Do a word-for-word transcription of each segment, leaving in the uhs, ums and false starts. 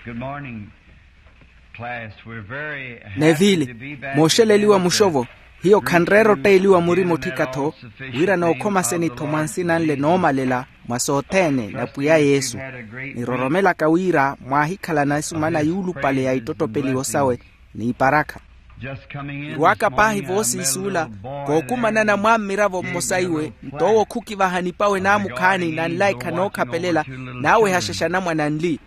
Good morning, class. We're very happy to be back again with the, mooxeleliwa muxovo. Hiyo khanreera otteeliwa murima otthika-tho, wira nookhomaseni-tho mwa nsina nle noomalela mwa sothene na pwiya yesu. Niroromelaka wira mwaahikhalana esumana yuulupale ya ittottopeliwo sawe n'iparakha. Irwaka paahi voosiisuula, kookumanana mwammiravo mmosa iwe nto owo khukivaha nipawe naamukhaani na nlaikha nookhapelela, naawehaxexa anamwane anli.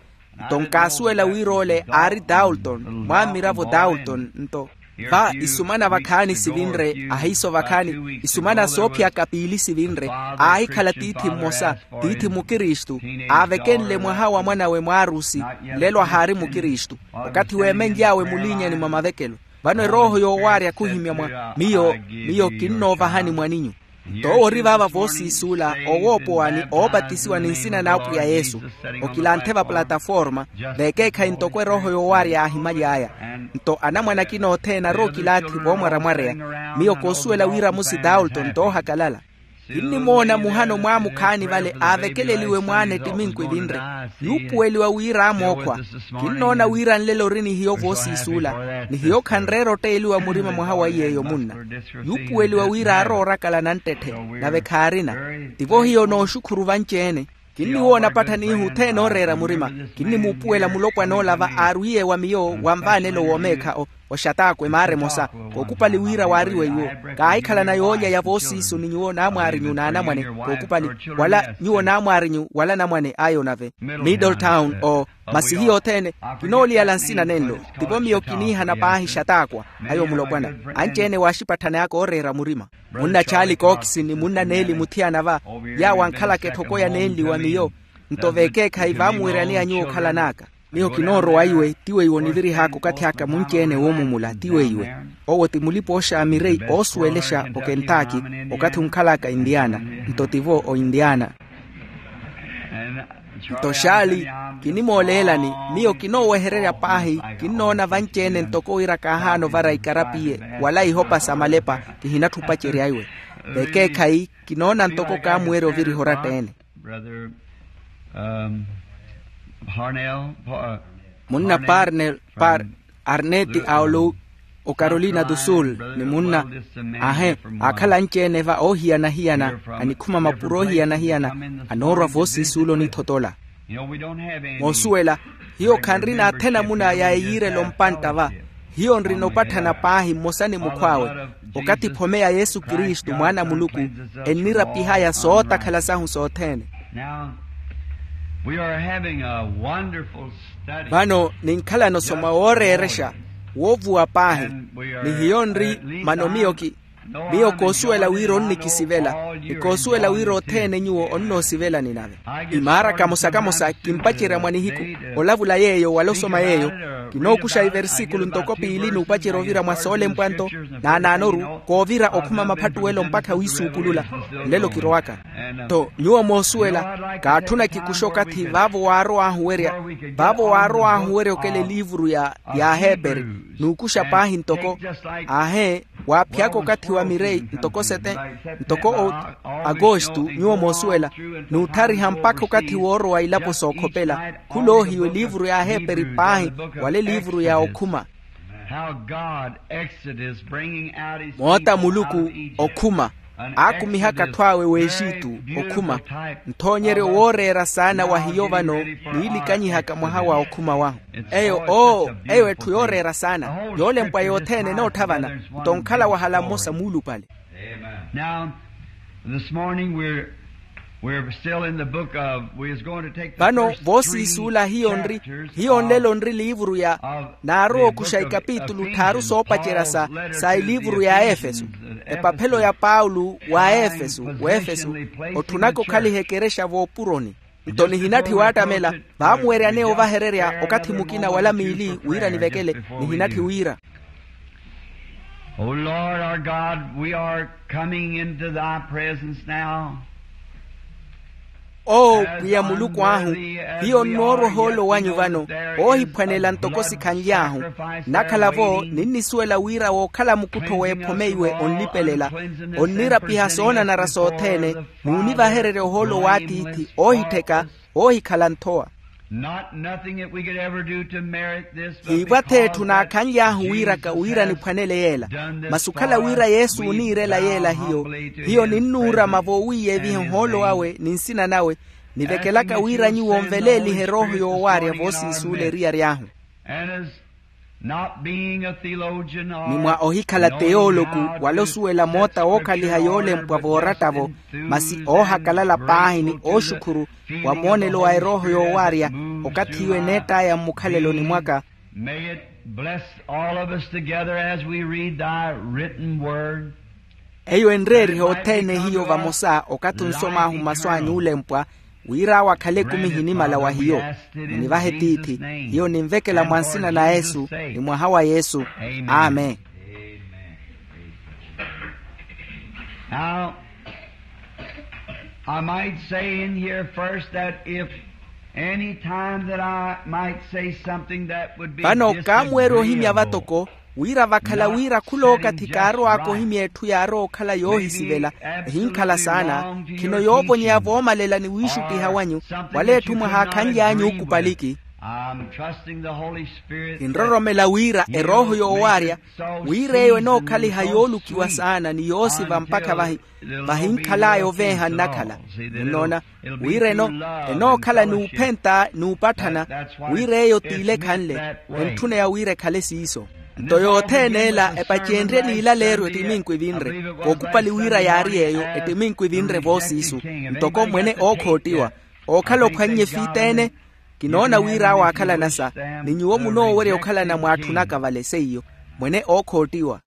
Nto nkaasuwela wira ole aari daulton, mwammiravo daulton nto. Va isumana vakhaani sivinre ahiiso vakhaani isumana soophiyaka piili sivinre. Aahikhala tiithi mmosa, tiithi mukristu, aavekenle mwaha wa mwanawe mwaarusi. Nlelo ahaari mukristu. Okathi weemenly'awe muliinyani mwa mavekelo. Vano erooho yoowaarya khuhimya mwa miyo, miyo kinnoovahani mwaninyu. Nto owo ori vaava voosiisuula, owoopowani oopatisiwa ni nsina n'apwiya yesu. Okilanthe vapulataforma, veekeekhayi ntoko erooho yoowaarya yaahimaly'aya. Nto anamwane akina othene arookilaathi voomwaramwareya. Miyo koosuwela wira musi daulton toohakalala. Kinnimoona muhano mwaamukhaani vale aavekeleliwe mwaana ettiminku evinre, yuupuweliwa wira amookhwa. Kinnoona wira nlelo ori ni hiyo voosiisuula, ni hiyo khanreera otteeliwa murima mwaha wa iy'eyo munna. Yuupuweliwa wira aaroorakala nanttetthe, nave khaarina. Tivo hiyo nooxukhuru vanci-ene. Kinniwoona patthaniihu othene ooreera murima. Kinnimuupuwela mulopwana ola va aarwiye wa miyo wa nvaanelo w'omeekha oxataakwe maara emosa. Kookupali wira waariwe iwo. Kaahikhalana yoolya ya voosiisu ni nyuwo naamwaarinyu n'anamwane kookupali, wala nyuwo naamwaarinyu wala anamwane ayo nave middletown o masi hiyo othene. Kinooliyala nsina nenlo. Tivo miyo kiniihana paahi xataakwa ayo mulopwana. Anci-ene waaxipatthani aka ooreera murima. Munna chaali kookisi ni munna neeli muthiyana va, yaawo ankhalaka etthoko ya neenli wa miyo. Nto veekeekhayi vaamuweryaneya nyuwo okhalan'aka. Miyo kinoorowa iwe ti weiwo onivirih'aka okathi aka munci-ene woomumula ti weiwe. Owo ti mulipa-ooxamirei oosuwelexa okentaki, okathi onkhal'aka indiana. Nto tivo oindiana. Nto xaali, kinimooleelani. Miyo kinoowehererya paahi. Kinnoona vanci-ene ntoko wira kaahaana ovara ikarapiye wala ihopa sa malepa. Kihinatthi opacerya iwe. Veekeekhayi kinoona ntoko kaamuwerya oviriha oratta-ene. Munna parnel par arneti aolo ocarolina do sul ni munna. Ahe, aakhala anci-ene va oohiyana-hiyana. Anikhuma mapuro oohiyana-hiyana anoorwa voosiisuula onithotola. Moosuwela, hiyo khanrina athena muna ya eyiirelo mpantta va. Hiyo nrina opatthana paahi mmosa ni mukhw'awe, okathi phome ya yesu kristu mwaana a muluku ennirapihaya sootakhala sahu sothene. Vano ninkhalana osoma wooreerexa woovuwa paahi. Ni hiyo nri mano miyo ki miyo koosuwela wira onnikisivela ni koosuwela wira othene nyuwo onnoosivelani nave. Imaara kamosa-kamosa kimpacerya mwa nihiku olavula yeeyo wala osoma yeeyo. Kinookuxa iversikulu ntoko piili n'upacerya ovira mwa soolempwa nto naanaanoru koovira okhuma maphattuwelo mpakha wiisuupulula. Nlelo kirowaka. Tho nyuwo moosuwela kaatthuna kikuxe okathi vaavo waarow'ahu werya vaavo waarow'ahu werya okela eliivuru ya aheeperi n'ukuxa paahi ntoko aahe waaphiyaka okathi wa mirei ntoko sete ntoko agosto nyuwo moosuwela n'utthariha mpakha okathi woorowa ilapo sookhopela. Khuloohiwa eliivuru ya aheeperi paahi wala eliivuru ya okhuma. Moota muluku okhuma aakumihaka atthu awe w'exitu okhuma nthoonyeryo wooreera saana wa hiyo vano niilikanyihaka mwaha wa okhuma wahu. Eyo oo eyo etthu yooreera saana yoolempwa yothene enootthavana nto onkhala wahala mmosa muulupale. Vano voosiisuula hiyo nri hiyo nlelo nri liivuru ya naarowa okuxa ikapitulu tthaaru soopacerya sa eliivuru ya aefeso. Epaphelo ya paulo wa aefeso w'efeso otthunaka okhaliha ekerexa v'opuroni. Nto nihinatthi waattamela vaamuweryaneya ovahererya okathi mukina wala miili wira nivekele. Nihinatthi wira. O lord our god, we are coming into thy presence now. Oo pwiya muluku ahu, hiyo nnoorwa ohoolo wanyu vano oohiphwanela ntoko sikhanly'ahu. Nnakhala-vo ninnisuwela wira wookhala mukuttho w'ephome iwe onlipelela onnirapiha soonanara sothene n'univahererya ohoolo w'atiithi oohittheka oohikhala nthowa. Not nothing that we could ever do to merit this, but kiipwa-tho etthu naakhanly'ahu wiiraka wira niphwanele yeela. Masi okhala wira yesu ooniirela yeela hiyo, hiyo ninnuurama voowiiyeviha ohoolo wawe ni nsina nawe, nivekelaka wira nyuwo nveleelihe erooho yoowaarya voosiisuula eriyari ahu. And as not being a theologian or ni mwa ohikhala teyooloku wala osuwela moota wookhaliha yoolempwa vooratta-vo, masi oohakalala paahi ni ooxukhuru wa moonelo wa erooho yoowaarya, okathi iwe neett'aya mmukhaleloni mwaka. May it bless all of us together as we read thy written word. Eyo enreerihe othene hiyo vamosa okathi onsom'ahu masu a nyuulempwa, wira awo akhale ekumi ehinimala wa hiyo. Munivahe tiithi. Hiyo ninvekela mwa nsina na yesu, ni mwaha wa yesu. Amen. Now, I might say in here first that if any time that I might say something that would be vano kaamuwerya ohimya vatoko, wira vakhala wira khulookathi kaarow'aka ohimya etthu yaarowa okhala yoohisivela, ehinkhala saana, khino yoovonyeya voomalela ni wiixuttiha wanyu, wala etthu mwahaakhanly'anyu okupaliki. Kinroromela wira erooho yoowaarya, wira eyo enookhaliha yoolukiwa saana ni yoosiva mpakha vahinkhal'aya oveeha nnakhala. Munnoona, wira enookhala n'uphenta n'upatthana, wira eyo t'ile ekhanle, entthuneya wira ekhale siiso. Nto yothene ela epacenrye n'ilaleeryo ettiminku evinre. Kookupali wira yaari eyo, ettiminku evinre voosiisu, ntoko mwene ookhottiwa, ookhala ophwannye fiit'ene. Kinoona wira awo aakhalana sa, ni nyuwo munoowerya okhalana mwaatthunaka vale seiyo, mwene ookhottiwa.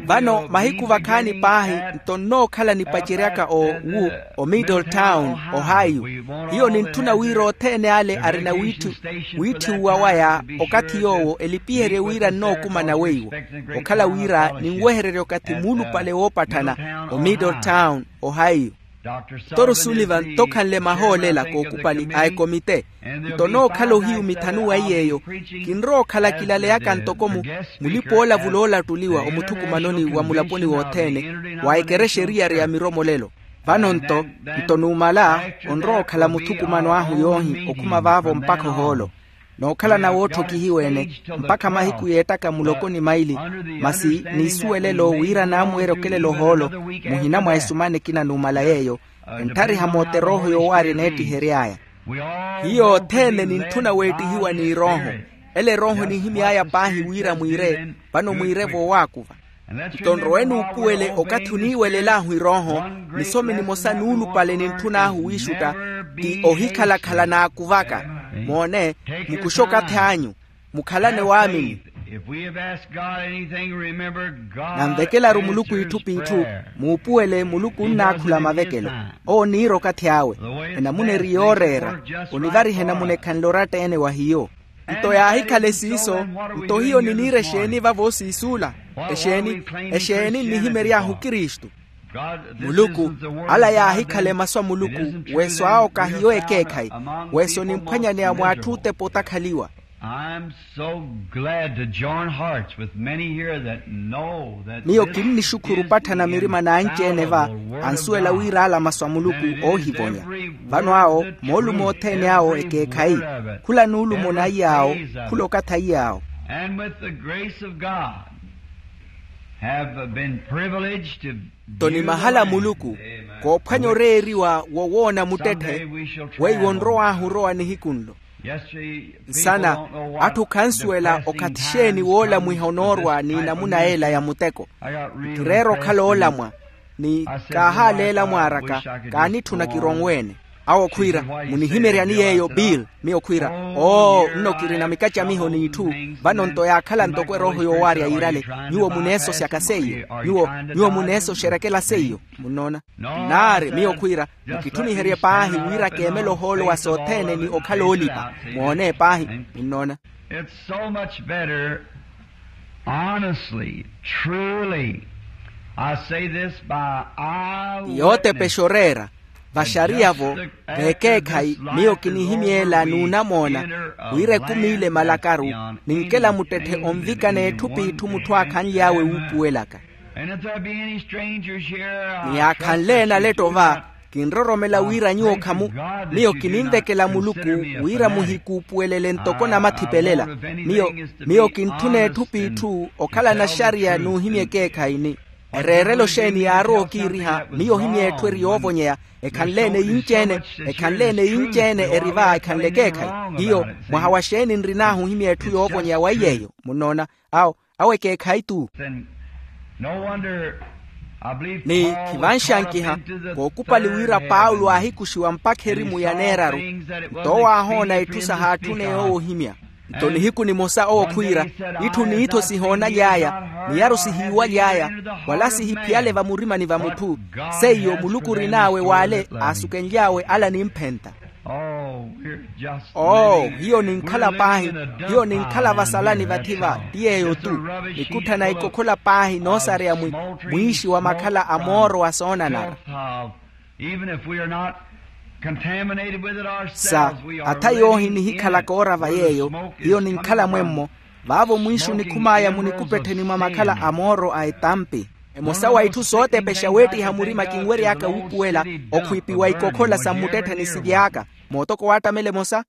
Vano mahiku vakhaani paahi, nto nnookhala nipaceryaka o wu, o middletown, ohio. Hiyo nintthuna wira othene ale arina wiitthiwa waya okathi yoowo elipiherye wira nnookumana weiwo, okhala wira ninwehererye okathi muulupale woopatthana, o middletown, ohio. Toro sullivan tokhanle mahoolela kookupali a ekomite. Nto nookhala ohiyu mithanu wa iy'eyo, kinrowa okhala kilaleyaka ntoko mulip'ola vuloolattuliwa omuthukumanoni wa mulaponi wothene, wa ekerexa eriyari ya miromolelo. Vano nto, nto numala, onrowa okhala muthukumano ahu yoohi okhuma vaavo mpakha ohoolo. Nookhalana wootthokihiwa-ene, mpakha mahiku yeettaka muloko ni maili, masi n'isuwelelo wira naamuwerya okelela ohoolo, muhina mwa esumana ekina numala yeeyo, entthariha moota erooho yoowaarya eneettihery'aya. Hiyo othene nintthuna weettihiwa n'irooho. Ele erooho nihimy'aya paahi wira mwiire, vano mwiire voowaakuva. Nto nrowe nuupuwele okathi oniiwelel'ahu erooho, nisome nimosa nuulupale nintthun'ahu wiixutta, ti ohikhalakhala naakuvaka. Moone, mukuxe okathi anyu, mukhalane waamini. Nanvekelaru muluku itthu p'itthu, muupuwele muluku onnaakhula mavekelo. Owo oniira okathi awe. Enamuna eri yooreera. Onivariha enamuna ekhanle oratta-ene wa hiyo. Nto yaahikhale siiso, nto hiyo niniira exeeni vavo siisuula? Exeeni? Exeeni nnihimery'ahu kristu? Muluku, ala yaahikhale masu a muluku. Weso awo kahiyo ekeekhayi. Weso nimphwanyaneya mw'atthu otepa otakhaliwa. Miyo kinnixukhuru opatthana mirima n'anci-ene va, ansuwela wira ala masu a muluku oohivonya. Vano awo moolumo othene awo ekeekhayi. Khula nuulumo naiy'awo, khula okathi aiy'awo. Nto ni mahala a muluku, koophwanya oreeriwa wowoona muttetthe, weiwo onrow'ahu orowa nihiku nlo. Nsana, atthu khansuwela okathi exeeni woolamwiha onoorwa n'inamuna ela ya muteko. Nkireera okhala oolamwa, ni kaahaleela mwaaraka, kaanitthuna kironwe-ene. Awo khwiira, munihimeryani yeeyo bill? Miyo khwiira, oo, nno kirina mikacamiho n'itthu. Vano nto yaakhala ntoko erooho yoowaarya yiirale. Nyuwo muneesosyaka seiyo. Nyuwo, nyuwo muneesoxerekela seiyo. Munnoona? Naari miyo khwiira, mukitthuniherye paahi wira keemele ohoolo wa sothene ni okhala oolipa. Mwoone paahi. Munnoona? It's so much better. Honestly, truly, I say this by eye witness. Yootepexa oreera. Vaxariya-vo, veekeekhayi, miyo kinihimyeela n'unamoona, wira ekumi ile malakaru, ninkela muttetthe onvika n'etthu p'itthu mutthu aakhanly'awe wuupuwelaka. Ni yaakhanle enaletto va, Kinroromela wira nyuwo khamu. Miyo kininvekela muluku wira muhikuupuwelele ntoko namathipelela. Miyo miyo kintthuna etthu p'itthu okhala naxariya n'uhimya ekeekhayi-ni. Ereerelo xeeni yaarowa okiiriha? Miyo ohimya etthu eri yoovonyeya. Ekhanle-ene yinci-ene ekhanle-ene yinci-ene eri va ekhanle ekeekhayi. Hiyo mwaha wa xeeni nrin'ahu ohimya etthu yoovonyeya wa iy'eyo munnoona? Awo awo ekeekhayi-tu. Ni khivanxankiha kookupali wira paulo aahikuxiwa mpakha erimu ya neeraru. Nto owo aahoona itthu sahaatthune yoowo ohimya. Nto nihiku nimosa owo khwiira, itthu n'ittho sihoonaly'aya, miyaru sihiiwaly'aya, wala sihiphiyale vamurimani va mutthu. Seiyo muluku orin'awe w'ale aasukenly'awe ala nimphenta. Oo hiyo ninkhala paahi. Hiyo ninkhala vasalani vathi-va ti yeeyo-tu. Nikutthana ikokhola paahi noosareya mwi mwiixi wa makhala a mooro wa soonanara. Sa atha yoohi nihikhalaka oora va yeeyo. Hiyo ninkhala mwemmo. Vaavo mwiixi onikhum'aya munikupettheni mwa makhala a mooro a etampi. Emosa wa itthu sootepexa weettiha murima kinwery'aka wuupuwela okhwiipiwa ikokhola sa mmuttettheni sily'aka. Mootoko waattamela emosa.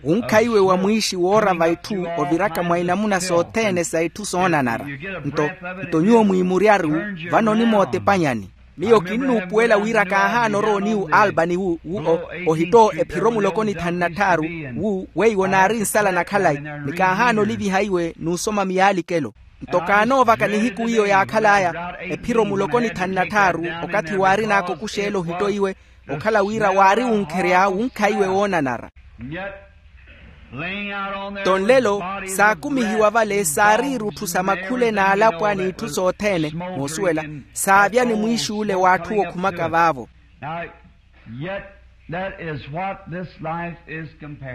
Wunkha iwe wa mwiixi woora va itthu oviraka mwa inamuna sothene sa itthu soonanara. Nto nto nyuwo mwiimuryaru vano onimootepanyani. Miyo kinnuupuwela wira kaahaana orowa oniwu albany wu wu ohitto ephiro muloko ni thanu na tthaaru wu weiwo naari nsala na khalayi. Ni kaahaana oliviha iwe n'usoma miyaalikelo. Nto kaanoovaka nihiku iyo yaakhal'aya ephiro muloko ni thanu na tthaaru okathi waarin'aka okuxeela ohitto iwe okhala wira waari wunkherya wunkha iwe woonanara. Nto nlelo saakumihiwa vale saari irutthu sa makhule n'alapwa n'itthu sothene moosuwela saavya ni mwiixuule w'atthu okhumaka vaavo.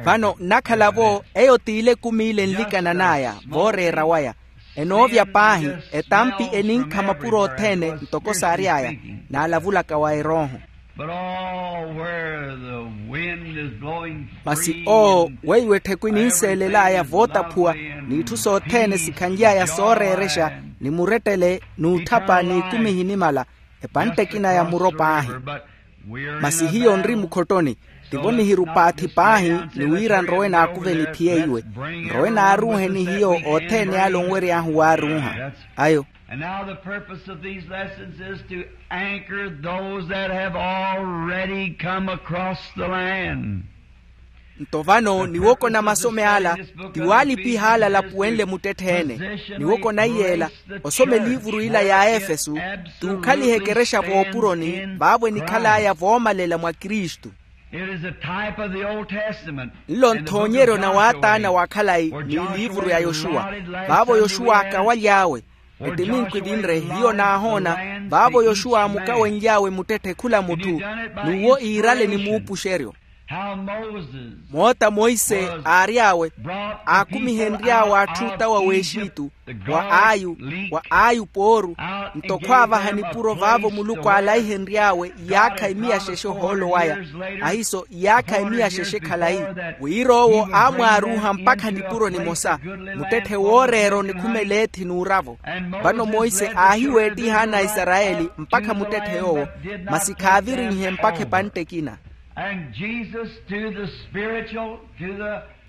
Vano nnakhala-vo eyo t'ile ekumi ile enlikanan'aya vooreera waya. Enoovya paahi etampi eninkha mapuro othene ntoko saary'aya. Naalavulaka wa erooho masi oo weiwo ettheku eninseelel'aya vootaphuwa n'itthu sothene sikhanly'aya sooreerexa ni murettele n'utthapa n'ikumi ehinimala. Epantte ekina ya muro paahi. Masi hiyo nri mukhottoni tivo nihiru paathi paahi ni wira nrowe naakuveni phiyeiwe. Nrowe naaruuheni hiyo othene ale onwery'ahu waaruuha ayo. And now the purpose of these lessons is to anchor those that have already come across the land. Nto vano niwokona masome ala ti waalipiha ala alapuwenle muttetthe-ene. Niwokona iy'ela osoma eliivuru ila ya efesu ti ukhaliha ekerexa voopuroni vaavo enikhal'aya voomalela mwa kristu. Nlo nthoonyeryo na waataana wa khalayi ni eliivuru ya yoxuwa. Vaavo yoxuwa aakawaly'awe ettiminkwi vinre hiyo naahoona vaavo yoxuwa aamukawenly'awe muttetthe khula mutthu n'uwo iirale ni muupuxeryo. Moota monse aary'awe aakumihenry'awe atthu otawa w'exitu wa ayu wa ayu pooru. Nto khwaavaha nipuro vaavo muluku aalaihenry'awe iyaakha emiya xexe ohoolo waya ahiiso iyaakha emiya xexe khalayi wira owo aamwaaruuha mpakha nipuro nimosa. Muttetthe wooreera onikhuma eleethi n'uravo. Vano monse aahiweettiha ana a isarayeli mpakha muttetthe yoowo masi khaavirinhe mpakha epantte ekina.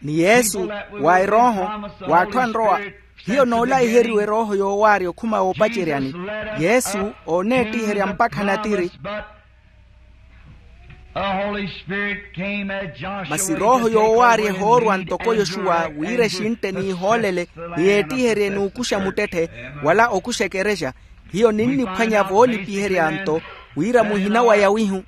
Ni yesu wa erooho w'atthu anrowa hiyo noolaiheriwa erooho yoowaarya okhuma woopaceryani. Yesu ooneettiherya mpakha natiri. Masi rooho yoowaarya ehoorwa ntoko yoxuwa wira exintte n'ihoolele ni yeettiherye n'ukuxa muttetthe wala okuxa ekerexa. Hiyo ninniphwanya voolipiherya nto wira muhina wa yawihu.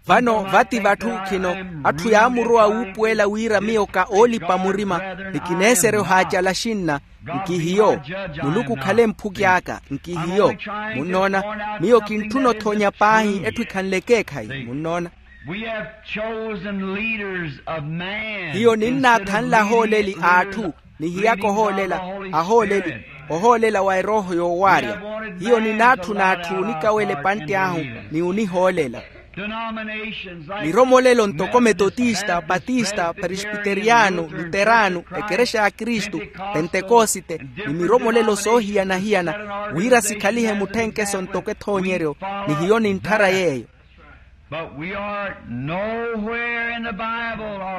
Vano vati vatthu khino atthu yaamurowa wuupuwela wira miyo ka oolipa murima ni kineeserya ohaacala xinna. Nkihiyo muluku okhale mphuki aka nkihiyo. Munnoona miyo kintthuna othoonya paahi etthu ekhanle ekeekhayi munnoona. Hiyo ninnaathanla ahooleli a atthu nihiyaka ohoolela ahooleli ohoolela wa erooho yoowaarya. Hiyo ninaatthuna atthu onikawela epantte ahu ni onihoolela. Miromolelo ntoko metotista, patista, presbiteriyano, luterano, ekerexa ya kristu, pentekosite, ni miromolelo soohiyana-hiyana, wira sikhalihe mutthenkeso ntoko ethoonyeryo. Ni hiyo nintthara yeeyo.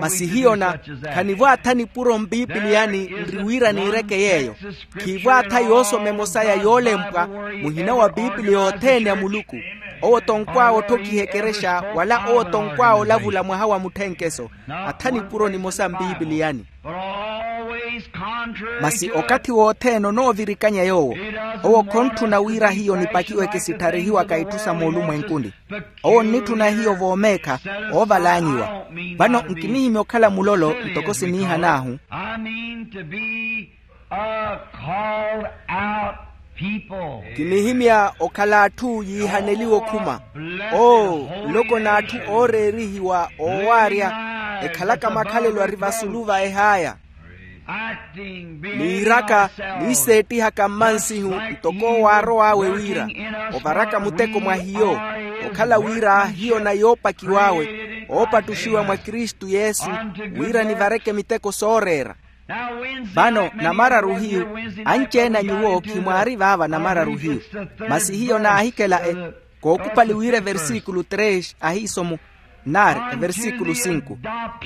Masi hiyo na khanivwaatha nipuro mpipiliyani nri wira niireke yeeyo. Khiivwaatha yoosoma emosa ya yoolempwa muhina wa pipiliya othene a muluku. Owo tonkw'awe otthokiha ekerexa wala owo tonkw'awe olavula mwaha wa mutthenkeso. Atha nipuro nimosa mpipiliyani. Masi okathi wothene onoovirikanya yoowo. Owo khontthuna wira hiyo nipakiweke sittharihiwaka itthu sa moolumwenkuni. Owo onnitthuna hiyo voomeekha oovalaanyiwa. Vano nkinihimya okhala mulolo ntoko siniihan'ahu. Kinihimya okhala atthu yiihaneliwe okhuma. Oo, nloko n'atthu ooreerihiwa oowaarya ekhalaka makhalelo ari vasulu va ehaaya. Niiraka niiseettihaka mmansihu ntoko owo aarow'awe wira ovaraka muteko mwa hiyo. Okhala wira hiyo na yoopakiw'awe oopattuxiwa mwa kristu yesu wira nivareke miteko sooreera. Vano namararu hiyu anci-ene a nyuwo khimwaari vaava namararu hiyu. Masi hiyo naahikela e kookupali wira eversikulu tres ahiisomo nari eversikulu sinku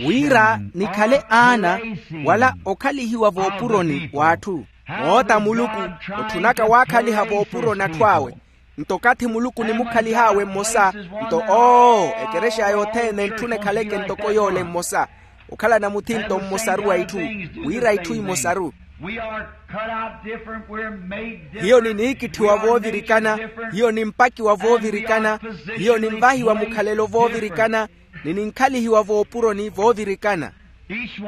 wira nikhale aana wala okhalihiwa voopuroni w'atthu. Moota muluku otthunaka waakhaliha voopuroni atthu awe. Nto okathi muluku onimukhalihawe mmosa nto oo ekerexa yothene entthuna ekhaleke ntoko yoole mmosa. Okhalana muthinto mmosaru wa itthu wira itthu imosaru. Hiyo niniikitthiwa voovirikana. Hiyo nimpakiwa voovirikana. Hiyo ninvahiwa mukhalelo voovirikana. Ni ninkhalihiwa voopuroni voovirikana.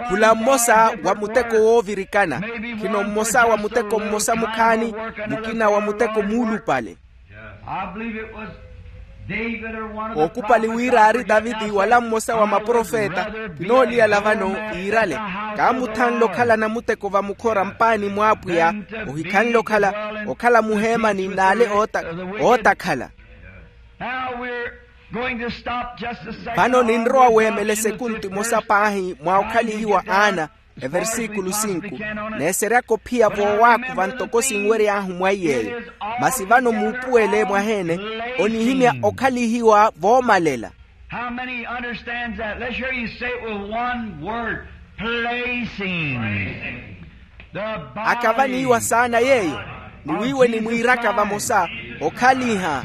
Khula mmosa wa muteko woovirikana. Khino mmosa wa muteko mmosa mukhaani mukina wa muteko muulupale. Ookupali wira aari taviti wala mmosa wa maprofeta. Kinooliyala vano yiirale kaamuthanle okhala namuteko vamukhora mpaani mw'apwiya. Ohikhanle okhala okhala muheemani n'ale ootakhala. Vano ninrowa weemela esekunti emosa paahi mwa okhalihiwa aana. Eversikulu sinku neeseryaka ophiya voowaakuva ntoko sinwery'ahu mwa iy'eyo. Masi vano muupuwele mwaheene onihimya okhalihiwa voomalela. How many understands that? Let's hear you say it with one word. Placing. Akava niiwa saana yeeyo. Ni wiiwe nimwiiraka vamosa okhaliha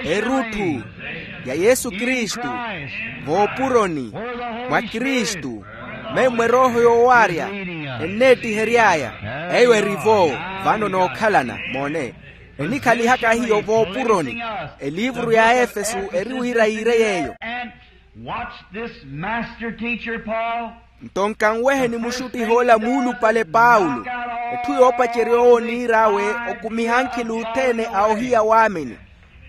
erutthu ya yesu kristu voopuroni mwa kristu. Memmo erooho yoowaarya enneettihery'aya. Eyo erivo vano nookhalana moone enikhalihaka hiyo voopuroni. Eliivuru ya efesu eri wira yiire yeeyo. Watch this master teacher, Paul. Nto nkanweheni muxuttih'ola muulupale paulo. Etthu yoopacerya owo oniir'awe okumiha ankhili othene a ohiya waamini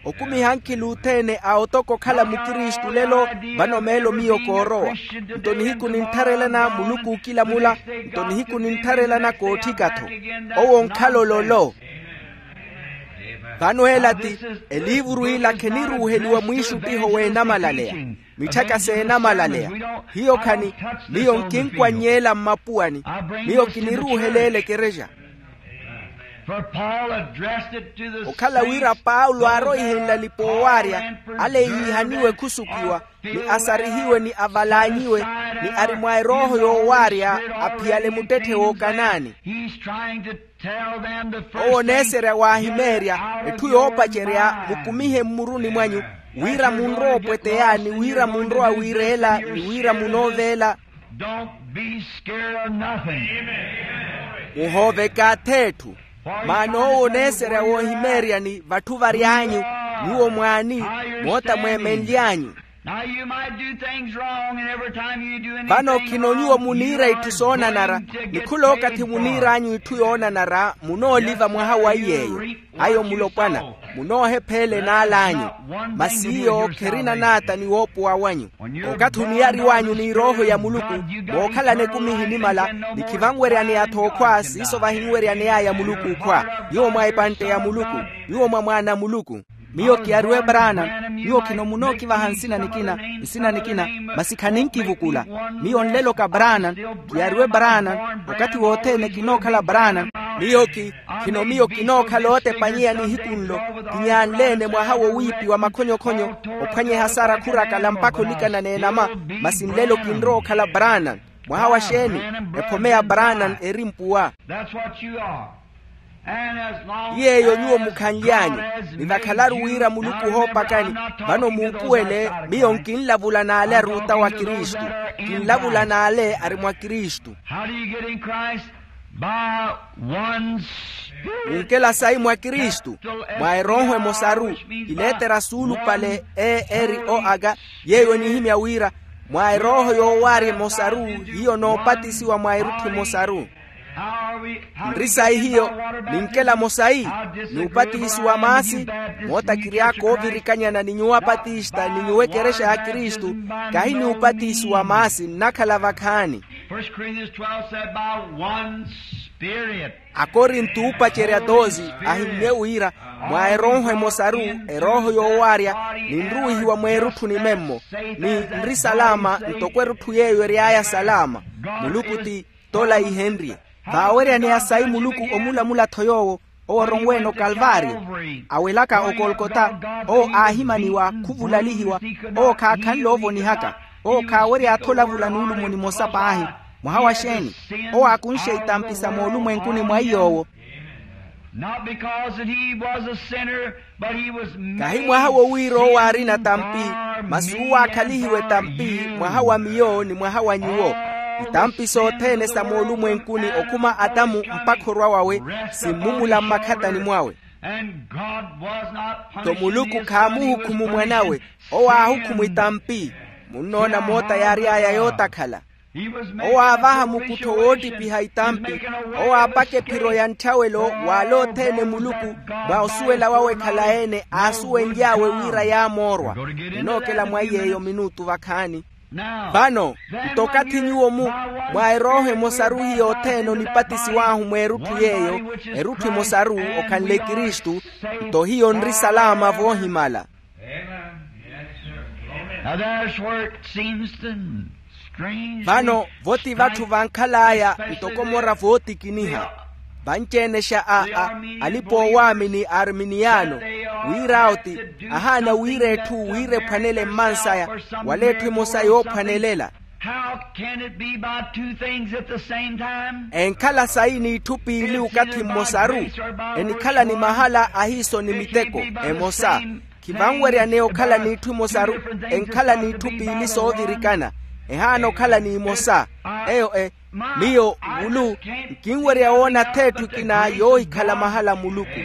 okumiha ankhili othene a otoka okhala mukristu lelo. Vano meelo miyo koorowa nto nihiku nintharelana muluku okilamula nto nihiku nintharelana kootthika-tho. Owo onkhala ololo. Vano ela ti eliivuru ila kheniruuheliwa mwiixuttiho w'enamalaleya. Mitthaka s'enamalaleya hiyo khani miyo nkinkwanny'ela mmapuwani. Miyo kiniruuheleela ekerexa. Okhala wira paulo aaroihenle alipa oowaarya ale yiihaniwe khusukiwa ni asarihiwe ni avalaanyiwe ni ari mwa erooho yoowaarya aphiyale muttetthe w'okanaani. Owo oneeserya waahimeerya etthu yoopacerya mukumihe mmuruni mwanyu wira munrowa opweteya ni wira munrowa wiireela ni wira munooveela. Muhooveke ath'etthu. Maana owo oneeserya woohimeeryani vatthu vary'anyu nyuwo mwaani moota mweemenly'anyu. Vano khino nyuwo muniira itthu soonanara ni khul'okathi muniir'anyu itthu yoonanara munooliva mwaha wa iy'eyo. Ayo mulopwana munoohepheela enaal'anyu. Masi iyo kherina naata ni woopowa wanyu. Okathi oniyariw'anyu n'irooho ya muluku mookhalana ekumi ehinimala ni khivanweryaneya-tho okhwa siiso vahinweryaney'aya muluku okhwa. Nyuwo mwa epantte ya muluku nyuwo mwa mwaana a muluku. Miyo kiyariwe branan. Nyuwo khino munookivaha nsina nikina, nsina nikina, masi khaninkivukula. Miyo nlelo ka branan. Kiyariwe branan. Okathi wothene kinookhala branan. Miyo ki khino miyo kinookhala ootepanyeya nihiku nlo. Kinyaanle-ene mwaha wowiipiwa makhonyokhonyo, ophwanyeha sara khurakala mpakha olikana n'enama. Masi nlelo kinrowa okhala branan. Mwaha wa xeeni? Ephome ya branan eri mpuwa. That's what you are. Ti yeeyo nyuwo mukhanly'anyu. Ni vakhalaru wira muluku ohoopakani. Vano muupuwele, miyo nkinlavula n'ale ari ota wa kristu. Kinlavula n'ale ari mwa kristu. How do you get in Christ? By one Spirit. Munkela sayi mwa kristu, mwa erooho emosaru. Ileetera suulupale e eri o aka. Yeeyo enihimya wira mwa erooho yoowaarya emosaru, hiyo noopatisiwa mwa erutthu emosaru. Nri sayi hiyo? Ninkela-mo sayi? Ni upatisiwa maasi. Moota kiry'aka oovirikanyana ni nyuwo apatista ni nyuwo ekerexa ya kristu. Kahi ni upatisiwa maasi nnakhala vakhaani. First Corinthians twelve said, by one Spirit. Akorinto oopacerya toosi ahimmye wira mwa erooho emosaru, erooho yoowaarya, ninruwihiwa mweerutthu nimemmo, ni nri salama ntoko erutthu yeeyo ery'aya salama. Muluku ti tola ihenrye. Vaaweryaneya sayi muluku omulamula-tho yoowo, owo oronweene okalvaaryo, awelaka okolkota. Owo aahimaniwa khuvulalihiwa. Owo khaakhanle oovonihaka. Owo khaawerya-tho olavula nuulumo nimosa paahi. Mwaha wa xeeni? Owo aakunxe itampi sa moolumwenkuni mwa iy'owo. Not because that he was a sinner, but he was made sin for me. Kahi mwaha wowiira owo aarina tampi, masi uwo aakhalihiwe tampi mwaha wa miyo ni mwaha wa nyuwo. Itampi sothene sa moolumwenkuni okhuma atamu mpakha orwa wawe, simmumula mmakhatani mwawe. And God was not punishing his son, he was punishing sin. Nto muluku khaamuhukhumu mwanawe. Owo aahukhuma itampi. Munnoona moota yaary'aya yootakhala. Owo aavaha mukuttho woottipiha itampi. Owo aapaka ephiro ya ntthawelo w'ale othene muluku, mwa osuwela wawe khalayi-ene aasuwenly'awe wira yaamoorwa. Ninookela mwa iy'eyo minutu vakhaani. Vano, nto okathi nyuwo mu mwa erooho emosaru hiyo othene onipatisiw'ahu mweerutthu yeeyo, erutthu emosaru okhanle kristu, nto hiyo nri salama voohimala. Now there's where it seems to strange. Vano voti vatthu vankhal'aya ntoko mora vootikiniha. Vanci-enexa a a alipa oowaamini a arminiano, wira oti ahaana wira etthu wira ephwanele mmansaya, wala etthu emosa yoophwanelela. How can it be by two things at the same time? Enkhala sayi n'itthu piili okathi mmosaru? Enikhala ni mahala ahiiso ni miteko emosa. Khivanweryaneya okhala n'itthu emosaru. Enkhala n'itthu piili soovirikana. Ehaana okhala n'imosa. Eyo e miyo wulu nkinwerya woona atheetthu ekina yoohikhala mahala a muluku.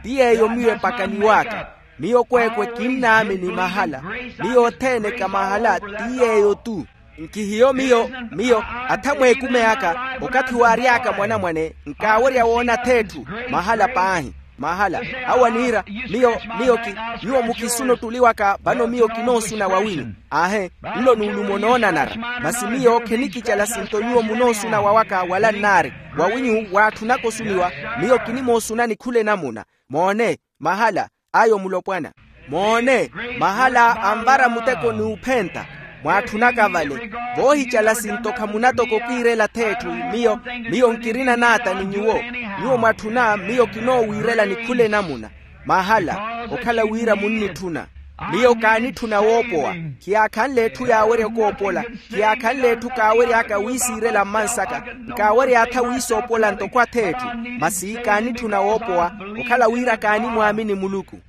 Ti yeeyo miyo epakaniw'aka. Miyo kweekwe kinnaamini mahala. Miyo othene ka mahala ti yeeyo-tu. Nkihiyo miyo miyo atha mweekume aka okathi waary'aka mwanamwane nkaawerya woona atheetthu. Mahala paahi. Mahala awo aniira miyo miyo ki nyuwo mukisuna ottuli waka vano miyo kinoosuna wawinyu. Aahe nlo nuulumo noonanara. Masi miyo khenikicala sinto nyuwo munoosuna wawaka wala nnaari wawinyu waatthunaka osuniwa. Miyo kinimoosunani khula enamuna. Moone mahala ayo mulopwana. Moone mahala anvara muteko n'uphenta mwaatthunaka vale. Voohicala sinto khamunatoka okiirela atheetthu. Miyo miyo nkirina naata ni nyuwo. Nyuwo mwatthuna miyo kinoowiirelani khula enamuna. Mahala okhala wira munnitthuna. Miyo kaanitthuna woopowa. Khiyaakhanle etthu yaawerya okoopola. Khiyaakhanle etthu kaawery'aka wiisiirela mmansaka. Nkaawerya atha wiisoopola ntoko atheetthu. Masi kaanitthuna woopowa okhala wira kaanimwaamini muluku.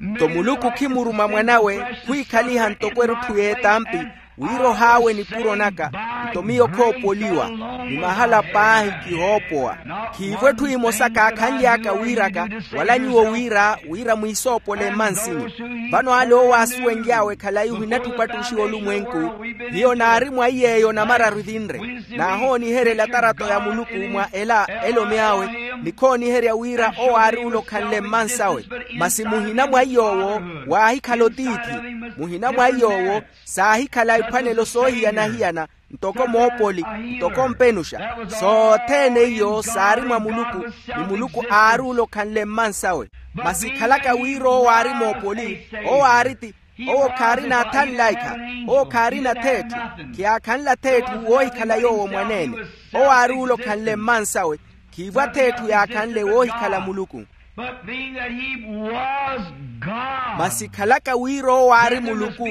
Nto muluku khimuruma mwanawe khwiikhaliha ntoko erutthu y'etampi wira ohaawe nipuro naka. Nto miyo khoopoliwa ni mahala paahi kihoopowa. Khiivo etthu emosa kaakhanly'aka wiiraka wala nyuwo wira wira mwiisoopole mmansinyu. Vano ale owo aasuwenly'awe khalayi ohinatthu opattuxiwa olumwenku. Hiyo naari mwa iy'eyo namararu evinre. Naahooniheryela atarato ya muluku mwa ela elomy'awe. Nikhooniherya wira owo aari ole okhanle mmansawe. Masi muhina mwa iy'owo waahikhala otiithi. Muhina mwa iy'owo saahikhala iphwanelo soohiyana-hiyana. ntoko moopoli, ntoko mpenuxa. Sothene iyo saari mwa muluku, ni muluku aari ole okhanle mmansawe. Masi khalaka wira owo aari moopoli, owo aari ti, owo khaarina athanlaikha, owo khaarina th'etthu, khiyaakhanla th'etthu woohikhala yoowo mwaneene. Owo aari ole okhanle mmansawe, khiivwa th'etthu yaakhanle woohikhala muluku. But being that he was God, masi khalaka wira owo aari muluku,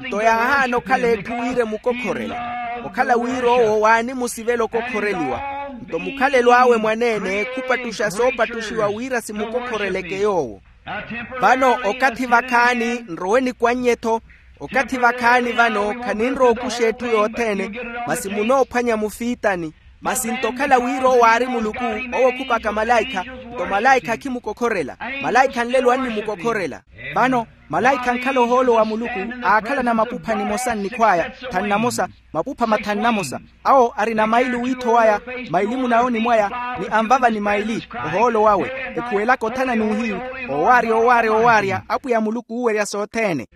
nto yaahaana okhala etthu wira emukokhorela. Okhala wira owo waanimusivela okokhoreliwa, nto mukhalelo awe mwaneene khupattuxa soopattuxiwa wira simukokhoreleke yoowo. Vano okathi vakhaani nrowe nikwanny'e-tho. Okathi vakhaani vano khaninrowa okuxa etthu yothene, masi munoophwanya mufiitani. Masi nto okhala wira owo aari muluku, owo khupaka malaikha, nto malaikha akhimukokhorela. Malaikha nlelo annimukokhorela. Vano malaikha ankhala ohoolo wa muluku, aakhalana mapupha nimosa nnikhw'aya, thanu namosa, mapupha mathanu namosa. Awo arina maili wiitho waya, maili munawoni mwaya, ni anvava ni maili, ohoolo wawe, ekhuwelaka othana n'uhiyu, owaarya owaarya owaarya apwiya muluku uuwerya sothene.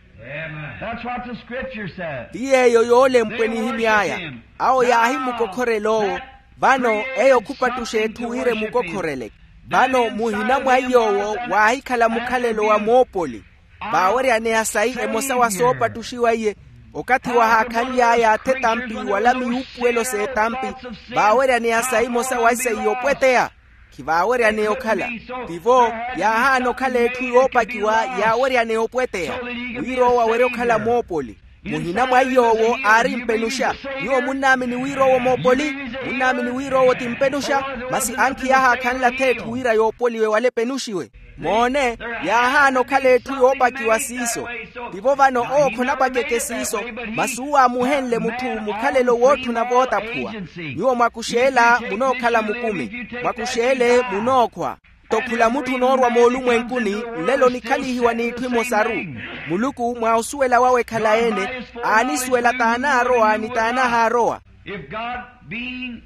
That's what the scripture says. Ti yeeyo yoolempwe n'ihimy'aya. Awo yaahimukokhorela owo. Vano eyo khupattuxa etthu wira emukokhoreleke. Vano muhina mwa iy'owo waahikhala mukhalelo wa moopoli, vaaweryaneya sayi emosa wa soopattuxiwa iye. Okathi wahaakhanly'aya athe etampi wala miwuupuwelo s'etampi, vaaweryaneya sayi emosa wa isayi yopweteya. Khivaaweryaneya okhala. Tivo, yaahaana okhala etthu yoopakiwa yaaweryaneya opweteya, wira owo awerye okhala moopoli. Muhina mwa iy'owo aari mpenuxa. Nyuwo munnaamini wira owo moopoli? Munnaamini wira owo ti mpenuxa? Masi ankhi yaahaakhanla th'etthu wira yoopoliwe wala epenuxiwe. Moone, yaahaana okhala etthu yoopakiwa siiso. Tivo vano owo khonapakeke siiso, masi uwo aamuhenle mutthu mukhalelo wootthuna vootaphuwa. Nyuwo mwakux'ela munookhala mukumi, mwakux'ele munookhwa. Nto khula mutthu onoorwa moolumwenkuni, nlelo onikhalihiwa n'itthu imosaru. Muluku mwa osuwela wawe ekhalayi-ene, aanisuwela t'anaarowa ni t'anahaarowa. If God being,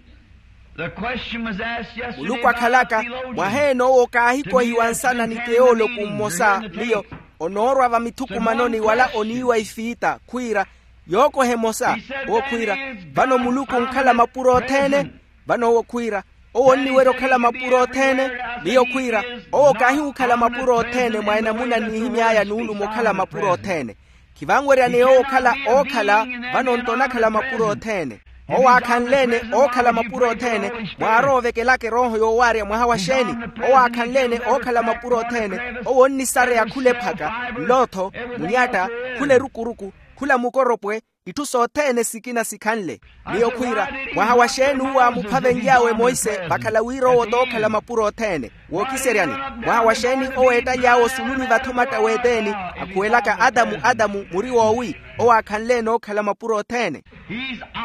the question was asked yesterday by a theologian. Muluku akhalaka, mwaheene owo kaahikohiwa nsana ni theoloku mmosa, miyo onoorwa vamithukumanoni wala oniiwa ifiita khwiira, yookoha emosa. Owo khwiira, vano muluku onkhala mapuro othene? Vano owo khwiira, owo onniwerya okhala mapuro othene? Miyo khwiira, owo kaahiwukhala mapuro othene mwa enamuna nnihimy'aya nuulumo okhala mapuro othene. Khivanweryaneya owo okhala ookhala, vano nto onakhala mapuro othene. Owo aakhanle-ene ookhala mapuro othene, mwaarowa ovekelaka erooho yoowaarya mwaha wa xeeni? Owo aakhanle-ene ookhala mapuro othene, owo onnisareya khula ephaka, nlootho, munyatta, khula erukuruku, khula mukoropwe, itthu sothene sikina sikhanle. Miyo khwiira, mwaha wa xeeni uwo aamuphavenly'awe monse vakhala wira owo tookhala mapuro othene? Wookiseryani, mwaha wa xeeni owo eettaly'awe osulu ni vathi omatta w'eteni, akhuwelaka atamu atamu muri woowi? Owo aakhanle-ene ookhala mapuro othene.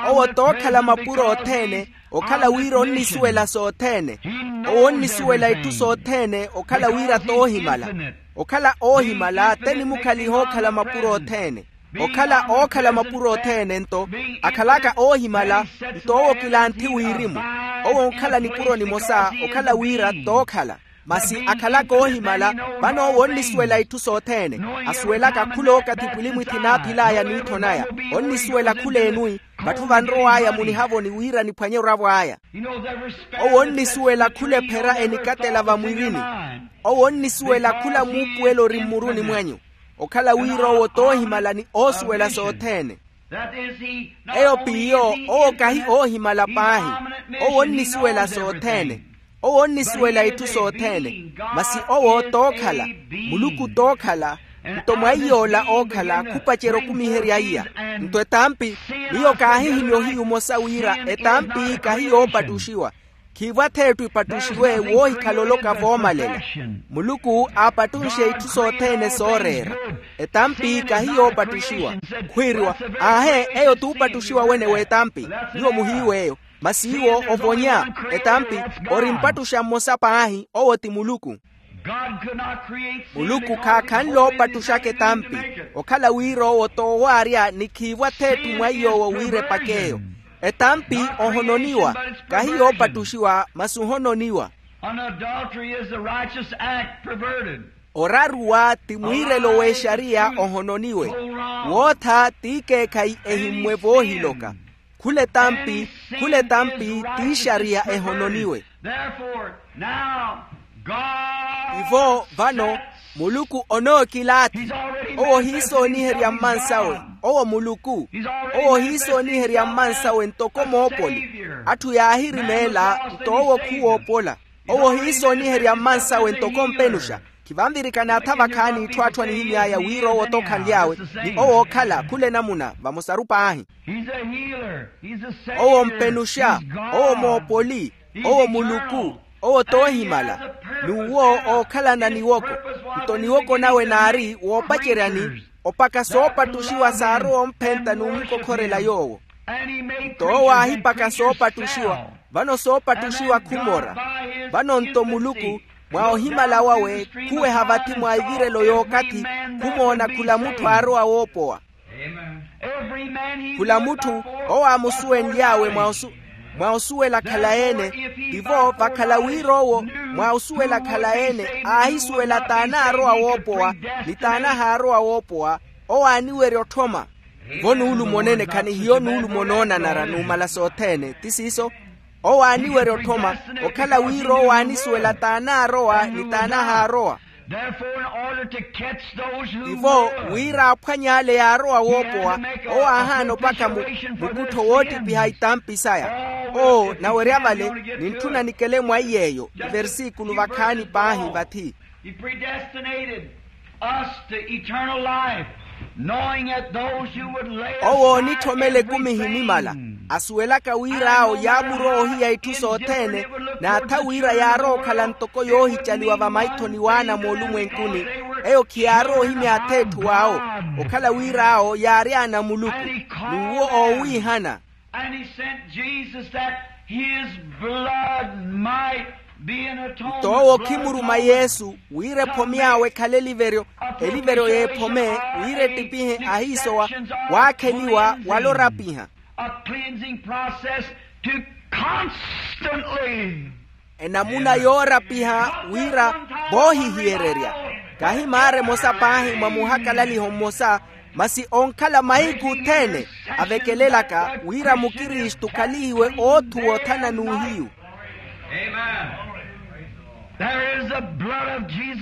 Owo tookhala mapuro othene, okhala wira onnisuwela sothene. Owo onnisuwela itthu sothene okhala wira toohimala. Okhala oohimala te nimukhaliha ookhala mapuro othene. Okhala ookhala mapuro othene nto, akhalaka oohimala, nto owo kilanthi wirimu. Owo onkhala nipuro nimosa okhala wira tookhala. Masi akhalaka oohimala, vano owo onnisuwela itthu sothene. Asuwelaka khula okathi pwilimwithi naaphil'aya n'ittho naya. Onnisuwela khula enwi, vatthu vanrow'aya munihavoni wira niphwanye oravo aya. Owo onnisuwela khula ephera enikatela vamwirini. Owo onnisuwela khula muupuwelo ori mmuruni mwenyu, okhala wira owo toohimala ni oosuwela sothene. Eyo p'iyo, owo kahi oohimala paahi. Owo onnisuwela sothene. Owo onnisuwela itthu sothene. Masi owo tookhala, muluku tookhala, nto mwa iy'ola ookhala khupacerya okumiherya iya. Nto etampi, miyo kaahihimya ohiyu omosa wira etampi kahi yoopattuxiwa. Khiivo ath'etthu ipattuxiwe woohikhala oloka voomalela. Muluku aapattunxe itthu sothene sooreera. Etampi kahi yoopattuxiwa. Khwiiriwa, aahe, eyo t'upattuxiwa wene w'etampi. Nyuwo muhiiw'eyo. Masi iwo ovonya. Etampi, ori mpattuxa mmosa paahi, owo ti muluku. Muluku khaakhanle oopattuxaka etampi, okhala wira owo t'owaarya ni khiivo ath'etthu mwa iy'owo wira epak'eyo. Etampi ohononiwa, kahi yoopattuxiwa masi ohononiwa. An adultery is the righteous act perverted. Oraruwa ti mwiirelo w'exariya ohononiwe. Wootha t'ikeekhayi ehimmwe voohiloka. Khula etampi, khula etampi t'ixariya ehononiwe. Ivo vano, muluku onookilaati. Owo ohiisooniherya mmansawe. Owo muluku. Owo ohiisooniherya mmansawe ntoko moopoli. Atthu yaahirimeela nto owo khuwoopola. Owo ohiisooniherya mmansawe ntoko mpenuxa. Khivanvirikana atha vakhaani itthu atthu anihimy'aya wira owo t'okhanly'awe. Ni owo ookhala khula enamuna vamosaru paahi. Owo mpenuxa. Owo moopoli. Owo muluku. Owo t'ohimala. N'uwo ookhalana niwoko. Nto niwoko nawe naari woopaceryani opaka soopattuxiwa saarowa omphenta n'umukokhorela yoowo. Nto owo aahipaka soopattuxiwa. Vano soopattuxiwa khumora. Vano nto muluku, mwa ohimala wawe, khuweha vathi mwa ivirelo y'okathi, khumoona khula mutthu aarowa woopowa. Khula mutthu owo aamusuwenly'awe mwa osuwela khalayi-ene. Tivo vakhala wira owo mwa osuwela khalayi-ene aahisuwela t'anaarowa woopowa, ni t'anahaarowa woopowa. Owo aaniwerya otthoma. Vo nuulumo onene khanihiyo nuulumo onoonanara numala sothene ti siiso. Owo aaniwerya otthoma, okhala wira owo aanisuwela t'anaarowa ni t'anahaarowa. Ivo wira aphwanye ale yaarowa woopowa, owo aahaana opakha mukuttho woottipiha itampi saya. Oo nawerya vale nintthuna nikele mwa iy'eyo iversikulu vakhaani paahi vathi. Us to eternal life, knowing that those who would lay owo onitthomela ekumi ehinimala, asuwelaka wira awo yaamurowa ohiya itthu sothene, n'atha wira yaarowa okhala ntoko yoohicaliwa vamaithoni w'ana moolumwenkuni. Eyo khiyaarowa ohimya atheetthu awo, okhala wira awo yaari ana a muluku, n'uwo oowiihana. And he sent Jesus that his blood might be an atonement. Nto owo khimuruma yesu wira ephome awe ekhale eliveryo, eliveryo y'ephome, wira ettipihe ahiisowa waakheliwa wala orapiha. A cleansing process to constantly enamuna yoorapiha wira voohihiyererya. Kahi maara emosa paahi mwa muhakalaliho mmosa, masi onkhala mahiku othene avekelelaka wira mukristu khalihiwe oothuwa othana n'uhiyu.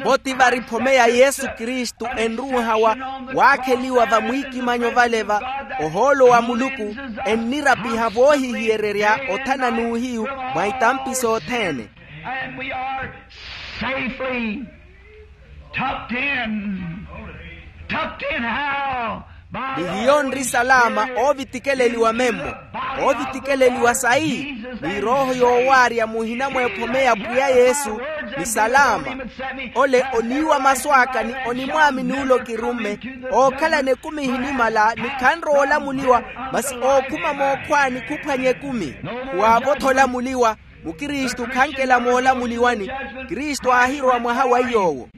Vo ti vari phome ya yesu kristu enruuhawa waakheliwa vamwiikimanyo vale va ohoolo wa muluku, ennirapiha voohihiyererya othana n'uhiyu mwa itampi sothene. And we are safely tucked in. Tucked in how? Ni hiyo nri salama oovitikeleliwa memmo. Oovitikeleliwa sayi? Ni erooho yoowaarya muhina mwa ephome ya pwiya yesu. Ni salama. Ole oniiwa masu aka ni onimwaamini ole okirumme. Ookhalana ekumi ehinimala ni khanrowa olamuliwa, masi ookhuma mookhwaani khuphwanya ekumi. Khuwaavotha olamuliwa. Mukristu khankela moolamuliwani. Kristu aahirowa mwaha wa iy'owo.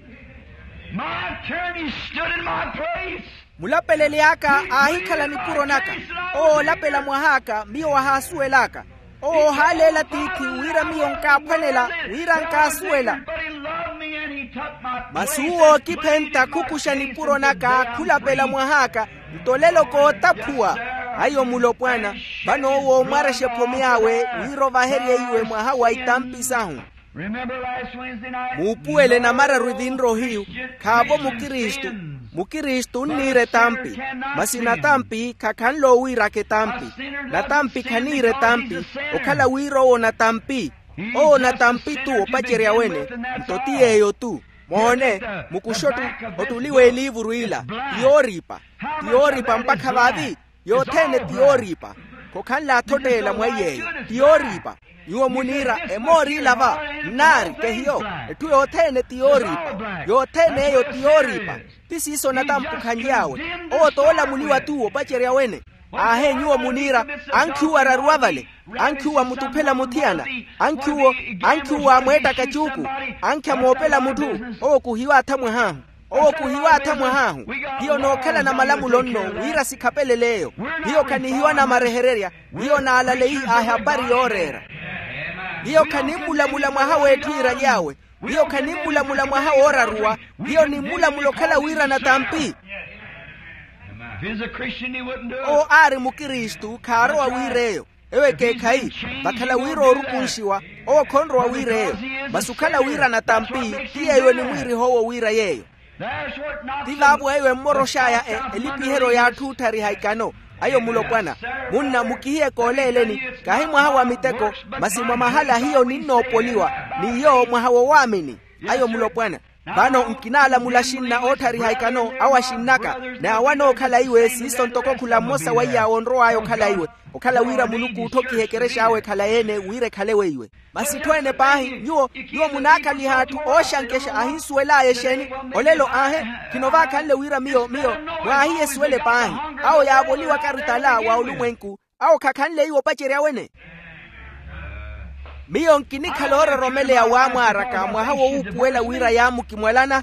My attorney stood in my place. Mulapeleli aka aahikhala nipuro naka. Owo oolapela mwah'aka miyo wahaasuwel'aka. Owo oohaaleela tiithi wira miyo nkaaphwanela wira nkaasuwela. Masi uwo ookiphenta khukuxa nipuro naka khulapela mwah'aka. Nto olelo kootaphuwa. Ayo mulopwana. Vano owo oomwarexa ephome awe wira ovaherye iwe mwaha wa itampi sahu. Muupuwele namararu evinrohiyu. Khaavo mukristu. Mukristu onniira etampi. Masi natampi khakhanle owiiraka etampi. Natampi khaniira etampi. Okhala wira owo natampi. Owo natampi-tu opacerya wene. Nto ti yeeyo-tu. Moone, mukuxa ottuli w'eliivuru ila. Ti yooriipa. Ti yooriipa mpakha vaavi. Yothene ti yooriipa. Khokhanle athotteela mwa iy'eyo. Ti yooriipa. Nyuwo muniira emooriila va. Nnaari kehiyo. Etthu yothene ti yooriipa. Yothene eyo ti yooriipa. Ti siiso natampi okhanly'awe. Owo t'olamuliwa-tu opacerya wene. Aahe nyuwo muniira. Ankhi uwo araruwa vale. Ankhi uwo amutuphela muthiyana. Ankhi uwo ankhi uwo amweettaka cuuku. Ankhi amoopela mutthu. Owo khuhiwaatha mwah'ahu. Owo khuhiwaatha mwah'ahu. Hiyo nookhalana malamulo nno wira sikhapelele eyo. Hiyo khanihiwa namarehererya. Hiyo naalaleyi ahapari yooreera. Hiyo khanimmulamula mwaha w'etthu iiraly'awe. Hiyo khanimmulamula mwaha wooraruwa. Hiyo nimmulamula okhala wira natampi. If he's a Christian, he wouldn't do it. Owo aari mukristu khaarowa wiir'eyo. Ewo ekeekhayi, vakhala wira oorukunxiwa, owo khonrowa wiir'eyo. Masi okhala wira natampi ti yeeyo enimwiirih'owo wira yeeyo. Ti vaavo eyo emmorox'aya elipiheryo y'atthu otthariha ikano. Ayo mulopwana, munna mukihiye kooleeleni, kaahi mwaha wa miteko, masi mwa mahala hiyo ninnoopoliwa, n'iyo mwaha wowaamini. Ayo mulopwana. Vano nkinalamula xinna ootthariha ikano awo axinn'aka, n'awo anookhala iwe siiso ntoko khula mmosa wa iy'awo onrow'aya okhala iwe. Okhala wira muluku otthokihe ekerex'awe ekhalayi-ene wira ekhale weiwe. Masi itthu ene paahi nyuwo, nyuwo munaakhaliha atthu ooxankexa ahinsuwel'aya exeeni? Olelo aahe, khino vaakhanle wira miyo miyo mwaahiyesuwele paahi. Awo yaavoliwaka aritala wa olumwenku, awo khakhanle iwo opacerya wene. Miyo nkinikhala oororomeleya waamwaaraka mwaha wowuupuwela wira yaamukimwalana.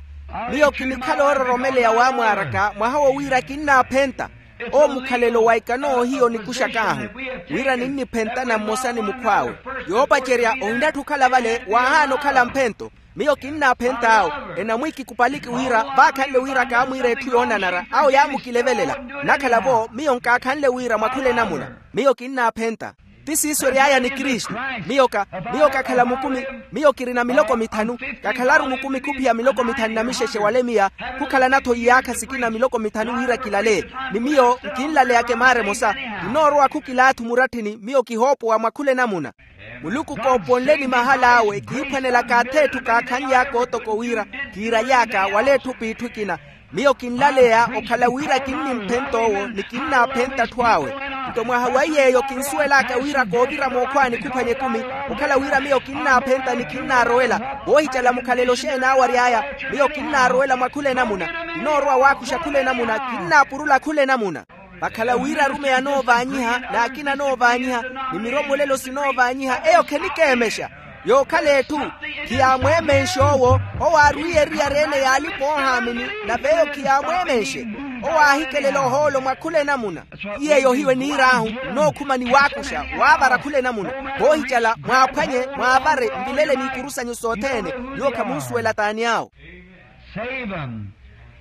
Miyo kinikhala oororomeleya waamwaaraka mwaha wo wira kinnaaphenta. Owo mukhalelo wa ikano hiyo nikuxak'ahu, wira ninniphentana mmosa ni mukhw'awe. Yoopacerya ohinatthu okhala vale waahaana okhala mphento. Miyo kinnaaphenta awo. Enamwiki kupaliki wira vaakhanle wira kaamwiira etthu yoonanara awo yaamukilevelela. Nnakhala-vo miyo nkaakhanle wira mwakhula enamuna. Miyo kinnaaphenta. Ti siiso ery'aya ni kristu. Miyo ka miyo kakhala mukumi. Miyo kirina miloko mithanu. Kakhalaru mukumi khuphiya miloko mithanu na mixexe wale miya. Khukhalana-tho iyaakha sikina miloko mithanu wira kilale. Ni miyo nkinlaleyaka emaara emosa. Kinoorowa khukilaathi muratthini miyo kihoopowa mwakhula enamuna. Muluku kooponle ni mahal'awe kihiphwanelaka ath'etthu kaakhanly'aka otoko wira kiiraly'aka wala etthu p'itthu ekina. Miyo kinlaleya okhala wira kinnimphenta owo ni kinnaaphenta atthu awe. Nto mwaha wa iy'eyo kinsuwel'aka wira koovira mookhwani khuphwanya ekumi. Okhala wira miyo kinnaaphenta ni kinnaarowela. Voohicala mukhalelo xeeni awo ary'aya. Miyo kinnaarowela mwa khula enamuna. Kinoorowa waakuxa khula enamuna kinnaapurula khula enamuna. Vakhala wira arumeyi anoovaanyiha n'akina anoovaanyiha, ni miromolelo sinoovaanyiha eyo khenikeemexa. Yookhala etthu khiyaamweemenxe owo. Owo aarwiiye eriyari ene y'alipa oohaamini nave eyo khiyaamweemenxe. Owo aahikelela ohoolo mwa khula enamuna. Ti yeeyo hiyo eniir'ahu nnookhuma ni waakuxa waavara khula enamuna. Voohicala mwaaphwanye mwaavare nvilele n'ikuru sanyu sothene. Nyuwo khamunsuwela t'ani awo. Save 'em.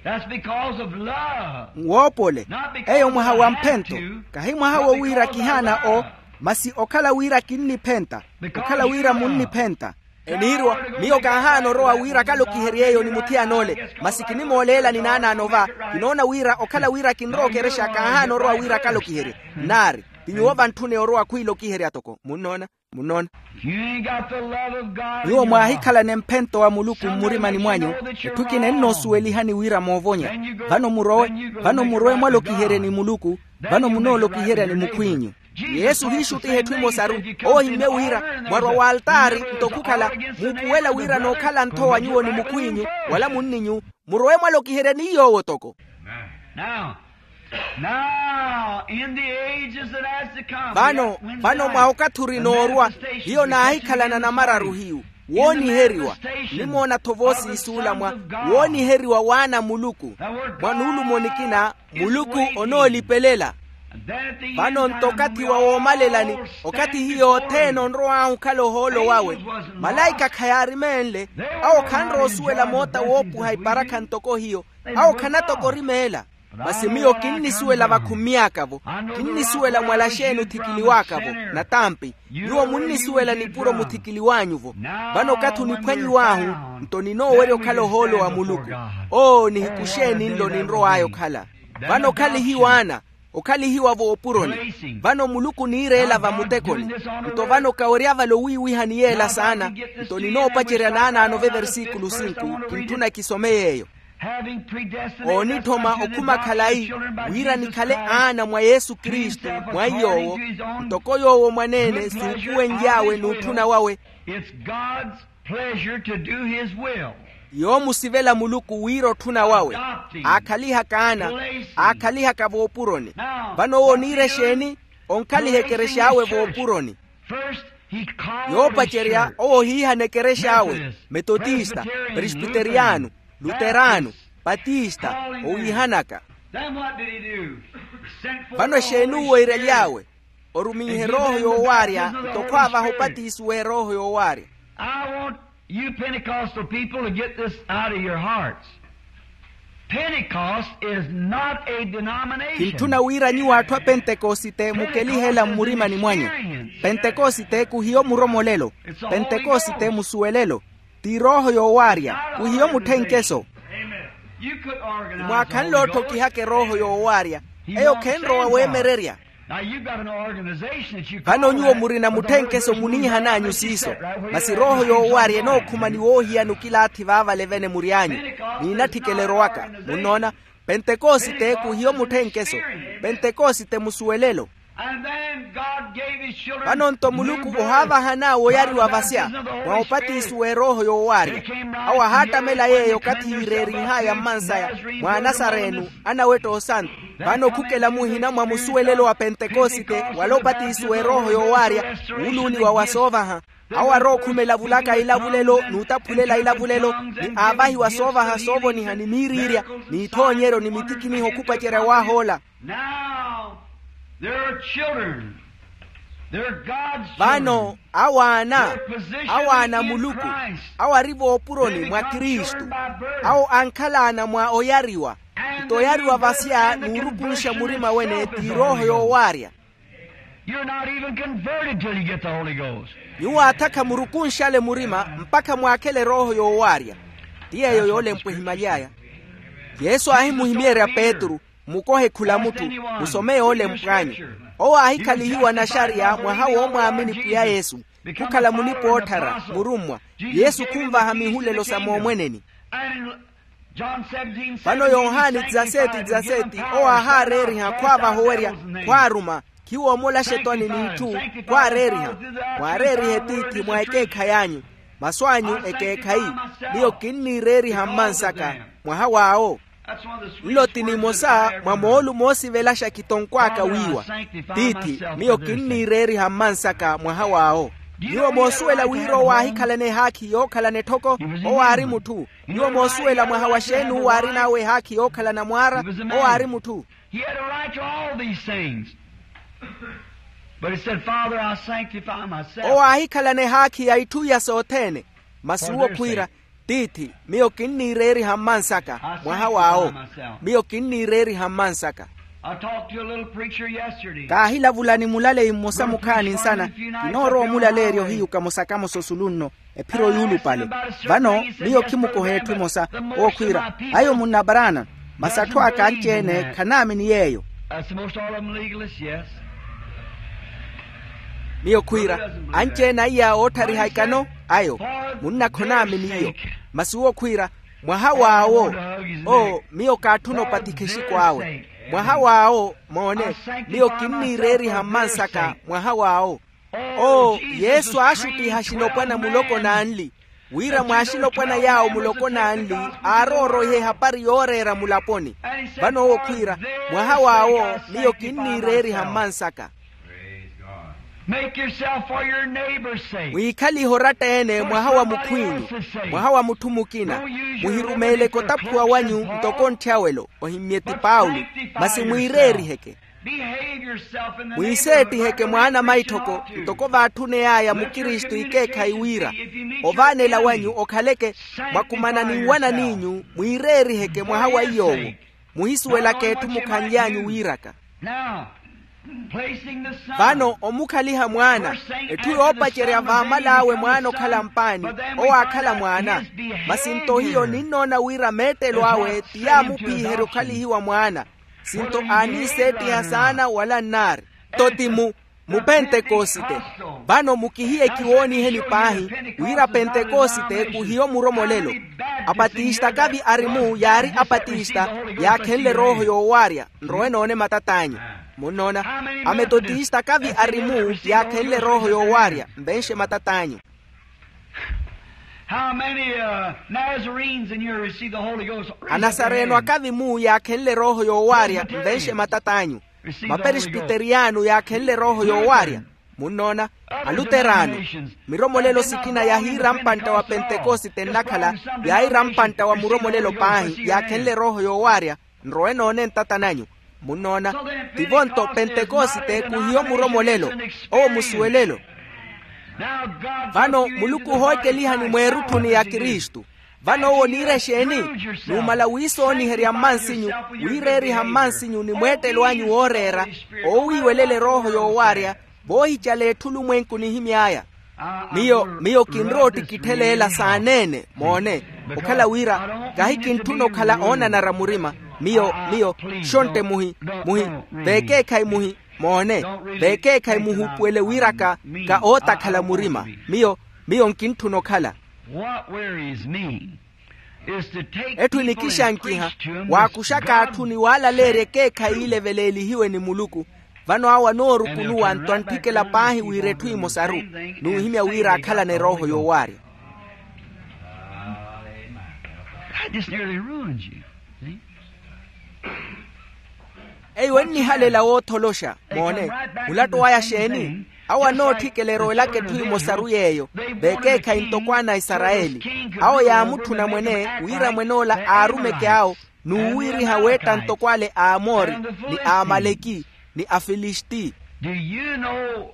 That's because of love. Nwoopole. Eyo mwaha wa mphento. Kahi mwaha wo wira kihaana o. Masi okhala wira kinniphenta. Okhala wira munniphenta. Eniiriwa. Miyo kaahaana orowa wira akalokiherye eyo ni muthiyana ole. Masi kinimooleela ni naanaano va. Kinoona wira okhala wira kinrowa okerexa kaahaana orowa wira akalokiherye. Nnaari. Ti nyuwo vantthune orowa khwiilokiherya toko munnoona. Munnoona. Nyuwo mwaahikhalane mphento wa muluku mmurimani mwanyu. Etthu ekina ennoosuwelihani wira moovonya. Vano murowe. Vano murowe mwalokiherye ni muluku. Vano munoolokiherya ni mukhw'inyu. Yesu hiixuttiha etthu emosaru. Owo ohimmye wira mwarwa w'altaari nto khukhala muupuwela wira nookhala nthowa nyuwo ni mukhw'inyu wala munninyu. Murowe mwalokiherya ni yoowo toko. Now, in the ages that has to come, vano vano mwa okathi orinoorwa hiyo naahikhalana namararu hiyu. Wooniheriwa. Nimoona-tho voosiisuula mwa wooniheriwa w'ana a muluku. Mwa nuulumo nikina muluku onoolipelela. Vano nto okathi wa woomalelani, okathi hiyo othene onrow'ahu okhala ohoolo wawe, malaika khayaarimeenle. Awo khanrowa osuwela moota woopuha iparakha ntoko hiyo. Awo khanatoko orimeela. Masi miyo kinnisuwela vakhummy'aka-vo. Kinnisuwela mwala xeeni othikiliw'aka-vo. Natampi nyuwo munnisuwela nipuro muthikiliw'anyu-vo. Vano okathi oniphwanyiw'ahu, nto ninoowerya okhala ohoolo wa muluku. Oo nihiku xeeni nlo ninrow'aya okhala? Vano okhalihiwa ana. Okhalihiwa voopuroni. Vano muluku oniireela vamutekoni. Nto vano kawerya vale owiiwiha ni yeela saana. Nto ninoopacerya naanaano veversíkulu sinku. Kintthuna kisome yeeyo. Oonitthoma okhuma khalayi wira nikhale aana mwa yesu kristu, mwa iy'owo ntoko yoowo mwaneene suupuwenly'awe n'utthuna wawe. It's god's pleasure to do his will. Yoomusivela muluku wira otthuna wawe. Aakhalihaka ana. Aakhalihaka voopuroni. Vano owo oniira exeeni? Onkhaliha ekerex'awe voopuroni. Yoopacerya owo ohiihana ekerex'awe, metotista, presbiteriano, luterano, patista, owiihanaka. Vano exeeni uwo eiraly'awe? Oruminhe erooho yoowaarya nto khwaavaha opatiso w'erooho yoowaarya. I want you Pentecostal people to get this out of your hearts. Pentecost is not a denomination. Kintthuna wira nyuwo atthu a pentekosite mukelihe ela mmurimani mwanyu. Pentekosite kuhiyo muromolelo. Pentekosite musuwelelo. Ti rooho yoowaarya. Kuhiyo mutthenkeso. Mwaakhanle otthokihaka erooho yoowaarya. Eyo khenrowa weemererya. Vano nyuwo murina mutthenkeso muniihan'anyu siiso. Masi rooho yoowaarya enookhuma ni woohiyana okilaathi vaavale vene mury'anyu. Niinatthikeleroaka. Munnoona? Pentekosite kuhiyo mutthenkeso. Pentekosite musuwelelo. Vano-nto muluku ohaavahan'awe oyariwa vasya mwa opatiso w'erooho yoowaarya. Awo ahaattamela yeeyo okathi yiireerinh'aya mmansaya mwa anasarenu anawetta osantu. Vano okhukela muhina mwa musuwelelo wa pentekosite wala opatiso w'erooho yoowaarya wuuluuniwa wa soovaha. Awo arookhumela vulaka ilavulelo n'utaphulela ilavulelo ni aavahiwa soovaha soovoniha ni miiriirya n'ithoonyeryo ni mitikiniho khupacerya waahoola. Now, there are children. There are God's children. Vano awo aana. Awo aana a muluku. Awo ari voopuroni mwa kristu. Awo ankhala ana mwa oyariwa. Nto oyariwa vasya n'urukunxa murima wene ti rooho yoowaarya. You're not even converted till you get the Holy Ghost. Nyuwo aatha khamurukunxale murima mpakha mwaakhele rooho yoowaarya. Ti yeeyo yoolempwa ehimaly'aya. Yesu aahimuhimeerya petru, mukohe khula mutthu, musome yoolempw'anyu. Owo aahikhalihiwa naxariya mwaha woomwaamini pwiya yesu, khukhala mulipa-ootthara murummwa. Yesu khunvaha mihulelo sa moomweneni. Vano yohani dizaseti dizaseti owo aahaareeriha khwaavaha owerya, khwaaruma, khiwoomola axetwani n'itthu. Khwaareeriha, mwaareerihe tiithi mwa ekeekhayi anyu. Masu anyu ekeekhayi. Miyo kinniireeriha mmansaka mwaha w'awo. Nlo ti nimosa mwa moolu moosivelaxa kitonkw'aka wiiwa. Tiithi, miyo kinniireeriha mmansaka mwaha w'awo. Nyuwo moosuwela wira owo aahikhalana ehaakhi yookhalana etthoko? Owo aari mutthu. Nyuwo moosuwela mwaha wa xeeni uwo aarin'awe ehaakhi yookhalana mwaara? Owo aari mutthu. He had a right to all these things. But he said, Father, I sanctify myself. Owo aahikhalana ehaakhi ya itthu iya sothene. Masi uwo khwiira, tiithi, miyo kinniireeriha mmansaka mwaha w'awo. Miyo kinniireeriha mmansaka. I talked to a little preacher yesterday. Kaahilavula ni mulaleyi mmosa mukhaani nsana. Kinoorowa omulaleerya ohiyu kamosakamo sosulu nno. Ephiro yuulupale. Vano miyo khimukoha etthu emosa. Owo khwiira, ayo munna barana. Masi atthu aka anci-ene khanaamini yeeyo. That's the most all of them legalists, yes. Miyo khwiira, anci-ene aiya ootthariha ikano ayo. Munna khonaamini iyo. Masi uwo khwiira, mwaha w'awo. Oo, miyo kaatthuna opatikha exiko awe. Mwaha w'awo, moone, miyo kinniireeriha mmansaka mwaha w'awo. Oo, yesu aaxuttiha axinopwana muloko n'anli, wira mw'axinopwana yaawo muloko n'anli aarooroihe ehapari yooreera mulaponi. Vano owo khwiira, mwaha w'awo miyo kinniireeriha mmansaka. Make yourself for your neighbor's sake. Mwiikhalihe oratta-ene mwaha wa mukhw'inyu, mwaha wa mutthu mukina. Muhirumeeleke otaphuwa wanyu ntoko ntthyaawelo, ohimmye ti paulo, masi mwiireeriheke. Mwiiseettiheke mwaana maitthoko ntoko vaatthuney'aya mukristu ikeekhayi wira ovaanela wanyu okhaleke mwakumana ni nwanan'inyu. Mwiireeriheke mwaha wa iy'owo. Muhisuwelaka etthu mukhanly'anyu wiiraka. Vano omukhaliha mwaana, etthu yoopacerya vaamal'awe mwaana okhala mpaani, owo aakhala mwaana. Masi nto hiyo ninnoona wira meettelo awe ti yaamuphiherya okhalihiwa mwaana. Sinto aaniiseettiha saana wala nnaari. Nto ti mu mupentekosite. Vano mukihiye kiwooniheni paahi wira pentekosite kuhiyo muromolelo. Apatista kavi ari-mu yaari apatista yaakhenle erooho yoowaarya. Nrowe noone matat'anyu. Munnoona? Ametotista kavi ari-mu yaakhenle erooho yoowaarya. Nvenxe matat'anyu. How many uh, Nazarenes in here receive the Holy Ghost? Anasareno akavi-mu yaakhenle erooho yoowaarya. Nvenxe matat'anyu. Maperesbiteriyano yaakhenle erooho yoowaarya. Munnoona? Aluterano. Miromolelo sikina yahiira mpantta wa pentekosite nnakhala, yahiira mpantta wa muromolelo paahi yaakhenle erooho yoowaarya. Nrowe noone ntata nanyu. Munnoona? Tivo-nto pentekosite kuhiyo muromolelo. Owo musuwelelo. Vano muluku ohoocelihani mweerutthuni ya kristu. Vano owo niira exeeni? Numala wiisooniherya mmansinyu, wiireeriha mmansinyu ni mweettelo anyu wooreera, oowiiwelela erooho yoowaarya, voohicala etthu olumwenku nihimy'aya. Miyo miyo kinrowa ottikitthel'ela saaneene moone, okhala wira kahi kintthuna okhala oonanara murima. Miyo miyo xontte muhi muhi veekeekhayi muhi moone, veekeekhayi muhuupuwele wiraka ka ootakhala murima. Miyo miyo nkintthuna okhala. What wearies me is to take etthu enikixankiha waakuxaka atthu ni waalaleerya ekeekhayi ile veleelihiwe ni muluku. Vano awo anoorukunuwa nto antthikela paahi wira etthu emosaru nuuhimya wira aakhalana erooho yoowaarya. That just nearly ruins you. See? Eyo ennihalela wootholoxa moone. Mulatto waya xeeni? Awo anootthikela erowelaka etthu emosaru yeeyo, veekeekhayi ntoko ana a isarayeli. Awo yaamutthuna mwene wira mwen'ola aarumeke awo n'uwiiriha weetta ntoko ale a amoori, ni a amaleki, ni a filisti. Do you know,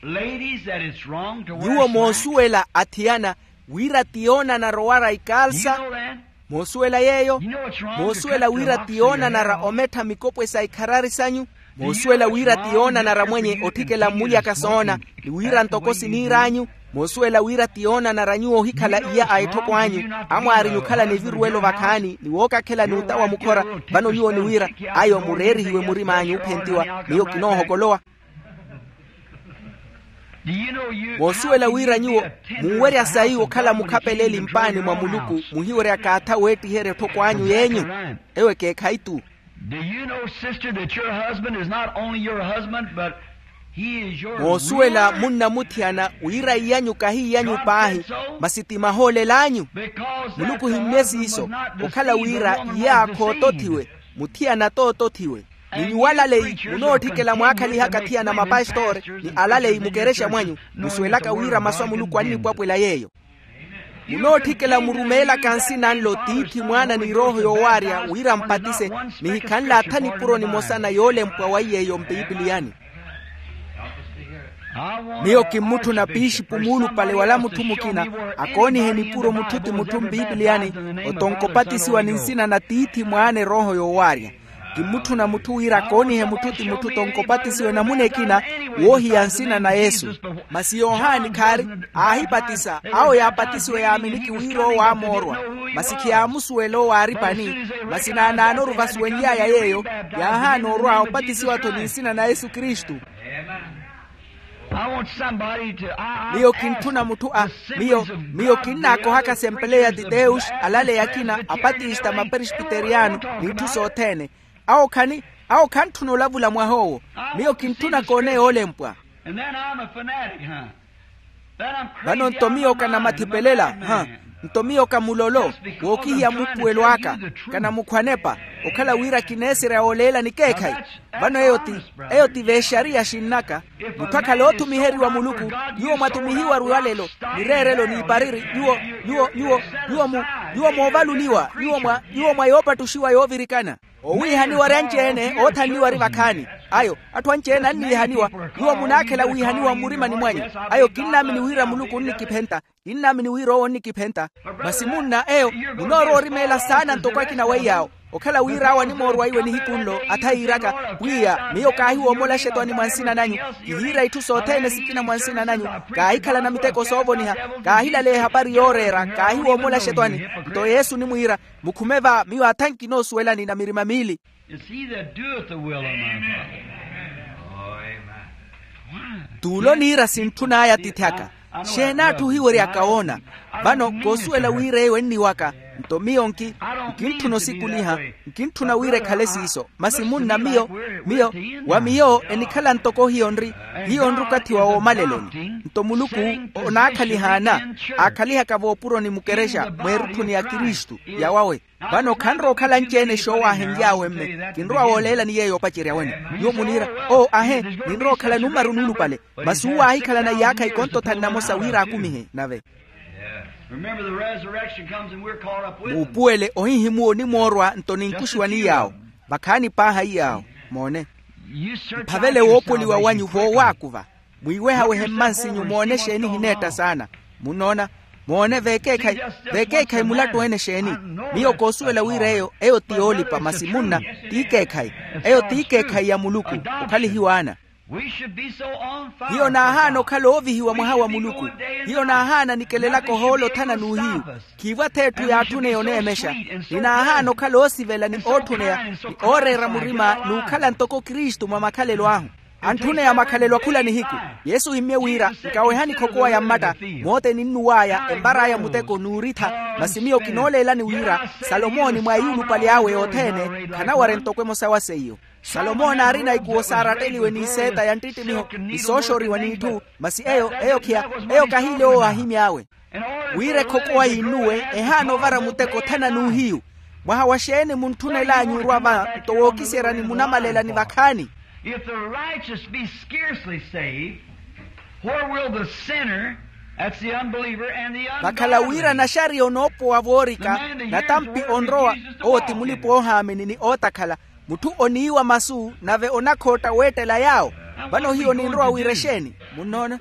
ladies, that it's wrong to wear nyuwo slacks? Moosuwela athiyana wira ti yoonanara owara ikaalsa? Moosuwela yeeyo? Moosuwela wira ti yoonanara omettha mikopwe sa ikharari sanyu? Moosuwela wira ti yoonanara mwenye otthikela mmulyaka soona, ni wira ntoko siniir'anyu? Moosuwela wira ti yoonanara nyuwo ohikhala iya a etthoko anyu, amwaarinyu okhalana eviruwelo vakhaani ni wookakhela n'uta wa mukhora? Vano nyuwo niwira ayo mureerihiwe murim'anyu ophentiwa. Miyo kinoohokolowa. Moosuwela wira nyuwo munwerya sayi okhala mukhapeleli mpaani mwa muluku, muhiweryaka atha weettiherya etthoko anyu yeenyu? Eyo ekeekhayi-tu. Do you know, sister, that your husband is not only your husband, but he is your moosuwela munna muthiyana wira iy'anyu kahi iy'anyu paahi, masi ti mahoolel'anyu. Muluku ohimmye siiso okhala wira iyaakha ootothiwe, muthiyana t'otothiwe. Ni nyuwo alaleyi munootthikela mwaakhalihaka athiyana mapastori ni alaleyi mukerexa mwanyu, musuwelaka wira masu a muluku annipwapwela yeeyo. Munootthikela murumeelaka nsina nlo tiithi mwaana ni erooho yoowaarya wira mpatise, nihikhanle atha nipuro nimosa na yoolempwa wa iy'eyo mpipiliyani. Miyo kimmutthuna piixipu muulupale wala mutthu mukina akoonihe nipuro mutthu ti mutthu mpipiliyani, otonka opatisiwa ni nsina na tiithi mwaana erooho yoowaarya. Kimmutthuna mutthu wira akoonihe mutthu ti mutthu tonkopatisiwe namuna ekina woohiya nsina na yesu. Masi yohani khaari aahipatisa awo yaapatisiwe yaaminiki wira owo aamoorwa. Masi khiyaamusuwela owo aaripani. Masi naanaanoru vasuwenly'aya yeeyo yaahaana orwa opatisiwa-tho ni nsina na yesu kristu. Miyo kintthuna mutthu a miyo miyo kinnaakohaka sempeleya ti deus alaleyi akina apatista maperesbiteriyano n'itthu sothene. Awo khani awo khantthuna olavula mwah'owo. Miyo kintthuna koone yoolempwa. Vano nto miyo kanamathipelel'aha. Nto miyo kamulolo wookihiya muupuwelo aka kanamukhwanepa okhala wira kineeserya wooleela nikeekhayi. Vano eyo ti eyo ti vexariya xinnaka. Mutthu akhala oothumiheriwa muluku nyuwo mwathumihiwaru yalelo mireerelo n'ipariri nyuwo nyuwo nyuwo nyuwo mu nyuwo moovaluliwa nyuwo mwa nyuwo mwa yoopattuxiwa yoovirikana. Owiihaniwa ari anci-ene oothanliwa ari vakhaani. Ayo atthu anci-ene anniihaniwa. Nyuwo munaakhela wiihaniwa mmurimani mwanyu. Ayo kinnaamini wira muluku onnikiphenta. Kinnaamini wira owo onnikiphenta. Masi munna eyo munoorowa orimeela saana ntoko akina weiy'awo. Okhala wira awo animoorwa iwe nihiku nlo atha yiiraka pwiya miyo kaahiwoomola axetwani mwa nsina nanyu. Kihiira itthu sothene sikina mwa nsina nanyu. Kaahikhalana miteko soovoniha kaahilaleya ehapari yooreera kaahiwoomola axetwani. Nto yesu onimwiira mukhume va miyo atha nkinoosuwelani na mirima miili. It's he that doeth the will of my Father. T'ulo niira sintthun'aya atiithi aka. Xeeni atthu ohiweryaka woona? Vano koosuwela wira eyo enniwaka. Nto miyo nki nkintthuna osikuliha nkintthuna wira ekhale siiso. Masi munna miyo miyo wa miyo enikhala ntoko hiyo nri hiyo nri okathi wa woomaleloni. Nto muluku onaakhalihaana aakhalihaka voopuroni mukerexa mweerutthuni ya kristu yawawe. Vano khanrowa okhala anci-ene xoowaahenly'awe mme kinrowa wooleelani yeeyo opacerya wene. Nyuwo muniira oo ahe ninrowa okhala numaru nuulupale. Masi uwo aahikhalana iyaakha ikonto thanu namosa wira akumihe nave. Muupuwele ohihimuwa onimoorwa nto ninkuxiwa ni yaawo. Vakhaani paaha iyaawo. Moone mphavele woopoliwa wanyu voowaakuva. Mwiiwehawehe mmansinyu moone exeeni ehineetta saana. Munnoona Moone veekeekhayi, veekeekhayi mulattu ene exeeni? Miyo koosuwela wira eyo eyo ti yoolipa masi munna, ti ikeekhayi. Eyo ti ikeekhayi ya muluku, okhalihiwa ana. Hiyo naahaana okhala oovihiwa mwaha wa muluku. Hiyo naahaana nikelelaka ohoolo othana n'uhiyu. Khiivo ath'etthu yaatthuna yoneemexa. Ni naahaana okhala oosivela ni ootthuneya ni ooreera murima n'ukhala ntoko kristu mwa makhalelo ahu. Antthuneya makhalelo a khula nihiku. Yesu ohimmye wira, nkawehani khokowa ya mmatta. Mooteni nnuw'aya empar'aya muteko n'urittha. Masi miyo kinooleelani wira salomooni mwa eyulupali awe yothene khanawarya ntoko emosa wa seiyo. Salomooni aarina ikuwo saaratteliwe n'iseeta ya nttittimiho ni sooxoriwa n'itthu. Masi eyo eyo khiya, eyo kahiile owo ahimy'awe. Wira ekhokowa yinnuwe, ehaana ovara muteko othana n'uhiyu. Mwaha wa xeeni muntthunel'anyu orwa va nto wookiserya ni munamalela ni vakhaani? If the righteous be scarcely saved, where will the sinner, that's the unbeliever and the ungodly? Vakhala wira naxariya onoopowa voorika, natampi onrowa, owo ti mulipa oohaamini ni ootakhala. Mutthu oniiwa masu nave onakhootta weettela yaawo. Vano hiyo ninrowa wira exeeni? Munnoona?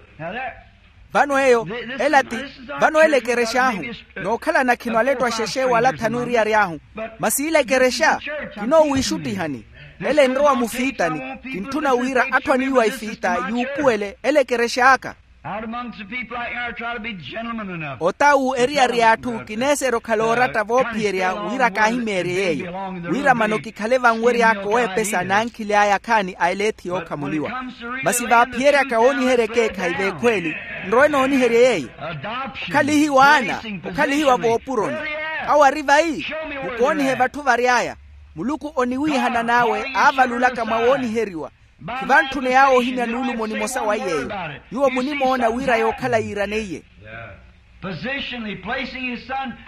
Vano eyo, ela ti, vano ela ekerex'ahu, nookhalana khino alettu axexe wala athanu eriyari ahu. Masi ila ekerexa kinoowiixuttihani. Ela enrowa mufiitani. Kintthuna wira atthu aniiwa ifiita yuupuwele ela ekerex'aka. Out amongst the people out here, I try to be gentleman enough. Otawu eriyari y'atthu kineeserya okhala ooratta voophiyerya wira kaahimeerye yeeyo, wira mano kikhale vanwery'aka oweepesa n'ankhili aya akhaani a eleethi yookhamuliwa. Masi vaaphiyeryaka wooniherya ekeekhayi v'ekhweeli, nrowe nooniherye yeeyo. Okhalihiwa ana, okhalihiwa voopuroni. Awo ari vayi? Mukoonihe vatthu vary'aya. Muluku oniwiihana n'awe aavalulaka mwa wooniheriwa. Khivantthuney'awe ohimya nuulumo nimosa wa yeeyo. Nyuwo munimoona wira yookhala yiiraneiye.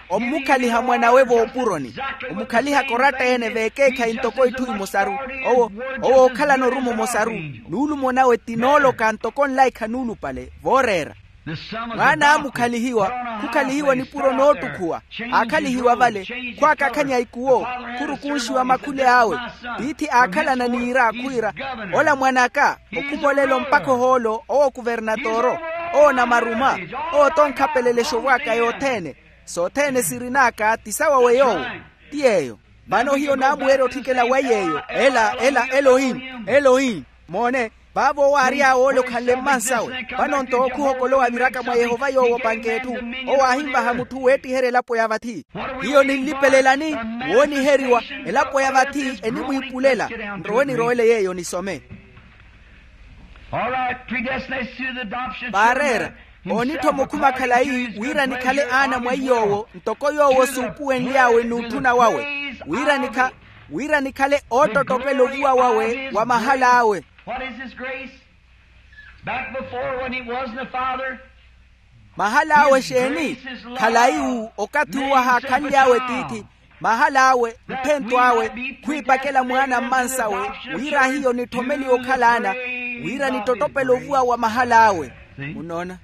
Omukhaliha mwan'awe voopuroni. Omukhalihaka oratta-ene v'ekeekhayi ntoko itthu imosaru. Owo ookhalana orumo omosaru. Nuulumo nawe ti nooloka ntoko nlaikha nuulupale vooreera. Mwaana aamukhalihiwa, khukhalihiwa nipuro noottukhuwa. Aakhalihiwa vale, khwaakakhanya ikuwo, khurukunxiwa makhuli awe. Tiithi aakhalana n'iira khwiira, ola mwan'aka, okhumolela ompakha ohoolo owo kuvernatoro, owo namaruma, owo tonkhapelelexo vwaka yothene. Sothene sirin'aka ti sawawe yoowo. Ti yeeyo. Vano hiyo naamuweerya otthikela wa yeeyo ela ela elohim, elohim. Moone, vaavo owo aary'awe ole okhanle mmansawe. Vano-nto owo khuhokolowa aviraka mwa yehova yoowo opanke etthu. Owo aahinvaha mutthu weettiherya elapo ya vathi. Hiyo ninlipelelani? Wooniheriwa. Elapo ya vathi enimwiipulela. Nrowe nirowele yeeyo nisome. Vaareera, oonitthoma okhuma khalayi wira nikhale aana mwa iy'owo ntoko yoowo suupuwenly'awe n'utthuna wawe. Wira nikha wira nikhale oottottopela ovuwa wawe wa mahal'awe. Mahal'awe exeeni? Khalayi-wu okathi uwo ahaakhanly'awe tiithi. Mahal'awe, mphento awe, khwiipakela mwaana mmansawe, wira hiyo nitthomeliwe okhala ana, wira nittottopele ovuwa wa mahal'awe. Munnoona?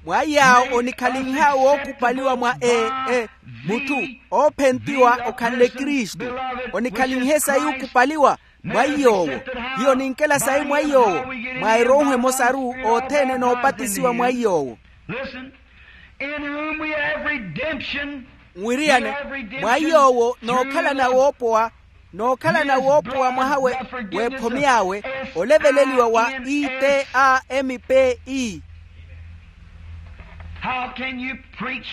Mwa iy'awo onikhalinh'awe wookupaliwa mwa e e mutthu, oophentiwa okhanle kristu. Onikhalinhe sayi okupaliwa mwa iy'owo. Hiyo ninkela sayi mwa iy'owo, mwa erooho emosaru othene noopatisiwa mwa iy'owo. Nwiriyane, mwa iy'owo nookhalana woopowa, nookhalana woopowa mwaha w'ephome awe, oleveleliwa wa i t a m p e.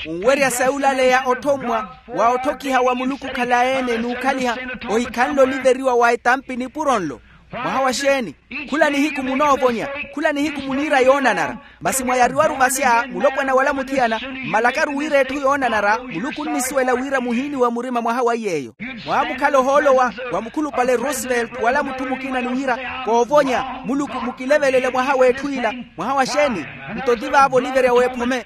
Nwerya sayi olaleya othommwa wa otthokiha wa muluku okhalayi-ene n'ukhaliha, ohikhanle oliveriwa wa etampi nipuro nlo. Mwaha wa xeeni? Khula nihiku munoovonya, khula nihiku muniira yoonanara. Masi mwayariwaru vasya mulopwana wala muthiyana, mmalakaru wira etthu yoonanara muluku onnisuwela wira muhiiniwa murima mwaha wa iy'eyo. Mwaamukhala ohoolo wa mukhulupale roosevelt wala mutthu mukina ni wira, koovonya, muluku mukilevelele mwaha w'etthu ila. Mwaha wa xeeni? Nto ti vaavo oliverya w'ephome.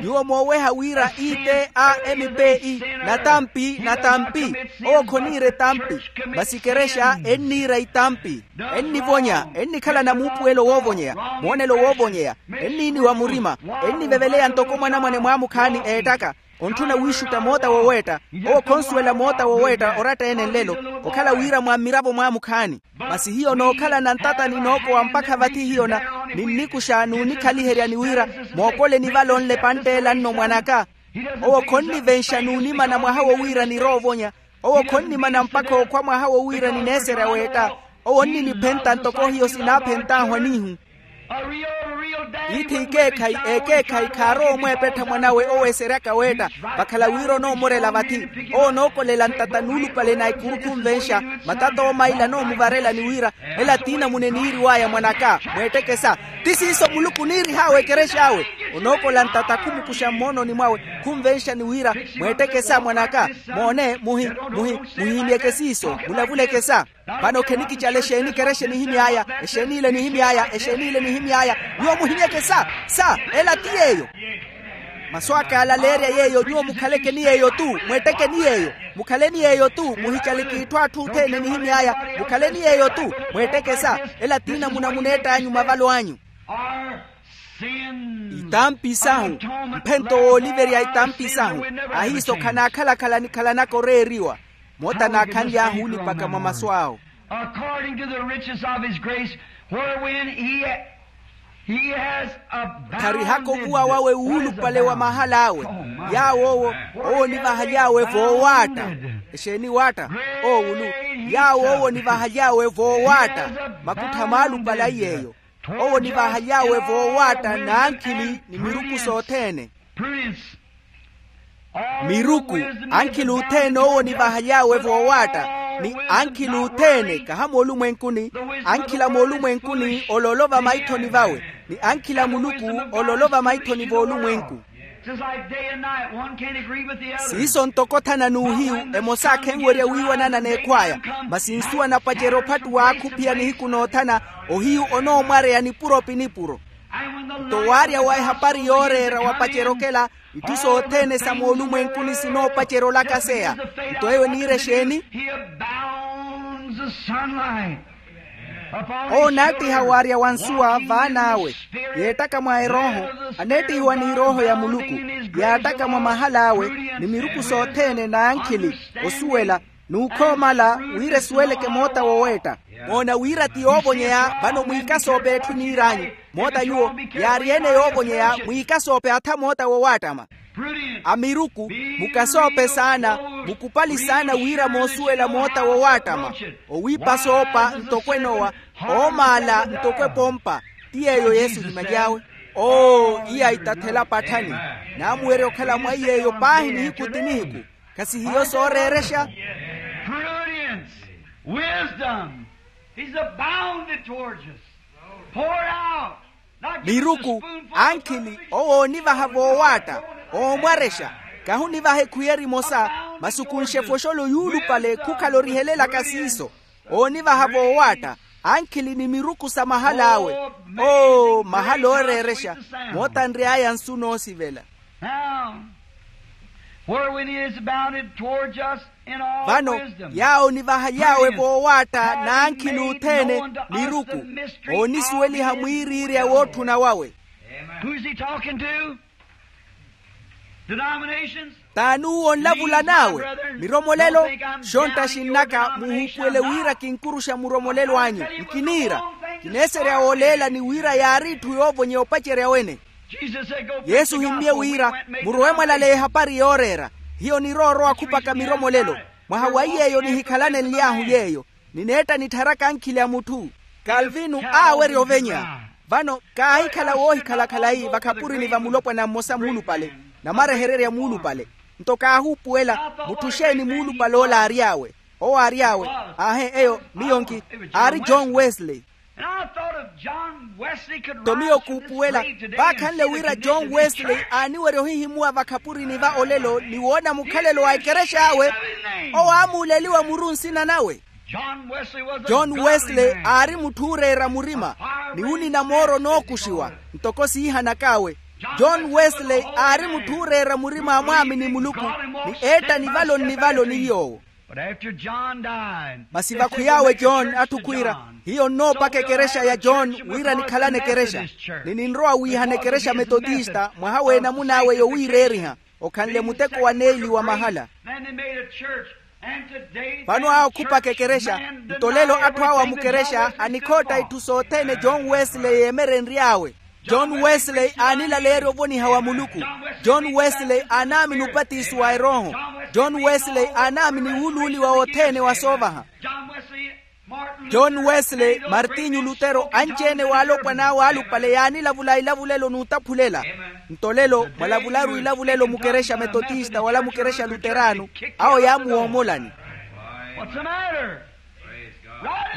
Nyuwo mooweha wira i t a m p e, natampi natampi. Owo khoniira etampi. Masi ekerexa enniira itampi. Ennivonya, ennikhalana muupuwelo woovonyeya, moonelo woovonyeya. Enniiniwa murima. Enniveveleya ntoko mwanamwane mwaamukhaani eettaka. Ontthuna wiixutta moota woweetta. Owo khonsuwela moota woweetta oratta-ene nlelo, okhala wira mwa mmiravo mwamukhaani. Masi hiyo nookhalana ntatani nookowa mpakha vathi hiyo na ninnikuxa n'unikhaliherya ni wira, mookoleni vale onle pantteela nno mwan'aka. Owo khonnivenxa n'unimana mwaha wo wira niroovonya. Owo khonnimana mpakha okhwa mwaha wo wira nineeserya weetta. Owo onniniphenta ntoko hiyo sinaaphent'ahu aniihu. Ithi ekeekhayi ekeekhayi khaarowa omweepettha mwanawe oweeseryaka weetta. Vakhala wira onoomorela vathi, owo onookolela ntata nuulupale na ikuru khunvenxa. Matata oomaila anoomuvarela ni wira, ela tiinamuna eniiriw'aya mwan'aka, mweetteke sa. Ti siiso muluku oniirih'awe ekerex'awe. Onookola ntata khumukuxa mmoononi mwawe, khunvenxa ni wira, mweetteke sa mwan'aka. Moone muhi muhi muhiimyeke siiso, mulavuleke sa. Vano khenikicala exeeni ekerexe nihimy'aya, exeeni ile nihimy'aya, exeeni ile nihimy'aya. Nyuwo muhinyeke sa. Sa. Ela ti yeeyo. Masu aka alaleerya yeeyo nyuwo mukhaleke ni yeeyo-tu. Mweetteke ni yeeyo. Mukhaleni yeeyo-tu muhicaleke itthu atthu othene nihimy'aya. Mukhaleni yeeyo-tu. Mweetteke sa. Ela tiinamuna muneett'anyu mavalo anyu. Itampi sahu. Mphento wooliverya itampi sahu. Ahiiso khanaakhala-khala nikhalanaka oreeriwa. Moota naakhanly'ahu olipaka mwa masu awo. According to the riches of his grace, wherewin he, he has abounded. Kharihaka ovuwa wawe wuulupale wa mahal'awe. Yaawo owo, owo onivahaly'awe voowaatta. Exeeni waatta? Owulu. Yaawo owo onivahaly'awe voowaatta. Makuttha maalupale a iy'eyo. Owo onivahaly'awe voowaatta n'ankhili ni miruku sothene. Miruku, ankhili othene owo onivahaly'awe voowaatta. Ni ankhili othene kaha moolumwenkuni. Ankhili a moolumwenkuni oloolo vamaithoni vawe. Ni ankhili a muluku oloolo vamaithoni voolumwenku. Siiso ntoko othana n'uhiyu. Emosa akhenwerya wiiwanana n'ekhw'aya. Masi nsuwa napacerya ophattuwa akhuphiya nihiku noothana. Ohiyu onoomwareya nipuro pi nipuro. Nto waarya wa ehapari yooreera wapacerya okela, itthu sothene sa moolumwenkuni sinoopacerya olakaseya. Nto eyo eniira exeeni? Owo onaattiha waarya wa nsuwa vaan'awe. Yeettaka mwa erooho, aneettihiwa n'erooho ya muluku. Yaattaka mwa mahal'awe, ni miruku sothene n'ankhili, osuwela, n'ukhoomala, wira esuweleke moota woweetta. Moona wira ti yoovonyeya vano mwiikasoope etthu eniir'anyu. Moota nyuwo, yaari ene yoovonyeya mwiikasoope atha moota wowaattama. A miruku, mukasoope saana, mukupali saana wira moosuwela moota wowaattama. Owiipa soopa ntoko enowa, oomaala ntoko epompa. Ti yeeyo yesu ohimaly'awe. Oo iya itathela patthani. Naamuwerya okhala mwa iy'eyo paahi nihiku ti nihiku. Khasihiyo sooreerexa. Prudence, wisdom, he's abounded towards us. Poured out. Miruku, ankhili owo oonivaha voowaatta. Oomwarexa. Kahunivaha ekhuyeri emosa. Masi okunxe efoxolo yuulupale khukhala orihelelaka siiso. Oonivaha voowaatta. Ankhili ni miruku sa mahal'awe. Oo mahala ooreerexa. Moota nry'aya nsu noosivela. Now, wherewin he is abounded towards us in all vano wisdom, yaawo onivahaly'awe voowaatta n'ankhili othene. Miruku, oonisuweliha mwiiriirya wootthuna wawe. Who's he talking to? Denominations? T'ani uwo onlavulan'awe? Miromolelo. Xontta xinnaka muhuupuwele wira kinkuruxa muromolelo anyu. Nkiniira. Kineeserya wooleelani wira yaari itthu yoovonyeya opacerya wene. Yesu ohimmye wira, murowe mwalaleya ehapari yooreera. Hiyo niroorowa khupaka miromolelo. Mwaha wa iy'eyo nihikhalane nly'ahu yeeyo. Nineetta nittharaka ankhili a mutthu. Kalvinu aawerya ovenya. Vano kaahikhala woohikhala khalayi vakhapurini va mulopwana mmosa muulupale. Namarehererya muulupale. Nto kaahuupuwela. Mutthu xeeni muulupale ola aary'awe? Owo aary'awe. Aahe eyo miyo nki. Aari john wesley. Nto miyo kuupuwela. Vaakhanle wira john wesley aaniwerya ohihimuwa vakhapurini va olelo ni woona mukhalelo wa ekerex'awe. Owo aamuuleliwa muru nsina nawe. John wesley aari mutthu ooreera murima. Ni unina mooro onookuxiwa. Ntoko siihanak'awe. John wesley aari mutthu ooreera murima a mwaamini muluku. Ni eetta nivalo nnivalo ni yoowo. But after John died, masi vakhwiy'awe john atthu khwiira, hiyo nnoopaka ekerexa ya john wira nikhalane ekerexa, ni ninrowa wiihana ekerexa metotista mwaha w'enamun'awe yowiireeriha, okhanle muteko wa neeli wa mahala. Vano awo khupaka ekerexa. Nto lelo atthu awo a mukerexa anikhootta itthu sothene john wesley yeemerenry'awe. John wesley aanilaleerya ovoniha wa muluku. John wesley aanaamini upatiso wa erooho. John wesley aanaamini wuuluuliwa wothene wa soovaha. John wesley, martinyu lutero anci-ene w'alopwana awe alupale yaanilavula ilavulelo n'utaphulela. Nto lelo mwalavularu ilavulelo mukerexa metotista wala mukerexa luteraano, awo yaamuwoomolani.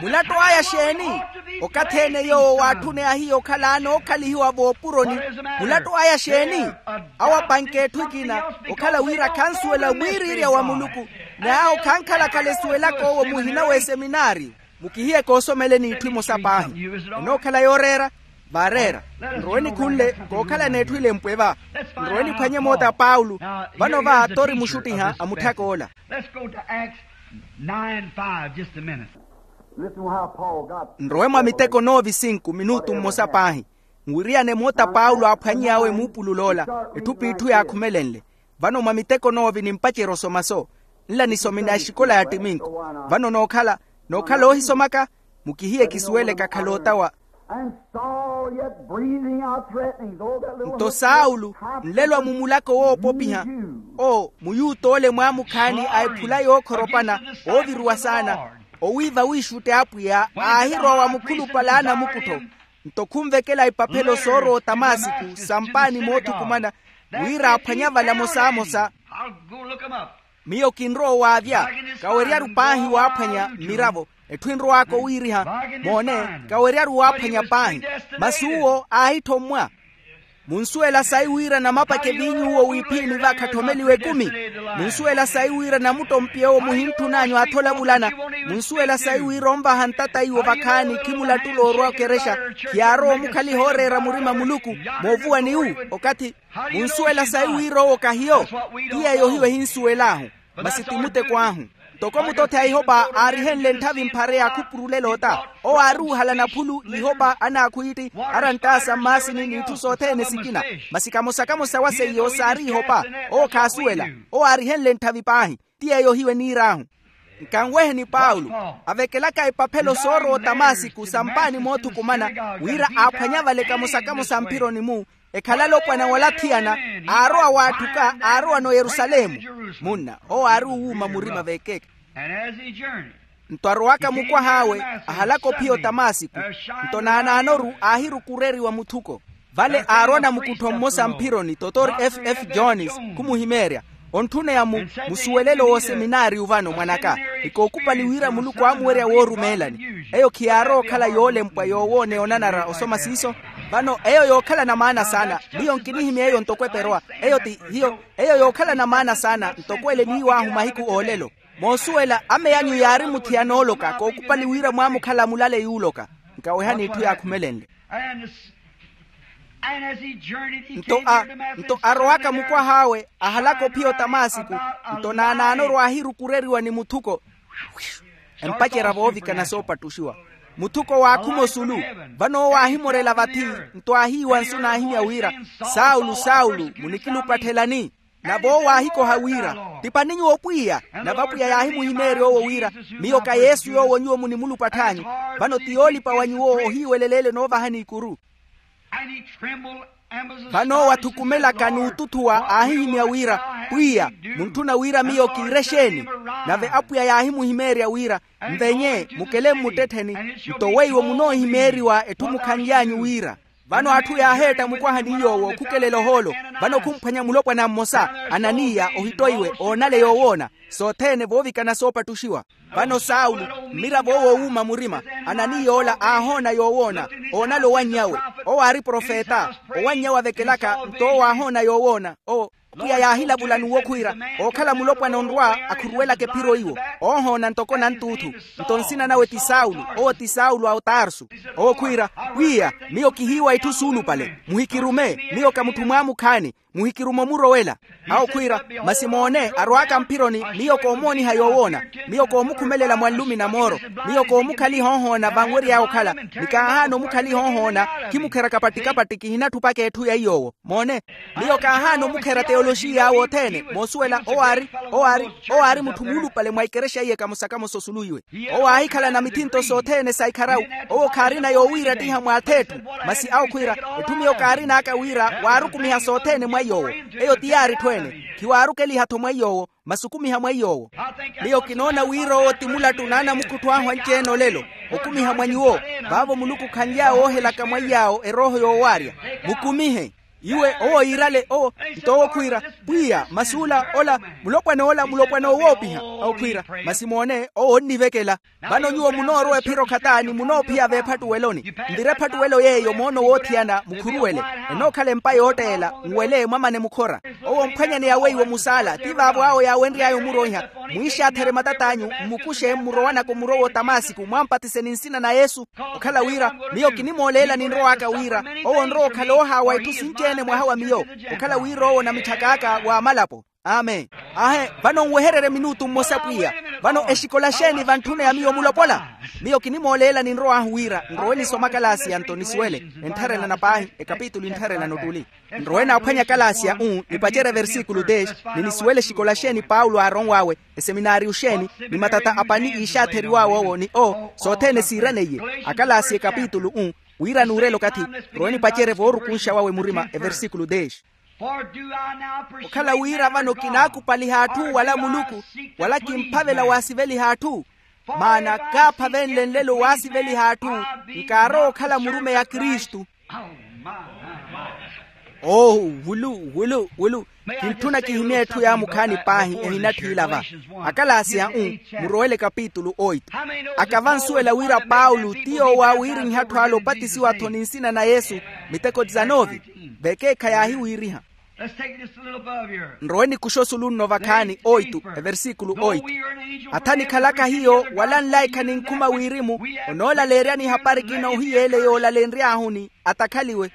Mulatto aya xeeni? Okathi-ene yoowo waatthune ahiya okhala anookhalihiwa voopuroni. Mulatto aya xeeni? Awo apanke etthu ekina, okhala wira khansuwela mwiiriirya wa muluku, ni awo khankhalakhala esuwelaka owo muhina w'eseminaari. Mukihiye koosomeleni itthu emosa paahi. Enookhala yooreera? Vaareera. Nrowe nikhunle kookhalana etthu elempwe va. Nrowe niphwanye moota a paulo. Vano va tori muxuttiha a mutthaka ola. Let's go to Acts nine five, just a minute. Listen how Paul got nrowe mwa miteko noovi sinku minutu mmosa paahi. Nwiriyane moota paulo aaphwany'awe muupulul'ola. Etthu p'itthu yaakhumelenle. Vano mwa miteko noovi nimpacerya osoma so. Nla nisomina exikola ya ttiminku. Vano nookhala nookhala oohisomaka. Mukihiye kisuweleka khaloota wa. Nto saulo, nlelo amumulaka owoopopiha, oo muyuuta ole mwaamukhaani a ephula yookhoropana, ooviruwa saana, owiiva wiixutte apwiya aahirowa wa mukhulupale a anamukuttho. Nto khunvekela ipaphelo soorowa otamasiku sampaani moothukumana, wira aaphwanya vala mosamosa. Miyo kinrowa owaavya. Kaweryaru paahi waaphwanya mmiravo. Etthu enrow'aka owiiriha. Moone, kaweryaru waaphwanya paahi. Masi uwo aahithommwa. Munsuwela sayi wira namapake viinyu uwo wiiphiini va khatthomeliwa ekumi? Munsuwela sayi wira namuttompiye owo muhintthun'anyu aathola vulana? Munsuwela sayi wira onvaha ntata iwo vakhaani khimulattula orwa okerexa? Khiyaarowa omukhaliha ooreera murima muluku moovuwa ni wu okathi. Munsuwela sayi wira owo kahiyo? Ti yeeyo hiyo ehinsuwel'ahu. Masi ti muteko ahu. Ntoko mutothe a ihopa aarihenle ntthavi mphare ya khupurulela ota, owo aari wuhalana phulu ihopa anaakhwiitti, aranttaasa mmaasini n'itthu sothene sikina. Masi kamosa-kamosa wa seiyo saari ihopa. Owo khaasuwela. Owo aarihenle ntthavi paahi. Ti yeeyo hiyo eniir'ahu. Nkanweheni paulo, avekelaka ipaphelo soorowa otamasiku sampaani moothukumana, wira aaphwanya vale kamosa-kamosa mphironi-mu, ekhala alopwana wala athiyana, aarowa w'atthuka aarowa n'oyerusalemu. Munna owo aari owuuma murima vekeeke. Nto arowaka mukwah'awe, ahalaka ophiya otamasiku. Nto naanaanoru aahirukureriwa muthuko. Vale aarowa namukuttho mmosa mphironi totor f f jones, khumuhimeerya, ontthuneya mu musuwelelo w'oseminaariyu vano mwanaka. Ni kookupali wira muluku aamuwerya woorumeelani. Eyo khiyaarowa okhala yoolempwa yoowoona eyo onanara osoma siiso. Vano eyo yookhalana maana saana. Miyo nkinihimya eyo ntoko eperowa. Eyo ti hiyo. Eyo yookhalana maana saana ntoko ele niiw'ahu mahiku oolelo. Moosuwela ameyanyu yaari muthiyana ooloka kookupali wira mwaamukhala mulale yuuloka. Nkawehani itthu yaakhumelenle. Nto a nto arowaka mukwah'awe ahalaka ophiya otamasiku. Nto naanaanoru aahirukureriwa ni muthuko. Empacerya voovikana soopattuxiwa. Muthuko waakhuma osulu. Vano owo aahimorela vathi. Nto aahiiwa nsu naahimya wira, saulo saulo, munikilupatthelani? Nave owo aahikoha wira, tipani nyuwo pwiya. Nave apwiya yaahimuhimeerya owo wira, miyo ka yesu yoowo nyuwo munimulupatthanyu. Vano ti yoolipa wa nyuwo ohiiweleleele noovahani ikuru. Vano owo athukumelaka n'ututhuwa aahihimya wira, pwiya, muntthuna wira miyo kiire exeeni? Nave apwiya yaahimuhimeerya wira, nvenye mukele mmuttettheni. Nto weiwo munoohimeeriwa etthu mukhanly'anyu wira. Vano atthu yaaheetta mukwahani yoowo khukelela ohoolo. Vano khumphwanya mulopwana mmosa, ananiya ohittoiwe oonale yoowoona. Sothene voovikana soopattuxiwa. Vano saulo, mmiravo owo oowuuma murima, ananiya ola aahoona yoowoona. Oonale owannyawe. Owo aari profeta. Owannyawe avekelaka nto owo aahoona yoowoona. Owo pwiya yaahilavula n'uwo khwiira, ookhala mulopwana onrwa akhuruwelaka ephiro iwo. Oohoona ntoko nantuuthu. Nto nsina nawe ti saulo, owo ti saulo a otarsu. Owo khwiira, pwiya, miyo kihiiwa itthu suulupale, muhikirume, miyo ka mutthu mwaamukhaani. Muhikiruma omurowela. Awo khwiira, masi moone arwaaka mphironi, miyo koomooniha yoowoona. Miyo koomukhumelela mwa nlumi na mooro. Miyo koomukhaliha ohoona vanwery'awe okhala. Ni kaahaana omukhaliha ohoona. Khimukherya kapatti-kapatti, kihinatthu opaka etthu ya iy'owo. Moone. Miyo kaahaana omukhera teyoloxiy'awe othene moosuwela owo aari owo aari owo aari mutthu muulupale mwa ikerexa iye kamosa-kamosa osuluwiwe. Owo aahikhalana mithinto sothene sa ikharawu. Owo khaarina yoowiirattiha mwaatha etthu. Masi awo khwiira, etthu miyo kaarin'aka wira waarukumiha sothene mwa iy'owo. Eyo ti yaari etthu ene. Khiwaarukeliha-tho mwa iy'owo, masi okumiha mwa iy'owo. Miyo kinoona wira owo ti mulattu n'anamukhuttu ahu anci-ene olelo, okumiha mwa nyuwo. Vaavo muluku khanly'awe oohelaka mwa iy'awo erooho yoowaarya. Mukumihe. Iwe owo yiirale owo. Nto owo khwiira, pwiya masi ola ola, mulopwana ola mulopwana owoopiha. Awo khwiira, masi moone owo onnivekela. Vano nyuwo munoorowa ephiro khataani munoophiya veephattuweloni. Nvira ephattuwelo yeeyo moono woothiyana mukhuruwele. Enookhala empa yootteela, nwele mwamane mukhora. Owo mphwanyani yaweiwo musaala ti vaavo awo yaawenry'aya omuroiha. Mwiixaatherye matat'anyu, mmukuxe mmurowanaka omurowa otamasiku mwampatise ni nsina na yesu. Okhala wira, miyo kinimooleela ninrow'aka wira owo onrowa okhala oohaawa itthu sinci-ene mwaha wa miyo. Okhala wira owo onamitthak'aka w'amalapo. Amen. Ahe, vano nwehererye minutu mmosa pwiya. Vano exikola xeeni vantthuna ya miyo mulopola? Miyo kinimooleela ninrow'ahu wira nrowe nisome akalaasi ya nto nisuwele. Enttharelana paahi ekapitulu enttharelana ottuli. Nrowe naaphwanya akalaasi ya u nipacerye versikulu dex, ni nisuwele exikola xeeni paulo aaronw'awe, eseminaariyu xeeni, ni matata a pani iixaatheriw'awe owo ni o sothene siiraneiye. Akalaasi ekapitulu u, wira nuurela okathi. Nrowe nipacerye voorukunxa wawe murima eversikulu dex. Okhala wira vano kinaakupaliha atthu wala muluku, wala kimphavela waasiveliha atthu. Maana kaaphavenle nlelo waasiveliha atthu, nkaarowa okhala murumeyi a kristu. Oo, wulu wulu wulu. Kintthuna kihimye etthu yaamukhaani paahi ehinatthi ilava. Akalaasi a u, murowele kapitulu oitu. Aka vansuwela wira paulo ti yoowo aawiirihiha atthu ale opatisiwa-tho ni nsina na yesu. Miteko dizanove. Vekeekha yaahiwiiriha. Nrowe nikuxa osulu nno vakhaani oitu eversikulu oitu. Atha nikhalaka hiyo wala nlaikha ninkhuma wirimu, onoolaleeryani ehapari kina ohiyeele yoolalenry'ahuni atakhaliwe.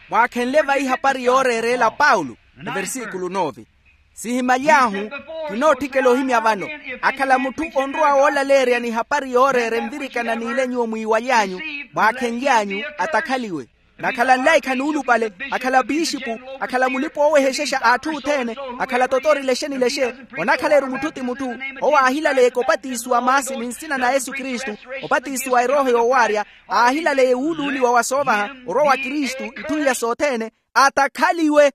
Mwaakhenle vayi ehapari yooreereela paulo. Eversikulu nove. Sihimaly'ahu, kinootthikela ohimya vano. Akhala mutthu onrowa woolaleeryani ehapari yooreera envirikana n'ile nyuwo mwiiwaly'anyu, mwaakhenly'anyu atakhaliwe. Nakhala nlaikha nuulupale, akhala pixipu, akhala mulipa oowehexexa a atthu othene, akhala totori lexe ni lexe, onakhala-ru mutthu ti mutthu. Owo aahilaleyeke opatisiwa maasi ni nsina na yesu kristu, opatisiwa erooho yoowaarya, aahilaleye wuuluuliwa wa soovaha orwa wa kristu itthu iya sothene, atakhaliwe.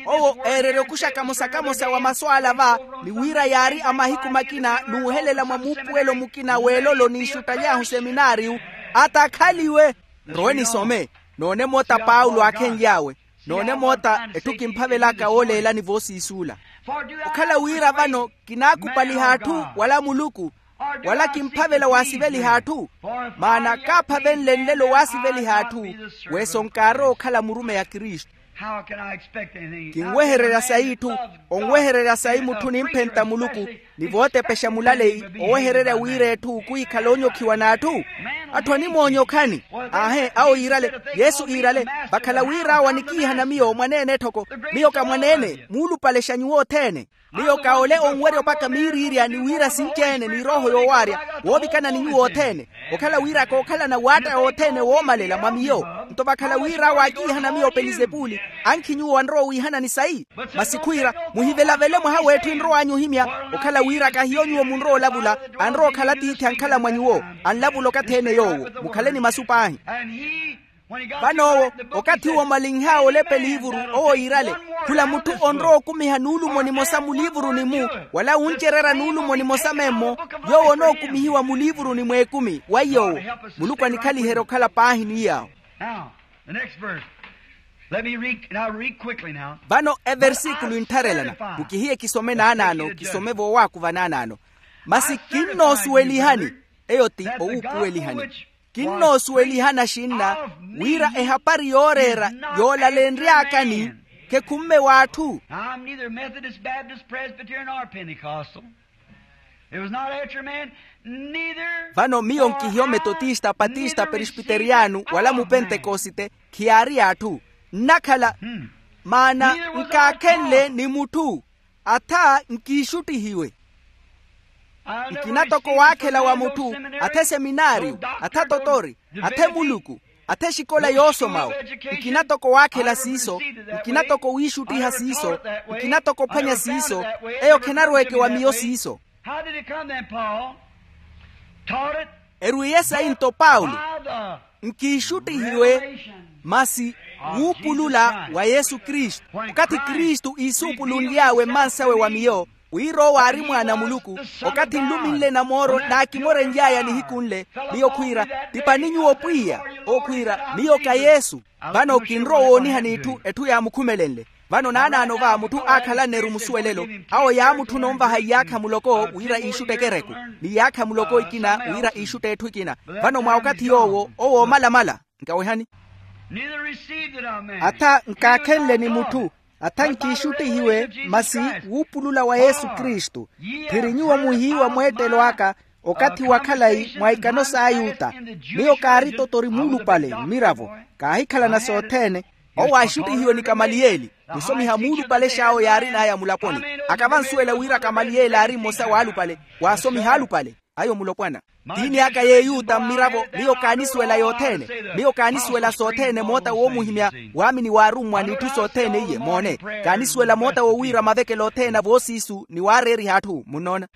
Owo eererya okuxa kamosa-kamosa wa masu ala va, ni wira yaari a mahiku makina n'uhelela mwa muupuwelo mukina w'elolo n'ixuttaly'ahu seminaariyu, atakhaliwe. Nrowe nisome. Noone moota paulo aakhenly'awe. Noone moota etthu kimphavelaka wooleelani voosiisuula. Okhala wira vano kinaakupaliha atthu wala muluku, wala kimphavela waasiveliha atthu. Maana kaaphavenle nlelo waasiveliha atthu, weso nkaarowa okhala murumeyi a kristu. Kinwehererya sayi itthu? Onwehererya sayi mutthu nimphenta muluku, ni vootepexa mulaleyi, owehererya wira etthu khuhikhala onyokhiwa n'atthu? Atthu animoonyokhani. Aahe awo yiirale, yesu iirale, vakhala wira awo anikiihana miyo mwaneene etthoko. Miyo ka mwaneene muulupalexa nyuwo othene. Miyo ka ole onwerya opaka miiriirya ni wira sinci-ene ni erooho yoowaarya, woovikana ni nyuwo othene. Okhala wira kookhalana waatta othene woomalela mwa miyo. Nto vakhala wira awo aakiihana miyo pelizepuli, ankhi nyuwo anrowa owiihanani sayi? Masi khwiira, muhivelavele mwaha w'etthu enrow'anyu ohimya. Okhala wira ka hiyo nyuwo munrowa olavula, anrowa okhala tiithi ankhala mwa nyuwo. Anlavula okathi-ene yoowo. Mukhale ni masu paahi. Vano owo, okathi uwo omalinh'awe olepa eliivuru, owo yiirale, khula mutthu onrowa okumiha nuulumo nimosa muliivuruni-mu, wala wuncererya nuulumo nimosa memmo, yoowo onookumihiwa muliivuruni mw'ekumi wa iy'owo. Muluku anikhaliherye okhala paahi ni yaawo. Vano eversikulu enttharelana, mukihiye kisome naanaano kisome voowaakuva naanaano. Masi kinnoosuwelihani, eyo ti owuupuwelihani. Kinnoosuwelihana xinna wira ehapari yooreera yoolalenry'akani khekhumme w'atthu. Vano miyo nkihiyo metotista patista peresbiteriyano wala mupentekosite. Khiyaari y'atthu. Nnakhala, maana nkaakhenle ni mutthu, atha nkiixuttihiwe. Nkina toko waakhela wa mutthu, atha eseminaariyo, atha totori, atha emuluku, atha exikola yoosomawe. Nkina toko waakhela siiso, nkina toko wiixuttiha siiso, nkina toko ophwanya siiso. Eyo khenarweeke wa miyo siiso. Erwiiye sayi nto paulo, nkiixuttihiwe masi wuupulula wa yesu kristu. Okathi kristu iisuupulunly'awe mmansawe wa miyo, wira owo aari mwaana a muluku, okathi nluminle namooro naakimorenly'aya nihiku nle, miyo khwiira, tipani nyuwo pwiya. Owo khwiira, miyo ka yesu. Vano kinrowa owoonihani itthu etthu yaamukhumelenle. Vano naanaano va mutthu aakhalanne-ru musuwelelo, awo yaamutthuna onvaha iyaakha muloko wira iixutte ekereku, ni iyaakha muloko ikina wira iixutte etthu ekina. Vano mwa okathi yoowo owo oomalamala. Nkawehani. Atha nkaakhenle ni mutthu, atha nkiixuttihiwe masi wuupulula wa yesu kristu. Phiri nyuwo muhiiwa mweettelo aka, okathi wa khalayi mwa ikano s'ayuta. Miyo kaari totori muulupale mmiravo, kaahikhalana sothene. Owo aaxuttihiwe ni kamaliyeli, musomiha muulupale xaawo yaarin'aya mulaponi. Akavansuwela wira kamaliyeli aari mmosa w'alupale, waasomiha alupale. Ayo mulopwana, tiini aka y'eyuta mmiravo. Miyo kaanisuwela yothene, miyo kaanisuwela sothene moota woomuhimya, waamini waarummwa n'itthu sothene iye moone. Kaanisuwela moota wowiira mavekelo othene a voosiisu ni waareeriha atthu munnoona.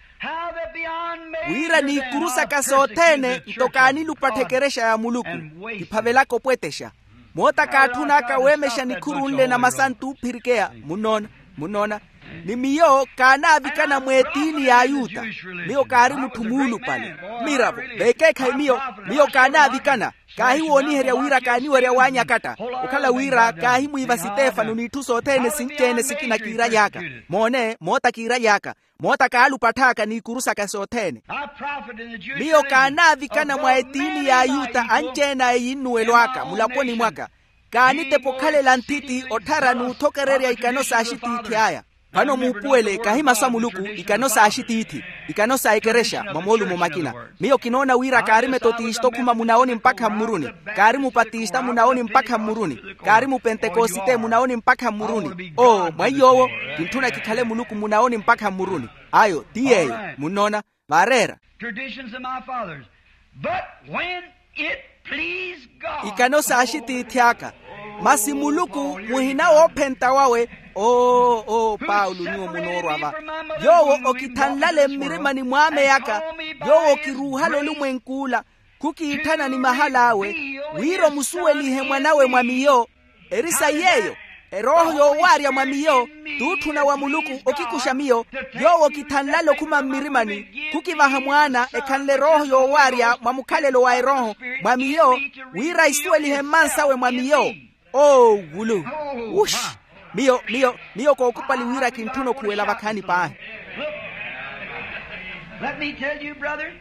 Wira n'ikuru saka sothene nto kaanilupattha ekerexa ya muluku, kiphavelaka opwetexa. Moota kaatthun'aka weemexa nikhuru nle na masantu oophirikeya. Munnoona, munnoona. Ni miyo kaanaavikana mw'etiini y'ayuta. Miyo kaari mutthu muulupale. Mmiravo, vekeekhayi miyo, miyo kaanaavikana. Kaahiwooniherya wira kaaniwerya waanyakatta, okhala wira kaahimwiiva sitefano n'itthu sothene sinci-ene sikina kiiraly'aka. Moone moota kiiraly'aka, moota kaalupatth'aka n'ikuru saka sothene. Miyo kaanaavikana mwa etiini y'ayuta anci-ene aya eyinnuwelo aka mulaponi mwaka. Kaanitepa okhalela nthiti otthara n'uthokererya ikano s'axitiithi aya. Vano muupuwele kahi masu a muluku, ikano s'axitiithi, ikano sa ekerexa mwa moolumo makina. Miyo kinoona wira kaari metotista okhuma munawoni mpakha mmuruni, kaari mupatista munawoni mpakha mmuruni, kaari mupentekosite munawoni mpakha mmuruni. Oo mwa iy'owo, kintthuna kikhale muluku munawoni mpakha mmuruni. Ayo ti yeeyo. Munnoona? Vaareera. Traditions of my fathers. But when it pleased God. Ikano s'axitiithi aka. Masi muluku muhina woophenta wawe. Oo oo paulo nyuwo munoorwa va. Yoowo okithanlale mmirimani mw'ameyaka, yoowo okiruuhale olumwenk'ula, khukiitthana ni mahal'awe, wira omusuwelihe mwan'awe mwa miyo. Eri sayi yeeyo, erooho yoowaarya mwa miyo, t'utthuna wa muluku okikuxa miyo. Yoowo okithanlale okhuma mmirimani, khukivaha mwaana ekhanle erooho yoowaarya mwa mukhalelo wa erooho mwa miyo, wira isuwelihe mmansawe mwa miyo. Oo wulu. Wuxi. Miyo miyo miyo kookupali wira kintthuna okhuwela vakhaani paahi. Let me tell you, brother.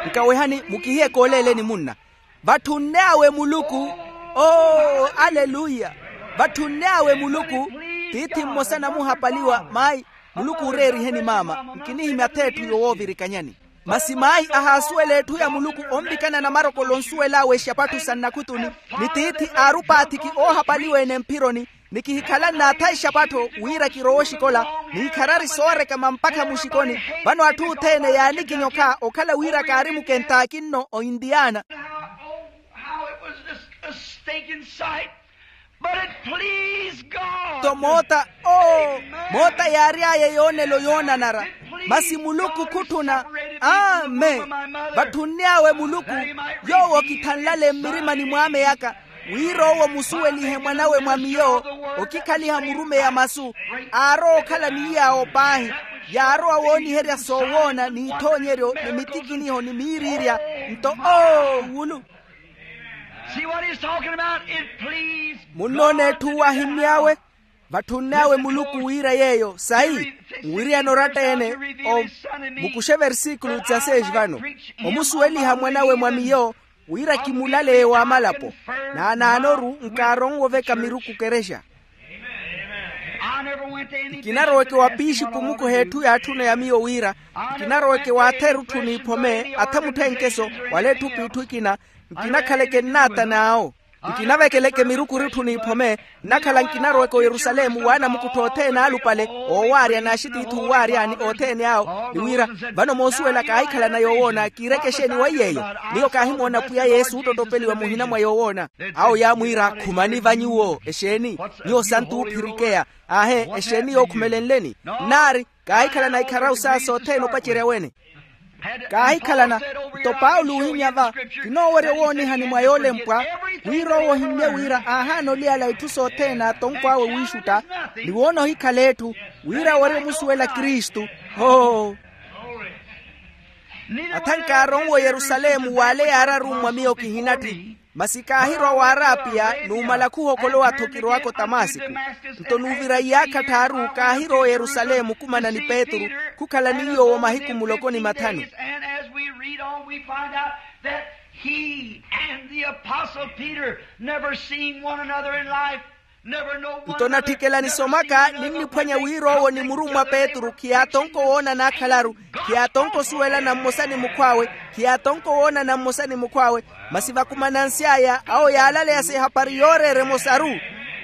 Nkawehani mukihiye kooleeleni munna. Vatthunne awe muluku. Oo aleluya. Vatthunne awe muluku. Tiithi mmosa namuhapaliwa mayi, muluku ooreeriheni maama nkinihimya ath'etthu yowoovirikanyani. Masi mayi ahaasuwela etthu ya muluku onvikana namarokolo onsuwel'awe exapattho sa nnakhutuni. Ni tiithi aari opaathiki oohapaliwa-ene mphironi. Ni kihikhalanne atha exapattho wira kirowe oxikola, ni ikharari soorekama mpakha muxikoni. Vano atthu othene yaanikinyokha okhala wira kaari mukentaki nno o indiana. How it was just a stinking sight. But it pleased God. Nto moota oo moota yaary'aya yoonelo yoonanara. Masi muluku khutthuna. Amen. Vatthunne awe muluku, yoowo okithanlale mmirimani mw'ameyaka, wira owo omusuwelihe mwan'awe mwa miyo, okikhaliha murumeyi a masu, aarowa okhala ni iy'awo paahi. Yaarowa wooniherya soowoona n'ithoonyeryo ni mitikiniho ni miiriirya. Nto oo wulu. Munnoona etthu wahimmy'awe. Vatthunne awe muluku wira yeeyo sayi. Nwiriyana oratta-ene. Mukuxe versikulu dzaseis vano, omusuweliha mwan'awe mwa miyo, wira kimulaleye w'amalapo. Naanaano-ru nkaaronwe oveka miruku kerexa. Nkinaroweke wa piixipu mukuha etthu yaatthuna ya miyo wira, nkinaroweke w'atha erutthuni iphome atha mutthenkeso, wala etthu p'itthu ekina. Nkinakhaleke nnaata n'awo. Nkinavekeleke miruku ritthu n'iphome. Nnakhala nkinaroweke oyerusalemu w'anamukuttho othene alupale, oowaarya n'axitiithi uwaaryani othene awo ni wira, vano moosuwela kaahikhalana yoowoona kiireke exeeni weiy'eyo. Miyo kaahimoona pwiya yesu ottottopeliwa muhina mwa yoowoona. Awo yaamwiira khumani va nyuwo exeeni? Nyuwo santu oophirikeya. Aahe exeeni yookhumelenleni? Nnaari kaahikhalana ikharawu saaso othene opacerya wene. Kaahikhalana. Nto paulo oohimya va, kinoowerya owoonihani mwa yoolempwa, wira owo ohimmye wira aahaana oliyala itthu sothene atonko awe wiixutta, ni woona ohikhala etthu, wira wari omusuwela kristu. Hoo. Atha nkaaronwe oyerusalemu w'ale yaararummwa miyo kihinatthi. Masi kaahirwa w'arapiya numala khuhokolowa-tho kirowaka otamasiku. Nto nuuvira iyaakha tthaaru kaahirwa oyerusalemu okumana ni petru, khukhala ni yoowo mahiku muloko ni mathanu. And as we read on we find out that he and the apostle peter never seen one another in life. Nto natthikela nisomaka ninniphwanya wira owo ni murummwa petru khiyaatonko woonana akhalaru, khiyaatonko osuwelana mmosa ni mukhw'awe. Khiyaatonko woonana mmosa ni mukhw'awe. Masi vakumanansy'aya awo yaalaleya sihapari yooreera emosaru.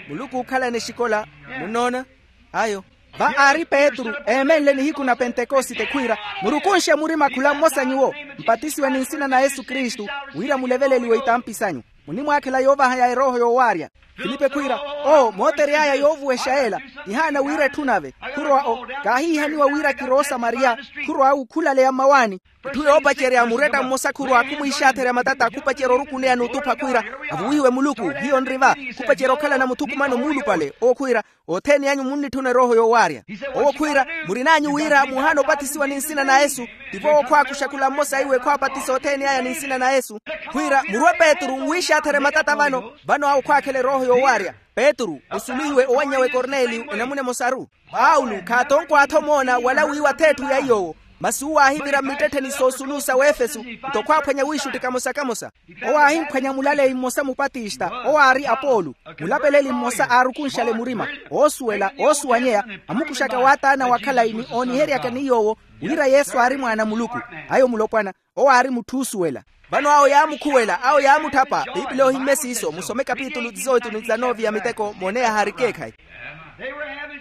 Muluku ookhalana exikola. Munnoona? Ayo. Va aari petru eemenle nihiku na pentekosite khwiira, murukunxe murima khula mmosa nyuwo, mpatisiwe ni nsina na yesu kristu, wira muleveleliwe itampi sanyu. Munimwaakhela yoovaha ya erooho yoowaarya. Filipe khwiira, oo mootery'aya yoovuwexa yeela. Ihaana wira etthu nave. Khurowa o. Kaahiihaniwa wira kiroosamariya. Khurowa wukhulaleya mmawaani. Etthu yoopacerya muretta mmosa khurowa khumwiixatherya matata khupacerya orukuneya n'utupha khwiira, avuwihiwe muluku. Hiyo nri va. Khupacerya okhalana muthukumano muulupale owo khwiira, othene anyu munnitthuna erooho yoowaarya. Owo khwiira, murin'anyu wira muhaana opatisiwa ni nsina na yesu. Tivo owo khwaakuxa khula mmosa iwe khwaapatisa othene aya ni nsina na yesu. Khwiira murwe petru mwiixatherye matata vano. Vano awo khwaakhela erooho yoowaarya. Petru osuluhiwe owanny'awe korneliyo enamuna emosaru. Paulo khaatonkw'atho moona wala wiiwa th'etthu ya iy'owo. Masi uwo aahivira mmittettheni soosulusa w'efesu. Nto khwaaphwanya wiixutti kamosa-kamosa. Owo aahimphwanya mulaleyi mmosa mupatista owo aari apolo. Mulapeleli mmosa aarukunxale murima, oosuwela oosuwanyeya, amukuxaka waataana wa khalayi ni ooniheryaka ni yoowo wira yesu aari mwaana a muluku. Ayo mulopwana. Owo aari mutthu oosuwela. Vano awo yaamukhuwela awo yaamutthapa piipili ohimmye siiso musome kapitulu tizoitu ni tizanove ya miteko moone yahaari ekeekhayi.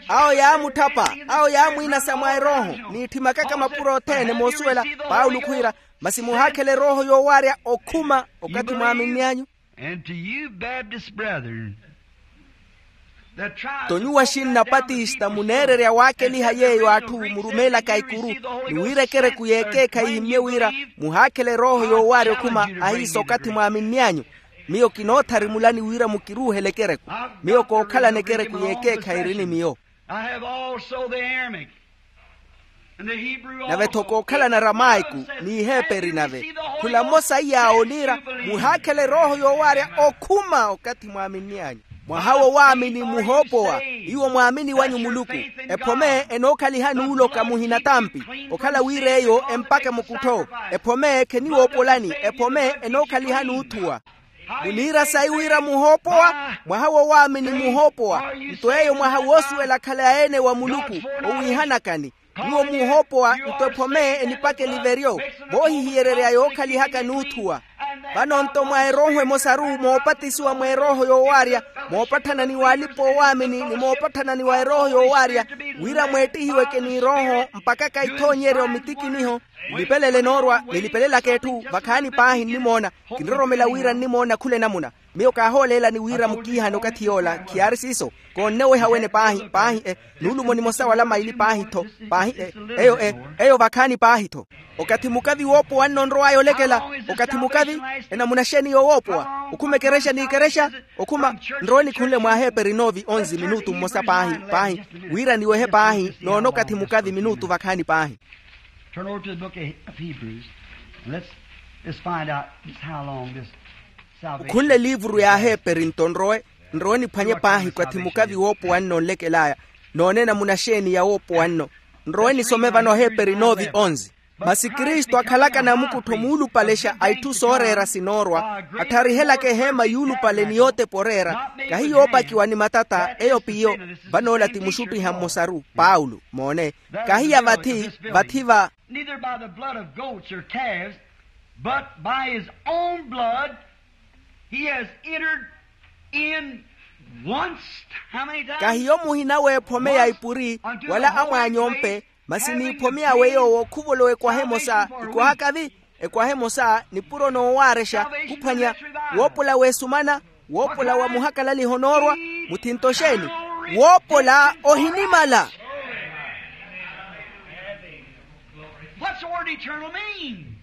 Awo yaamutthapa awo yaamwiinasa mwa erooho, n'itthi makaka mapuro othene moosuwela paulo khwiira, masi muhaakhela erooho yoowaarya okhuma okathi mwaaminni anyu. And to you baptist brethren. Nto nyuwo axinna patista muneererya waakeliha yeeyo atthu murumeelaka ikuru, ni wira ekereku y'ekeekhayi ehimmye wira muhaakhela erooho yoowaarya okhuma ahiisa okathi mwaaminni anyu. Miyo kinoothari mulani wira mukiruuhele ekereku. Miyo kookhalana ekereku y'ekeekhayi eri ni miyo. I have also the Aramaic. Nave-tho kookhalana aramaiku n'iheperi nave. Khula mmosa iya ooniira muhaakhela erooho yoowaarya okhuma okathi mwaaminni anyu. Mwaha wo waamini muhoopowa. Iwo mwaamini wanyu muluku. Ephome enookhaliha n'uloka muhina tampi okhala wira eyo empaka mukuttho. Ephome kheniwoopolani ephome enookhaliha n'uthuwa. Muniira sayi wira muhoopowa. Mwaha wo waamini muhoopowa. Nto eyo mwaha woosuwela akhala ya ene wa muluku owiihanakani. Nyuwo muhoopowa nto ephome enipaka eliveryo. Voohihiyererya yookhalihaka n'uthuwa. Vano nto mwa erooho emosaru moopatisiwa mwa erooho yoowaarya, moopatthana ni waalipa oowaamini ni moopatthana ni wa erooho yoowaarya, wira mweettihiweke n'irooho mpakha kaithoonyeryo mitikiniho. Nilipelele noorwa nilipelelaka etthu vakhaani paahi nnimoona. Kinroromela wira nnimoona khula enamuna. Miyo kaahooleelani wira mukiihane okathi yoola khiyaari siiso. Koonneweha wene paahi paahi e. Nuulumo nimosa wala maili paahi-tho. Paahi e. Eyo e. Eyo vakhaani paahi-tho. Okathi mukavi woopowa nno onrow'aya olekela? Okathi mukavi enamuna xeeni yowoopowa? Okhuma ekerexa n'ikerexa. Okhuma nrowe nikhunle mwa aheeperi noovi onzi minutu mmosa paahi paahi, wira niwehe paahi noona okathi mukavi minutu vakhaani paahi. Turn over to the book of Hebrews. And let's just find out just how long this salvation. Okhunle eliivuru ya aheeperi nto nrowe nrowe niphwanye paahi okathi mukavi woopowa nno onlekel'aya. Noone namuna xeeni ya woopowa nno. Nrowe nisome vano aheeperi noovi onzi. Masi kristu akhalaka namukuttho muulupalexa a itthu sooreera sinoorwa, attharihelaka eheema yuulupale ni yootepa oreera, kahi yoopakiwa ni matata eyo p'iyo. Van'ola ti muxuttiha mmosaru paulo moone. Kahi ya vathi vathi va. Neither by the blood of goats or calves, but by his own blood he has entered In once, how many times? Kahiyo muhina w'ephome ya ipuri, wala amwaany'ompe, masi n'iphome yawe yoowo khuvolowa ekwaha emosa, ekwaha kavi, ekwaha emosa nipuro noowaarexa, khuphwanya, woopola w'esumana, woopola wa muhakalaliho noorwa, muthinto xeeni? Woopola ohinimala. What's the word eternal mean?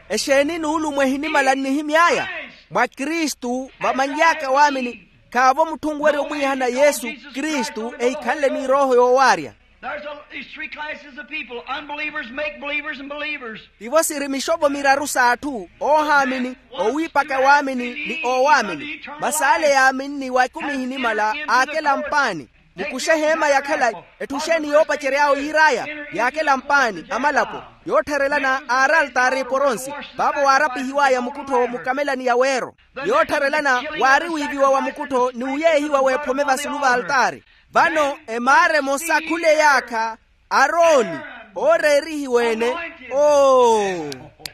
Exeeni nuulumo ehinimala nnihimy'aya? Mwa kristu vamanly'aka waamini. Khaavo mutthu onwerya omwiihana yesu kristu ehikhanle ni erooho yoowaarya. There's a, these three classes of people, unbelievers, make believers, and believers. Tivo siri mixovo miraru s'atthu, oohaamini, oowiipaka waamini ni oowaamini. Masi ale yaaminni wa ekumi ehinimala aakela mpaani. Mukuxe eheema ya khalayi. Etthu xeeni yoopacery'awe yiir'aya? Yaakela mpaani amalapo, yoottharelana aari altaari eporonsi, paavo waarapihiw'aya mukuttho mukamelani ya weero. Yoottharelana waari wiiviwa wa mukuttho ni uyeehiwa w'ephome vasulu v'altaari. Vano emaara emosa khule yaakha, arooni, ooreerihiwe-ene, oo,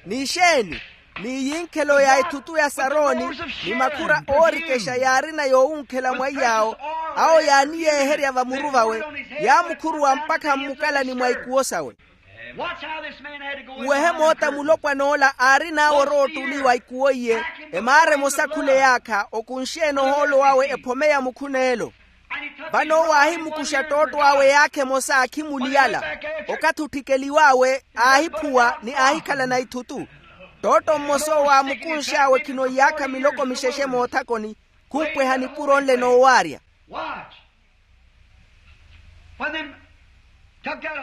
ni xeeni? Ni yinkhelo ya ethutu ya sarooni, ni makhura oorikexa yaarina yoowunkhela mwa iy'awo, awo yaaniyeeherya vamuru vawe, yaamukhuruwa mpakha mmukalani mwa ikuwo sawe. Nwehe moota mulopwan'ola aarin'awe oroottuli wa ikuwo iye, emaara emosa khule yaakha okunxe-ene ohoolo wawe ephome ya mukhuneelo. Vano owo aahimukuxa ttootto awe yaakha emosa akhimuliyala. Okathi otthikeliw'awe aahiphuwa ni aahikhalana ithutu. Ttootto mmosa owo aamukunx'awe khino iyaakha miloko mixexe moothakoni, khumpweha nipuro nle noowaarya.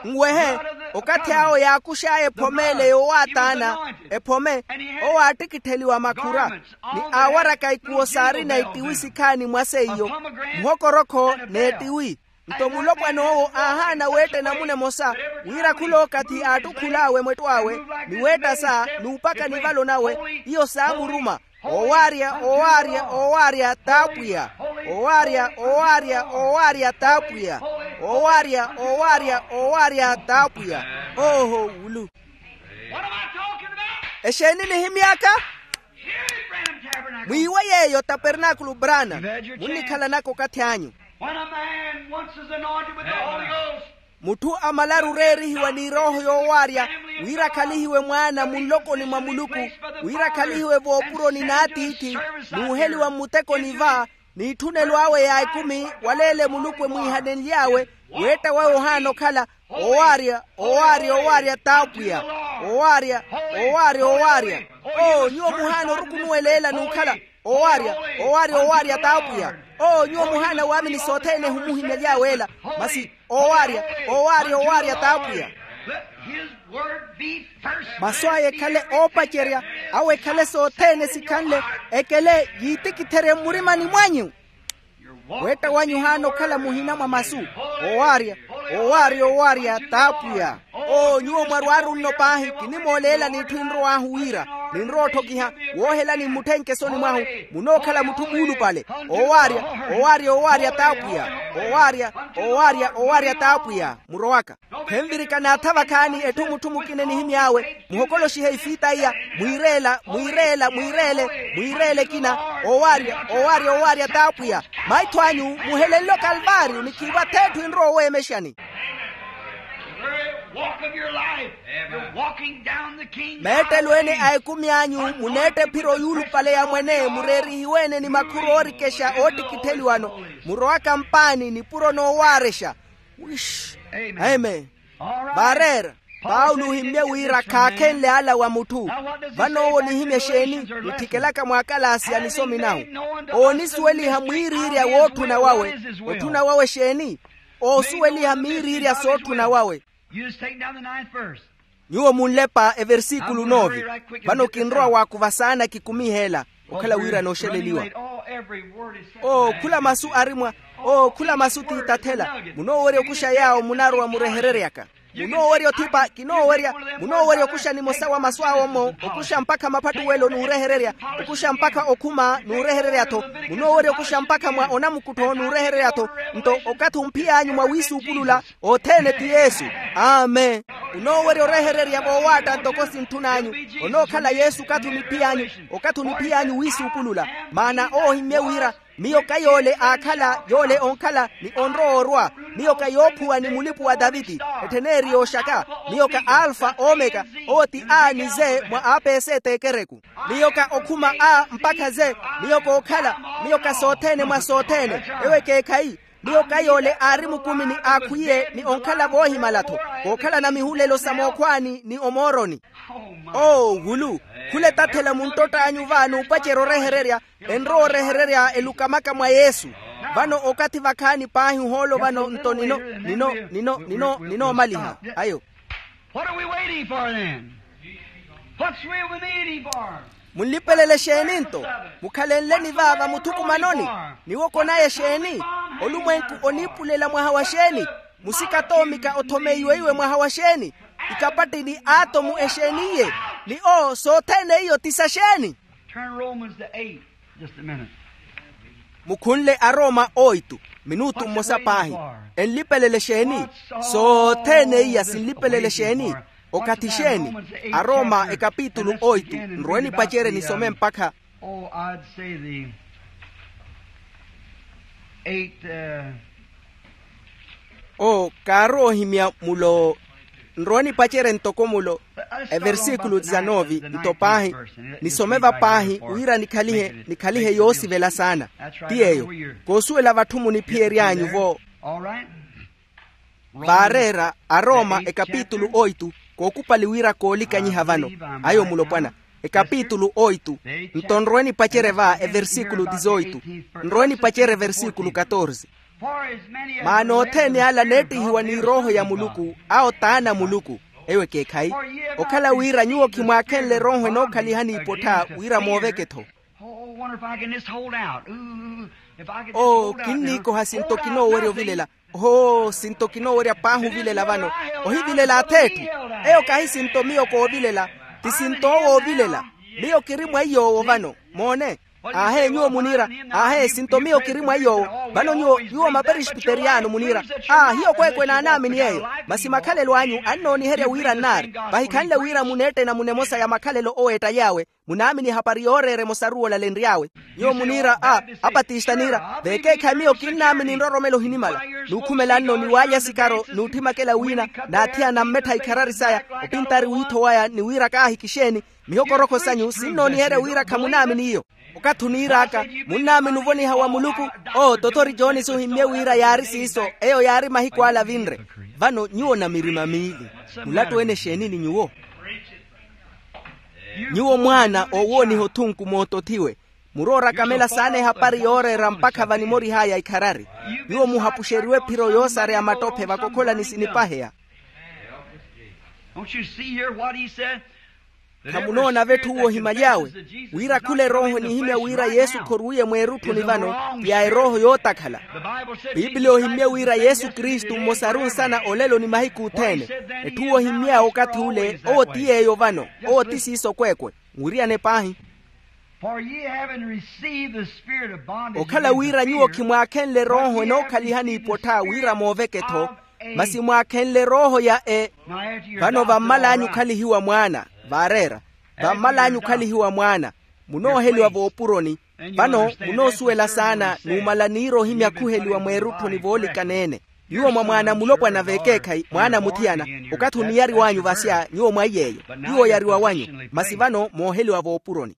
Nwehe, okathi awo yaakux'aya ephome ele yoowaataana, ephome, owo aattikittheliwa makhura, ni aawaraka ikuwo saarina ettiwi sikhaani mwa seiyo, muhokorokho n'ettiwi. Nto mulopwan'owo aahaana weetta enamuna emosa, wira khul'okathi aattukhul'awe mwettw'awe, ni weetta saa n'upaka nivalo nawe, iyo saamuruma. Owaarya, owaarya, owaarya t'apwiya. Owaarya, owaarya, owaarya t'apwiya. Owaarya, owaarya, owaarya t'apwiya. Ooho wulu. Exeeni nihimy'aka? Mwiiwe yeeyo tapernaakulu brana. Munnikhalanaka okathi anyu. Mutthu amalaru oreerihiwa ni erooho yoowaarya, wira akhalihiwe mwaana munlokoni mwa muluku, wira akhalihiwe voopuroni n'atiithi, n'uheliwa mmutekoni va, n'itthunelo awe ya ekumi wala ele muluku emwiihanenly'awe, weetta wawe ohaana okhala. Owaarya, owaarya, owaarya t'apwiya. Owaarya, owaarya, owaarya. Oo nyuwo muhaana orukunuwela ela n'ukhala. Owaarya, owaarya, owaarya t'apwiya. Oo nyuwo muhaana waamini sothene ehumuhimyaly'awe ela. Masi owaarya, owaarya, owaarya t'apwiya. Masu aya ekhale oopacerya, awo ekhale sothene sikhanle, ekele yiitikitherye mmurimani mwanyu. Weetta wanyu ohaana okhala muhina mwa masu. Owaarya, owaarya, owaarya t'apwiya. Oo nyuwo mwarwaaru nno paahi kinimooleela n'itthu enrow'ahu wira, ninrowa otthokiha, woohelani mmutthenke esoni mwahu, munookhala mutthu muulupale. Owaarya, owaarya, owaarya t'apwiya. Owaarya, owaarya, owaarya t'apwiya murowaka. Khenvirika naatha vakhaani etthu mutthu mukina enihimy'awe, muhokoloxihe ifiita iya, mwiireela, mwiireela, mwiireele, mwiireele ekina. Owaarya, owaarya, owaarya t'apwiya. Maitho anyu muhelenle okalvaariyo ni khiivo ath'etthu enrowa oweemexani. Meettelo ene a ekumi anyu muneetta ephiro yuulupale ya mwene mureerihiwe-ene ni makhuru oorikexa oottikittheliwano, murowaka mpaani nipuro noowaarexa. Amen. Vaareera, paulo ohimmye wira khaakhenle ala wa mutthu. Vano owo onihimya exeeni? Nitthikelaka mwaakalaasi ya nisomi nahu. Oonisuweliha mwiiriirya wootthuna wawe. Otthuna wawe exeeni? Oosuweliha miiriirya sootthuna wawe. Nyuwo munlepa eversikulu nove. Vano kinrowa waakuva saana kikumihe ela, okhala wira nooxeleliwa. Oo khula masu ari mwa, oo khula masu tiitathela. Munoowerya okuxa yaawo munarowa murehereryaka. Munoowerya othipa kinoowerya. Munoowerya okuxa nimosa wa masu awo-mo, okuxa mpakha maphattuwelo n'urehererya, okuxa mpakha okhuma n'urehererya-tho. Munoowerya okuxa mpakha mwa onamukuttho n'urehererya-tho. Nto okathi omphiy'anyu mwa wiisuupulula, othene ti yesu. Amen. Onoowerya orehererya voowaatta ntoko sintthun'anyu. Onookhala yesu okathi oniphiy'anyu, okathi oniphiy'anyu wiisuupulula. Maana owo ohimmye wira, miyo ka yoole aakhala yoole onkhala ni onrowa orwa. Miyo ka yoophuwa ni mulipu wa taviti, ettheneeri yooxaka. Miyo ka alfa omeka, owo ti a ni ze mwa apeseeti ekereku. Miyo ka okhuma a mpakha ze. Miyo kookhala. Miyo ka sothene mwa sothene. Ewo ekeekhayi. Miyo ka yoole aari mukumi ni aakhwiye ni onkhala voohimala-tho, kookhalana mihulelo sa mookhwaani ni omooroni. Oo wulu, khula etathela munttottanyu va n'upacerya orehererya. Enrowa orehererya elukamaka mwa yesu. Vano okathi vakhaani paahi ohoolo vano nto nino nino nino nino ninoomaliha ayo. What are we waiting for then? What's we waiting for? Munlipelele exeeni nto? Mukhalenleni va vamuthukumanoni? Niwo konaye exeeni? Olumwenku oniipulela mwaha wa xeeni? Musikatoomika othomeiweiwe mwaha wa xeeni? Ikapatti ni aatomu exeeni iye? Ni oo sothene iyo ti sa xeeni? Turn romans to eight. Just a minute. Mukhunle arooma oitu minutu mmosa paahi. Enlipelele xeeni? Sothene iya sinlipelele xeeni? Okathi xeeni? Arooma ekapitulu oitu. Nrowe nipacerye nisome mpakha. Oh i'd say the eight. Oo kaarowa ohimya mulo. Nrowa nipacerye ntoko mulo. Eversikulu dizanove nto paahi. Nisome va paahi wira nikhalihe nikhalihe yoosivela saana. Ti yeeyo. Koosuwela vatthu muniphiyery'anyu-vo. Vaareera arooma ekapitulu oitu. Kookupali wira koolikanyiha vano. Ayo mulopwana. Ekapitulu oitu. Nto nrowe nipacerye va eversikulu dizoitu. Nrowe nipacerye eversikulu katorse. Maana othene ala neettihiwa ni erooho ya muluku awo t'ana a muluku. Eyo ekeekhayi. Okhala wira nyuwo khimwaakhenle erooho enookhalihani ipottha wira mooveke-tho. Oo kinniikoha sinto kinoowerya ovilela. Hoo sinto kinoowerya paahi ovilela vano. Ohivilela ath'etthu. Eyo kahi sinto miyo koovilela. Ti sinto owo oovilela. Miyo kiri mwa iy'owo vano. Moone. Aahe nyuwo muniira. Aahe sinto miyo kiri mwa iy'owo. Vano nyuwo nyuwo maperesbiteriyano muniira. Aa hiyo kweekwe naanaamini yeeyo. Masi makhalelo anyu annooniherya wira nnaari. Vahikhanle wira muneettena munemosa ya makhalelo oweetta yaawe. Munaamini ehapari yooreera emosaru olalenry'awe. Nyuwo muniira a apatista niira veekeekhayi miyo kinnaamini nroromelo ohinimala. Nuukhumela nno ni waalya sikaro n'utthimakela wiina. Naathiyana mmettha ikharari saya opintari wiitho waya ni wira kaahikixeeni. Mihokorokho sanyu sinnooniherya wira khamunaamini iyo. Okathi oniir'aka munnaamini ovoniha wa muluku. Oo tothori jooni suhimmye wira yaari siiso. Eyo yaari mahiku ala avinre. Vano nyuwo na mirima miili. Mulattu-ene exeeni ni nyuwo? Nyuwo mwaana oowooniha othunku mootothiwe. Muroorakamela saana ehapari yooreera mpakha vanimorih'aya ikharari. Nyuwo muhapuxeriwe ephiro yoosareya mattophe vakokholani sinipaheya. Khamunoona vetthu uwo ohimaly'awe wira khula erooho enihimya wira yesu khorwiiye mweerutthuni vano ti ya erooho yootakhala. Piipili ohimmye wira yesu kristu mmosaru nsana olelo ni mahiku othene. Etthu uwo ohimmy'awe okathi ule owo ti yeeyo vano. Owo ti siiso kweekwe. Nwiriyane paahi. Okhala wira nyuwo khimwaakhenle erooho enookhalihani ipottha wira mooveke-tho. Masi mwaakhenle erooho ya e vano vammal'anyu okhalihiwa mwaana. Vaareera vammal'anyu okhalihiwa mwaana. Munooheliwa voopuroni. Vano munoosuwela saana numala niira ohimya khuheliwa mweerutthuni voolikana-ene. Nyuwo mwa mwaana mulopwana veekeekhayi mwaana muthiyana. Okathi oniyariw'anyu vasya nyuwo mwa iy'eyo. Nyuwo oyariwa wanyu. Masi vano mooheliwa voopuroni.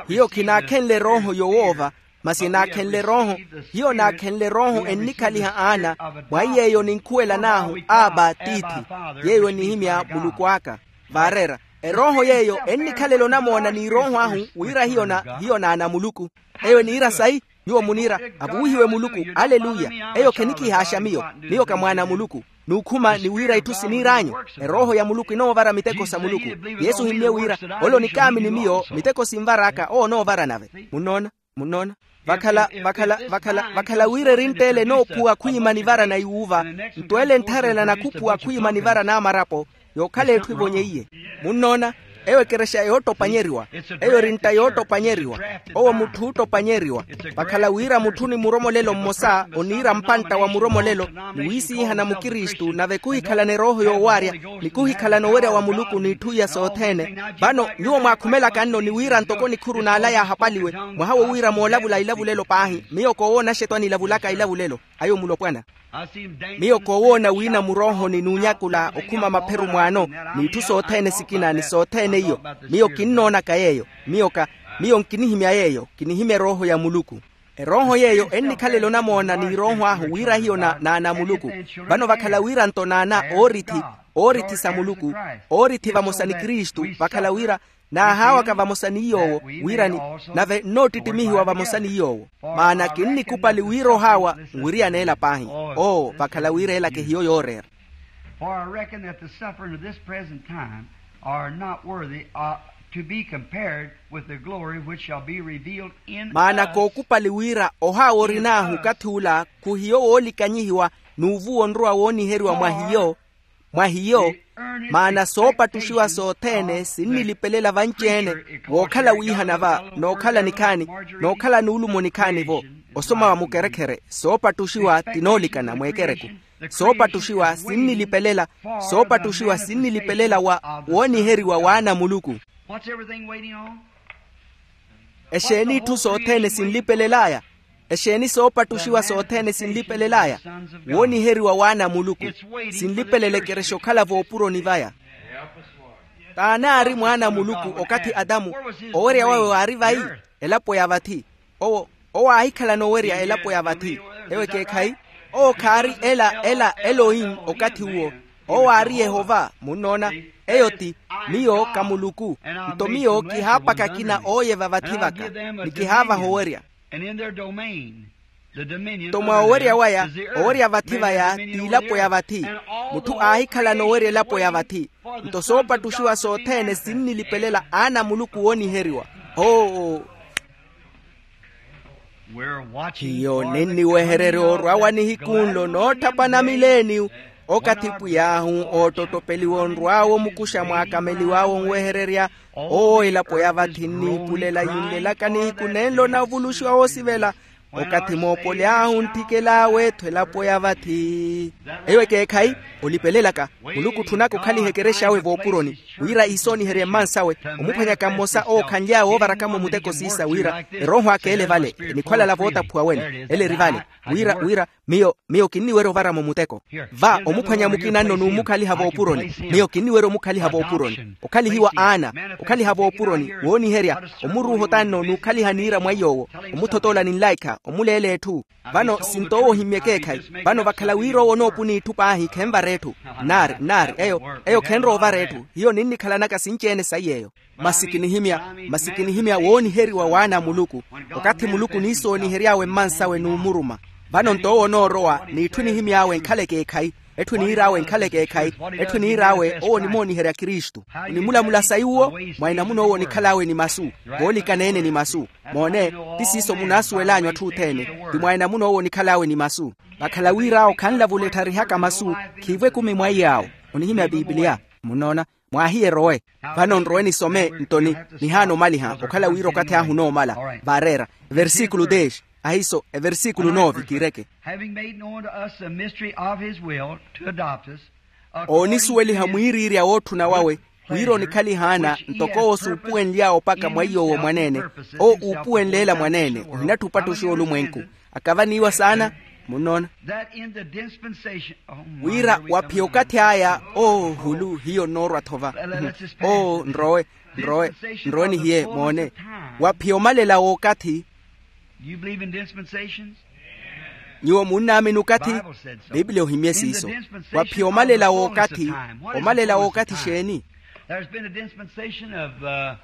Hiyo khinaakhenle erooho yowoova. Masi enaakhenle erooho hiyo naakhenle erooho ennikhaliha aana. Mwa iy'eyo ninkhuwelan'ahu aba tiithi. Yeeyo enihimya muluku aka. Vaareera erooho yeeyo ennikhalela onamoona n'irooho ahu wira hiyo na hiyo naana a muluku. Eyo eniira sayi? Nyuwo muniira avuwihiwe muluku. Aleluya. Eyo khenikihaaxa miyo. Miyo ka mwaana a muluku. Nuukhuma ni wira itthu siniir'anyu. Erooho ya muluku enoovara miteko sa muluku. Yesu ohimmye wira ole onikaamini miyo miteko sinvar'aka owo onoovara nave. Munnoona? Munnoona? Vakhala vakhala vakhala vakhala wira erintt'ele enoophuwa khwiima nivara na iwuuva. Nto ele enttharela nakhuphuwa khwiima nivara n'amarapo. Yookhala etthu evonyeiye. Munnoona? Eyo ekerexa yoottopanyeriwa. Eyo eri ntta yoottopanyeriwa. Owo mutthu oottopanyeriwa. Vakhala wira mutthu ni muromolelo mmosa oniira mpantta wa muromolelo, ni wiisiihana mukristu nave kuhikhalana erooho yoowaarya, ni kuhikhalana owerya wa muluku n'itthu iya sothene. Vano nyuwo mwaakhumelaka nno ni wira ntoko nikhuru n'ala yaahapaliwe, mwaha wo wira moolavula ilavulelo paahi miyo koowoona axetwani ilavulaka ilavulelo. Ayo mulopwana. Miyo koowoona wina muroohoni n'unyakula okhuma mapheru mwaano, n'itthu sothene sikina ni sothene iyo. Miyo kinnoonaka yeeyo. Miyo ka miyo nkinihimya yeeyo kinihimya erooho ya muluku. Erooho yeeyo ennikhalela onamoona n'irooho ahu wira hiyo na n'ana a muluku. Vano vakhala wira nto n'ana oorithi, oorithi sa muluku, oorithi vamosa ni kristu, vakhala wira naahaawaka vamosa ni yoowo, wira ni nave nnoottittimihiwa vamosa ni yoowo. Maana kinnikupali wira ohaawa nwiriyana ela paahi. Oo vakhala wira ela kehiyo yooreera. For I reckon that the suffering of this present time are not worthy uh, to be compared with the glory which shall be revealed in maana us. Kookupali wira ohaawa orin'ahu okathi ula khuhiyo woolikanyihiwa, n'uvuwa onrowa wooniheriwa mwa hiyo. Mwa hiyo, maana soopattuxiwa sothene sinnilipelela vanci-ene, wookhala wiihana va nookhala nikhaani, nookhala nuulumo nikhaani-vo. Osoma wa mukerekhere soopattuxiwa tinoolikana mweekereku. Soopattuxiwa sinnilipelela, soopattuxiwa sinnilipelela wa wooniheriwa w'ana a muluku. Exeeni itthu sothene sinlipelel'aya? Exeeni soopattuxiwa sothene sinlipelel'aya? Wooniheriwa w'ana a muluku. Sinlipelele ekerexa okhala voopuroni vaya. T'ani aari mwaana a muluku okathi atamu? Owerya wawe waari vayi? Elapo ya vathi. Owo owo aahikhalana owerya elapo ya vathi. Ewo ekeekhayi. Owo khaari ela ela elohim okathi uwo. Owo aari yehova munnoona. Eyo ti miyo ka muluku. Nto miyo kihaapaka akina ooye va vathi vaka, ni kihaavaha owerya. Nto mwa owerya waya owerya vathi vaya t'ilapo ya vathi. Mutthu aahikhalana owerya elapo ya vathi. Nto soopattuxiwa sothene sinnilipelela aana a muluku wooniheriwa. Oo. Hiyo ninniwehererya orwawa nihiku nlo nootthapana mileeniyu. Okathi pwiy'ahu oottottopeliwa onrw'awe omukuxa mwaakameliw'awe onwehererya. Oo elapo ya vathi nniipulela yinlelaka nihiku nenlo navuluxiwa woosivela. Okathi moopoly'ahu ntthikela w'etthu elapo ya vathi. Eyo ekeekhayi. Olipelelaka muluku otthunaka okhaliha ekerexa awe voopuroni, wira iisooniherye mmansawe, omuphwanyaka mmosa ookhanly'awe oovaraka-mo muteko siisa wira erooho aka ele vale enikhwalala vootaphuwa wene ele eri vale. Wira wira miyo miyo kinniwerya ovara-mo muteko. Va omuphwanya mukina nno n'umukhaliha voopuroni. Miyo kinniwerya omukhaliha voopuroni okhalihiwa aana, okhaliha voopuroni wooniherya, omuruuha otanno n'ukhaliha niira mwa iy'owo, omuthotoola ni nlaikha omuleela etthu. Vano sinto owo ohimmye ekeekhayi. Vano vakhala wira owo onoopuna itthu paahi khenvara etthu. Nnaari nnaari eyo eyo khenrowa ovara etthu hiyo ninnikhalanaka sinci-ene saiy'eyo. Masi kinihimya masi kinihimya wooniheriwa w'ana a muluku. Okathi muluku oniisoonihery'awe mmansawe n'umuruma. Vano nto owo onoorowa n'itthu enihimy'awe enkhala ekeekhayi. Etthu eniir'awe enkhala ekeekhayi. Etthu eniir'awe owo onimooniherya kristu. Onimulamula sayi uwo? Mwa enamuna owo onikhal'awe ni masu. Voolikana-ene ni masu. Moone, ti siiso munaasuwel'anyu atthu othene. Ti mwa enamuna owo onikhal'awe ni masu. Vakhala wir'awo khanlavula ettharihaka masu. Khiivo ekumi mwa iy'awo. Onihimya pipiliya. Munnoona? Mwaahiye erowe. Vano nrowe nisome nto ni nihaana omaliha okhala wira okathi ahu onoomala. Vaareera eversikulu dez. Ahiiso eversikulu nove kiireke. Having made known to us the mystery of his will to adopt us, according to oonisuweliha his mwiiriirya wootthuna wawe wira onikhalihaana ntoko owo suupuwenly'awe opaka mwa iy'owo mwaneene. Owo uupuwenleela mwaneene ohinatthi opattuxiwa olumwenku. Akavaniiwa saana. Munnoona? That in the dispensation, oh, my, wira here we come waphiya again. Okathi aya. Oo hulu hiyo nnoorwa-tho va. Oo nrowe nrowe nrowe nihiye moone. Waphiya omalela w'okathi. Do you believe in dispensations? Nyuwo munnaamini okathi? Bible said so. Biblia ohimye siiso. Waphiya omalela w'okathi. Omalela w'okathi exeeni? There's been a dispensation of uh,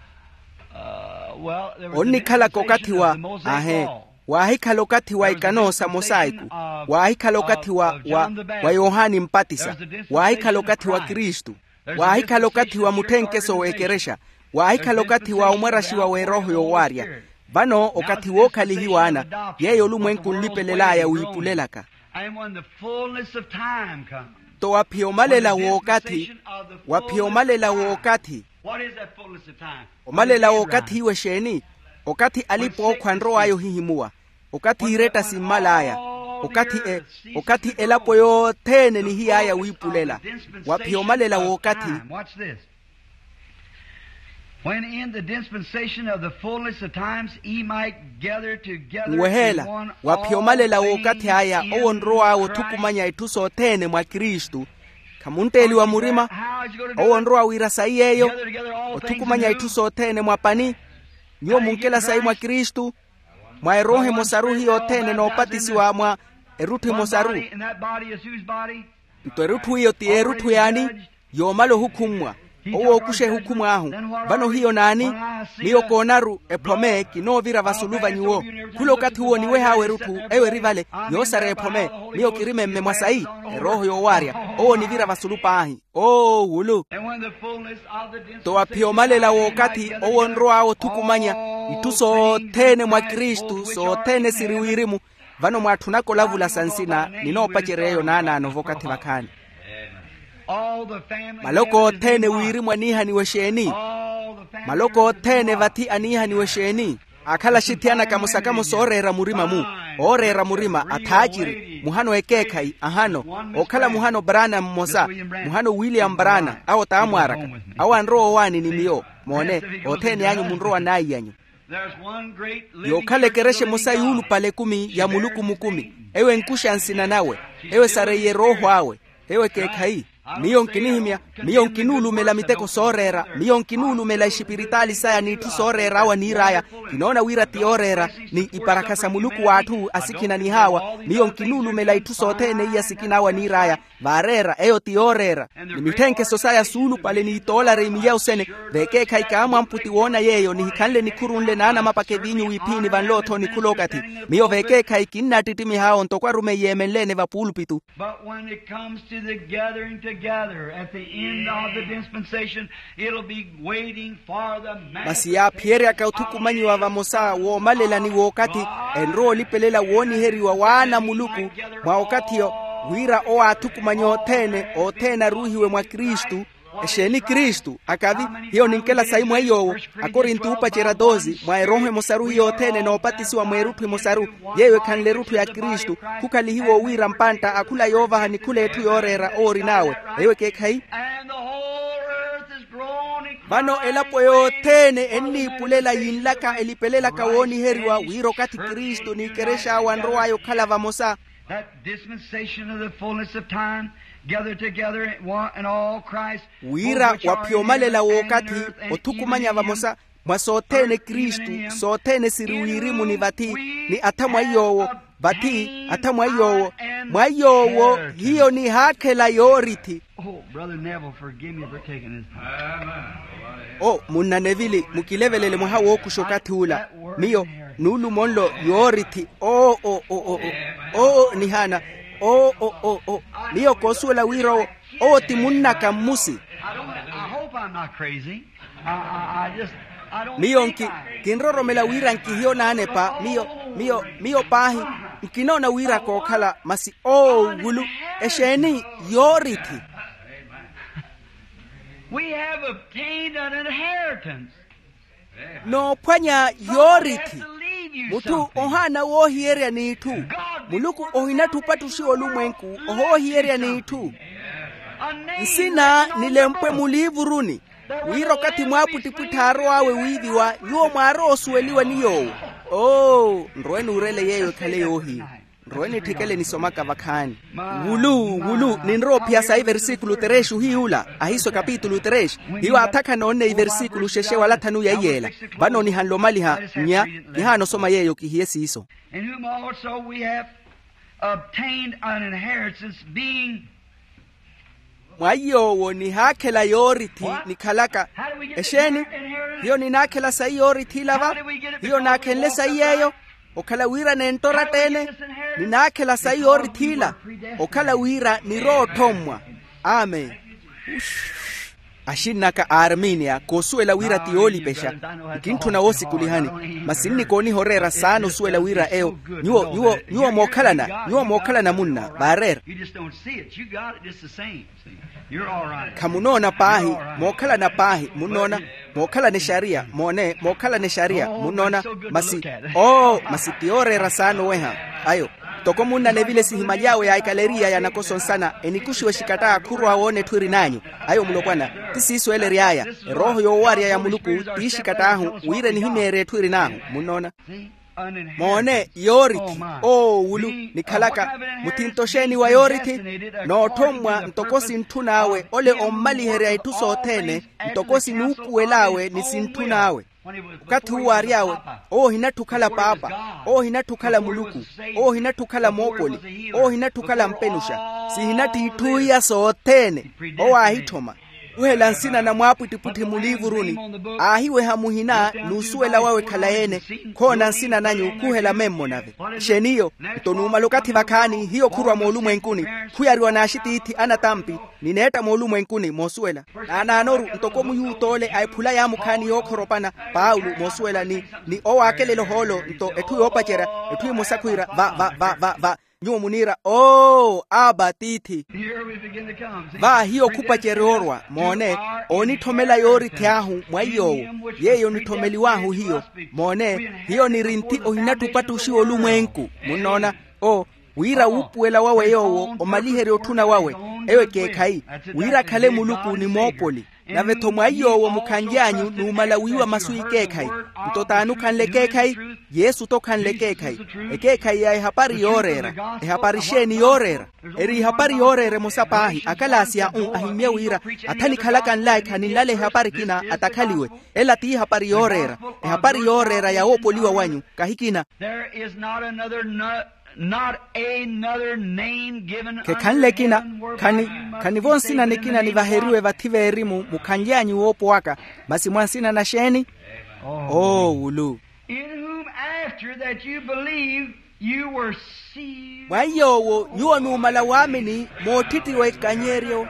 uh, well, there was a onnikhalaka okathi dispensation wa of the Mosaic ahe law. Waahikhala okathi wa ikano sa mosaiku. Waahikhala okathi wa wa wa yohani mpatisa. Waahikhala okathi wa kristu. Waahikhala okathi wa mutthenkeso w'ekerexa. Waahikhala okathi wa omwaraxiwa w'erooho yowaarya. Vano okathi wookhalihiwa ana yeeyo olumwenku onlipelel'aya wiipulelaka. Nto waphiya omalela w'okathi waphiya omalela w'okathi. Omalela w'okathi iwe exeeni? Okathi alipa ookhwa anrow'aya ohihimuwa, okathi iretta simmal'aya, okathi elapo yothene enihiy'aya wiipulela. Waphiya omalela w'okathi. When in the dispensation of the fullness of times he might gather together nweheela, waphiya omalela w'okathi aya owo onrow'awe othukumanya itthu sothene mwa kristu. Khamunteeliwa murima? Owo onrowa wira sayi yeeyo, othukumanya itthu sothene mwa pani. Nyuwo munkela sayi mwa kristu, mwa erooho emosaru hiyo othene noopatisiwa mwa erutthu emosaru. Nto erutthu iyo ti erutthu yaani? Yoomala ohukhummwa. Owo ookusha ehukhumu ahu. Vano hiyo naani? Miyo koonaru ephome kinoovira vasulu va nyuwo. Khula okathi uwo oniweh'awe erutthu eyo eri vale, yoosareya ephome. Miyo kiri memme mwa sayi, erooho yoowaarya. Owo onivira vasulu paahi. Oo wulu. Nto waphiya omalela w'okathi owo onrow'awe othukumanya itthu sothene mwa kristu sothene siri wirimu. Vano mwaatthunaka olavula sa nsina, ninoopacerya eyo naanaano v'okathi vakhaani. Maloko othene wirimu aniihaniwa exeeni? Maloko othene vathi aniihaniwa exeeni? Akhala axithiyana kamosa kamosa ooreera murima-mu, ooreera murima athaaciri muhano ekeekhayi ahano, okhala muhano brana mmosa, muhano william brana awo t'amwaaraka. Awo anrowa owaani ni miyo. Moone, othene anyu munrowa naiy'anyu. Yookhala ekerexa emosa yuulupale ekumi ya muluku mukumi. Eyo enkuxa nsina nawe. Eyo esareiye erooho awe. Eyo ekeekhayi. Miyo nkinihimya, miyo nkinuulumela miteko sooreera, miyo nkinuulumela exipiritaali saya n'itthu sooreera awo aniir'aya. Kinoona wira ti yooreera, ni iparakha sa muluku w'atthu asikhina nihaawa. Miyo nkinuulumela itthu sothene iya sikina awo aniir'aya. Vaareera eyo ti yooreera, ni mitthenkeso saya suulupale n'itoolari milyausene. Vekeekhayi kaamwamputi woona yeeyo nihikhanle nikhuru nle naanamapaka eviinyu wiiphiini vanlotho nikhula okathi. Miyo vekeekhayi kinnattittimiha awo ntoko arumeyi eemenle-ene vapuulupitu. But when it comes to the gathering together at the end of the dispensation, it'll be waiting for the manifestation. Masi yaaphiyeryaka othukumanyiwa vamosa woomalela ni wookathi, enrowa olipelela wooniheriwa w'ana a muluku mwa okathi-yo, wira owo aathukumanye othene othene aruuhiwe mwa kristu. Exeeni kristu akavi? Hiyo ninkela sayi mwa iy'owo. Akorinto uupacerya toosi mwa erooho emosaru hiyo othene noopatisiwa mweerutthu emosaru, yeeyo ekhanle erutthu ya kristu. Khukhalihiwa owiira mpantta akhula yoovaha nikhula etthu yooreera owo orin'awe. Eyo ekeekhayi. Vano elapo yothene enniipulela yinlaka elipelelaka wooniheriwa wira okathi kristu n'ikerexa awe anrow'aya okhala vamosa. That dispensation of the fullness of time, gathered together in one and all Christ. Wira waphiya omalela w'okathi, othukumanya vamosa mwa sothene kristu, sothene siri wirimu ni vathi, ni atha mwa iy'owo, vathi atha mwa iy'owo, mwa iy'owo hiyo nihaakhela yoorithi. Oh, Brother Neville, forgive me for taking this time. O munna nevili, mukilevelele mwaha wookuxa okathi ula. Miyo nuulumo nlo yoorithi. Oo, oo, nihaana. Oo, oo, miyo koosuwela wira owo, owo ti munnaka mmusi. I don't, I hope I'm not crazy. I, I, I just, I don't miyo think nki I kinroromela wira nkihiyo naanepa miyo, miyo miyo paahi. Nkinoona wira kookhala masi oowulu. Exeeni? Yoorithi. We have obtained an inheritance. Noophwanya yoorithi. Mutthu ohaana woohiyerya n'itthu. Muluku ohinatthi opattuxiwa olumwenku ohoohiyerya n'itthu. Nsina nilempwe muliivuruni, wira okathi mwaapwittipwitthi aarow'awe wiiviwa nyuwo mwaarowa osuweliwa ni yoowo. Oo nrowe nuurele yeeyo ekhale yoohiya. Nrowe nitthikele nisomaka vakhaani. Wulu wulu ninrowa ophiya sayi versíkulu três ohiy'ula ahiiso kapitulu três. Hiyo aathakhana onne iversíkulu xexe wala thanu ya iyeela. Vano nihanle omaliha nnya. Kihaana osoma yeeyo kihiye siiso. In whom also we have obtained an inheritance, being. Mwa iy'owo nihaakhela yoorithi nikhalaka. Exeeni? Hiyo ninaakhela sayi yoorithi ila va? Hiyo naakhenle sayi yeeyo okhala wira nento oratta-ene. Ninaakhela sayi yoorithi ila okhala wira nirowa otthommwa. Amen. Axinn'aka a armenia koosuwela wira ti yoolipexa. Nkintthuna woosikulihani, masi nnikooniha oreera saana osuwela wira eyo. Nyuwo nyuwo nyuwo mookhalana nyuwo mookhalana munna vaareera. Khamunoona paahi. Mookhalana paahi munnoona. Mookhalana exariya moone mookhalana exariya munnoona. Masi oo masi ti yooreera saana oweha. Ayo ntoko munna anevile esihimaly'awe ya ekaleriya ya nakoso nsana enikuxiwa exikatt'awe khurwa woona etthu erin'anyu. Ayo mulopwana ti siiso ela ery'aya. Erooho yoowarya ya muluku ti exikatt'ahu wira enihimeerye etthu erin'ahu. Munnoona? Moone yoorithi. Oo wulu nikhalaka muthinto xeeni wa yoorithi? Nootthommwa ntoko sintthun'awe ole ommaliherya itthu sothene ntoko sinuupuwel'awe ni sintthun'awe. Okathi uwo aary'awe owo ohinatthu okhala paapa, owo ohinatthu okhala muluku, owo ohinatthu okhala moopoli, owo ohinatthu okhala mpenuxa, sihinatthu itthu iya sothene. Owo aahitthoma khuhela nsina na mwaapwittipwitthi muliivuruni. Aahiweha muhina n'usuwela wawe khalayi-ene. Khoona nsina nanyu khuhela memmo nave. Exeeni iyo? Nto numala okathi vakhaani hiyo khurwa moolumwenkuni khuyariwa n'axitiithi anatampi ni neetta moolumwenkuni moosuwela. Naanaanoru ntoko muyuuta ole a ephula yaamukhaani yookhoropana paulo moosuwela ni ni owaakelela ohoolo nto etthu yoopacerya etthu emosa khwiira va va va va va. Nyuwo muniira oo aba tiithi. Va hiyo khupacerya orwa moone. Oonitthomela yoorithi ahu mwa iy'owo yeeyo onitthomeliw'ahu hiyo. Moone hiyo niri nthi ohinattupattuxiwa olumwenku. Munnoona? O wira wuupuwela wawe yoowo omaliherya otthuna wawe eyo ekeekhayi wira akhale muluku ni moopoli. Nave-tho mwa iy'owo mukhanly'anyu numala wiiwa masu ikeekhayi. Nto t'ani okhanle ekeekhayi? Yesu t'okhanle ekeekhayi. Ekeekhayi ya ehapari yooreera. Ehapari xeeni yooreera? Eri ihapari yooreera emosa paahi akalaasi a u ahimmye wira atha nikhalaka nlaikha ninlale ehapari ekina atakhaliwe. Ela ti ihapari yooreera. Ehapari yooreera ya woopoliwa wanyu kahi ekina. There is not another not another name given khekhanle ekina. Khani khanivo nsina nikina nivaheriwe vathi veerimu mukhanly'anyu woopowaka. Masi mwa nsina na xeeni? Oowulu. In whom after that you believe you were sealed. Mwa iy'owo nyuwo numala waamini moottittiwa ekanyeryo.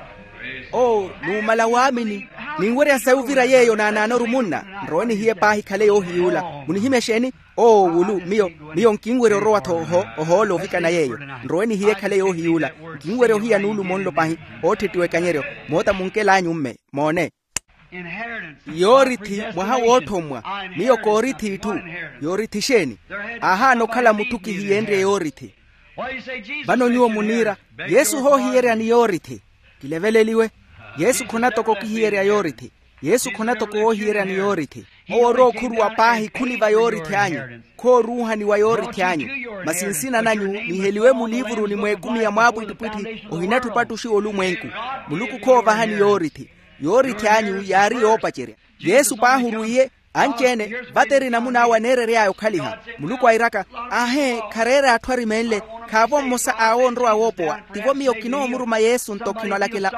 Oo numala waamini. Ninwerya sayi ovira yeeyo naanaanoru munna. Nrowe nihiye paahi khale yoohiyuula. Munihimya exeeni? Oo wulu miyo miyo nkinwerya orowa-tho oho ohoola ovikana yeeyo. Nrowe nihiye ekhale yoohiyuula. Nkinwerya ohiya nuulumo nlo pahi. Ootthittiwa ekanyeryo moota munkel'anyu mme. Moone. Yoorithi mwaha woothommwa. Miyo koorithi itthu. Yoorithi xeeni? Aahaana okhala mutthu kihiyeenrye yoorithi. Vano nyuwo muniira yesu hoohiyeryani yoorithi? Kileveleliwe. Yesu khonatoko okihiyerya yoorithi. Yesu khonatoko woohiyeryani yoorithi. Owo orowa okhuruwa paahi khuli va yoorithi anyu. Khooruuhani wa yoorithi anyu. Masi nsina nanyu niheliwe muliivuruni mw'ekumi ya mwaapwittipwitthi ohinatthu opattuxiwa olumwenku. Muluku khoovahani yoorithi. Yoorithi anyu yaari yoopacerya. Yesu paahi orwiiye. Anci-ene vate eri namun'awe aneerery'aya okhaliha. Muluku airaka, aahee khareere atthu arimeenle. Khaavo mmosa awo onrowa woopowa. Tivo miyo kinoomuruma yesu nto khino alakela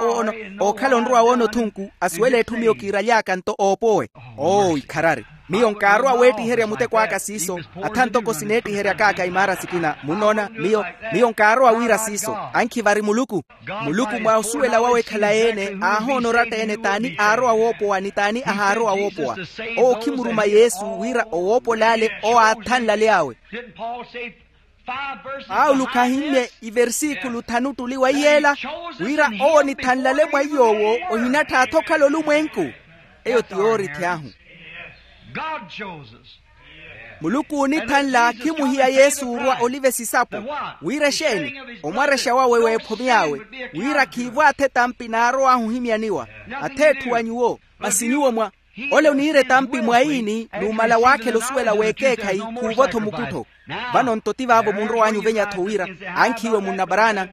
ookhala onrowa woona othunku asuwele etthu miyo kiiraly'aka nto oopowe. Oo ikharari. Miyo nkaarowa weettiherya muteko aka siiso. Atha ntoko sineettiheryak'aka imaara sikina munnoona miyo miyo nkaarowa wira siiso. Ankhi vari muluku. Muluku mwa osuwela wawe khalayi-ene aahoona oratta-ene t'ani aarowa woopowa ni t'ani ahaarowa woopowa. Owo okhimuruma yesu wira owoopol'ale owo aathanlale awe. Paulo khahimmye iversikulu thanu ttuli wa iy'ela wira owo onithanlale mwa iy'owo ohinatthaatha okhala olumwenku. Eyo ti yoorithi ahu. Muluku oonithanla khimuhiya yesu orwa olive sisapo. Wira exeeni? Omwarexa wawe w'ephome awe wira khiivo athe etampi naarowahu ohimyaniwa. Atheetthu wa nyuwo. Masi nyuwo mwa ole oniira etampi mwaini numala waakhela osuwela w'ekeekhayi khuuvo-tho mukuttho. Vano nto ti vaavo munrow'anyu ovenya-tho wira ankhiiwe munnabaraana.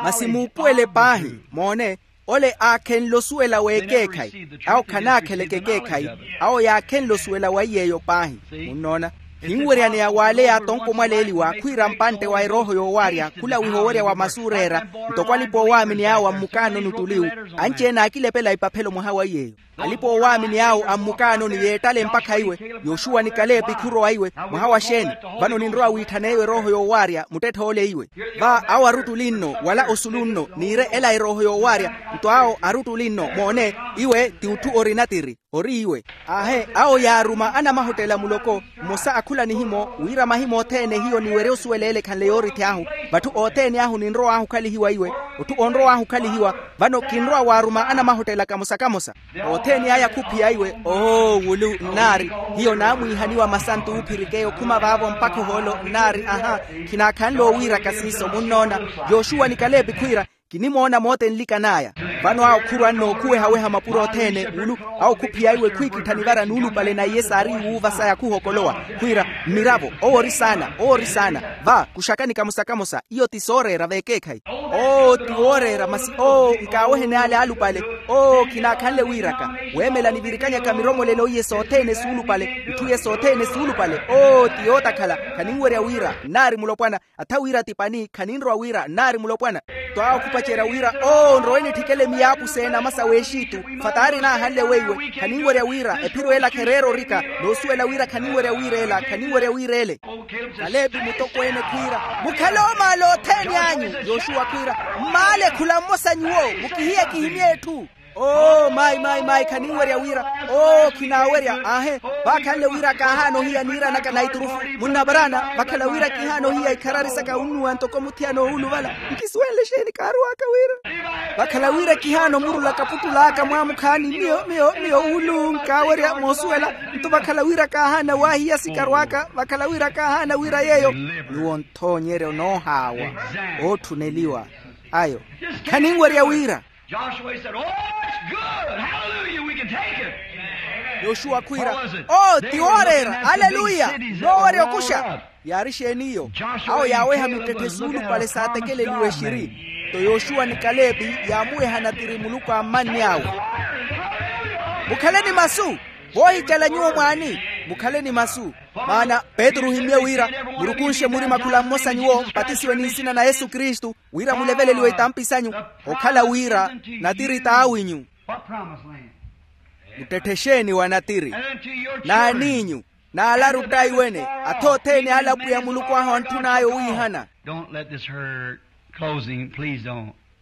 Masi muupuwele paahi moone. Ole aakhenle osuwela w'ekeekhayi. Awo khanaakheleke ekeekhayi. Awo yaakhenle osuwela wa iy'eyo paahi. Munnoona? Khinweryaneya w'ale yaatonko mwaleeliwa khwiira mpantte wa erooho yoowaarya khulawiha owerya wa masu ooreera. Ntoko alipa oowaamini awo ammukaanoni ottuli-wu, anci-ene aakilepela ipaphelo mwaha wa iy'eyo. Alipa oowaamini awo ammukaanoni yeettale mpakha iwe, yoxuwa ni kalepi khurowa iwe. Mwaha wa xeeni? Vano ninrowa wiitthan'eyo erooho yoowaarya muttettha ole iwe. Va awo aruttuli nno wala osulu nno niire ela erooho yoowaarya. Nto awo aruttuli nno moone, iwe ti utthu ori natiri. Ori iwe. Aahe awo yaaruma anamahottela muloko, mmosa akhula nihimo wira mahimo othene hiyo niwerya osuwela ele ekhanle yooritthi ahu. Vatthu othene ahu ninrow'ahu okhalihiwa iwe, otthu onrow'ahu okhalihiwa. Vano kinrowa waaruma anamahottela kamosa kamosa. Othene aya khuphiya iwe. Oo wulu nnaari, hiyo naamwiihaniwa masantu oophirik'eyo khuma vaavo mpakha ohoolo nnaari aha. Khinaakhanle owiiraka siiso munnoona. Yoxuwa ni kalepi khwiira, kinimoona moota enlikan'aya. Vano awo khurwa nnookhuwehaweha mapuro othene wulu, awo khuphiya iwe khwiikittha nivara nuulupale na iye saari iwuuva saya khuhokolowa, khwiira, mmiravo owo ori saana, owo ori saana. Va kuxakani kamosa kamosa, iyo ti sooreera v'ekeekhayi. Oo ti wooreera masi oo nkaaweheni ale alupale. Oo khinaakhanle wiiraka, weemela nivirikanyaka miromolelo iye sothene suulupale, itthu iye sothene suulupale. Oo ti yootakhala. Khaninwerya wira nnaari mulopwana, atha wira ti pani khaninrowa wira nnaari mulopwana. Twaakhupacerya wira oo nrowe nitthikele miyaapusa ene amasa w'exitu. Fataari naahanle weiwe khaninwerya wira ephiro ela khereera orika, noosuwela wira khaninwerya wira ela khaninwerya wira ele. Kalepi mutokweene khwiira, mukhale oomaala othene anyu. Yoxuwa khwiira, mmaale khula mmosa nyuwo, mukihiye kihimye etthu. Oo mayi mayi mayi khaninwerya wira. Oo khinaawerya aahe. Vaakhanle wira kaahaana ohiya niira naka na iturufu, munnaparaana vakhala wira kihaana ohiya ikharari saka unnuwa ntoko muthiyana owuluvala. Nkisuwenle exeeni kaaruwaka wira? Vakhala wira kihaana omurula kaputtul'aka mwaamukhaani miyo miyo miyo wulu nkaawerya moosuwela. Nto vakhala wira kaahaana waahiya sikarw'aka vakhala wira kaahaana wira yeeyo. Nyuwo nthoonyeryo noohaawa ootthuneliwa ayo. Khaninwerya wira. Joshua said, oh, it's good. Hallelujah, we can take it. Yoxuwa khwiira, oo ti wooreera aleluya. Noowerya okuxa. Yaari exeeni iyo? Awo yaaweha mittetthe suulupale saatekeleliwe exiri. Nto yoxuwa ni kalepi yaamuweha natiri muluku a mmanni awe. Mukhale ni masu. Voohicala nyuwo mwaani, mukhale ni masu. Maana petru ohimmye wira, murukunxe murima khula mmosa nyuwo mpatisiwe ni nsina na yesu kristu, wira muleveleliwe itampi sanyu. Okhala wira natiri t'awinyu. Muttetthe exeeni wa natiri? N'aniinyu, n'alaru ttaiwene, atha othene ale apwiya muluku ahu antthun'aya owiihana.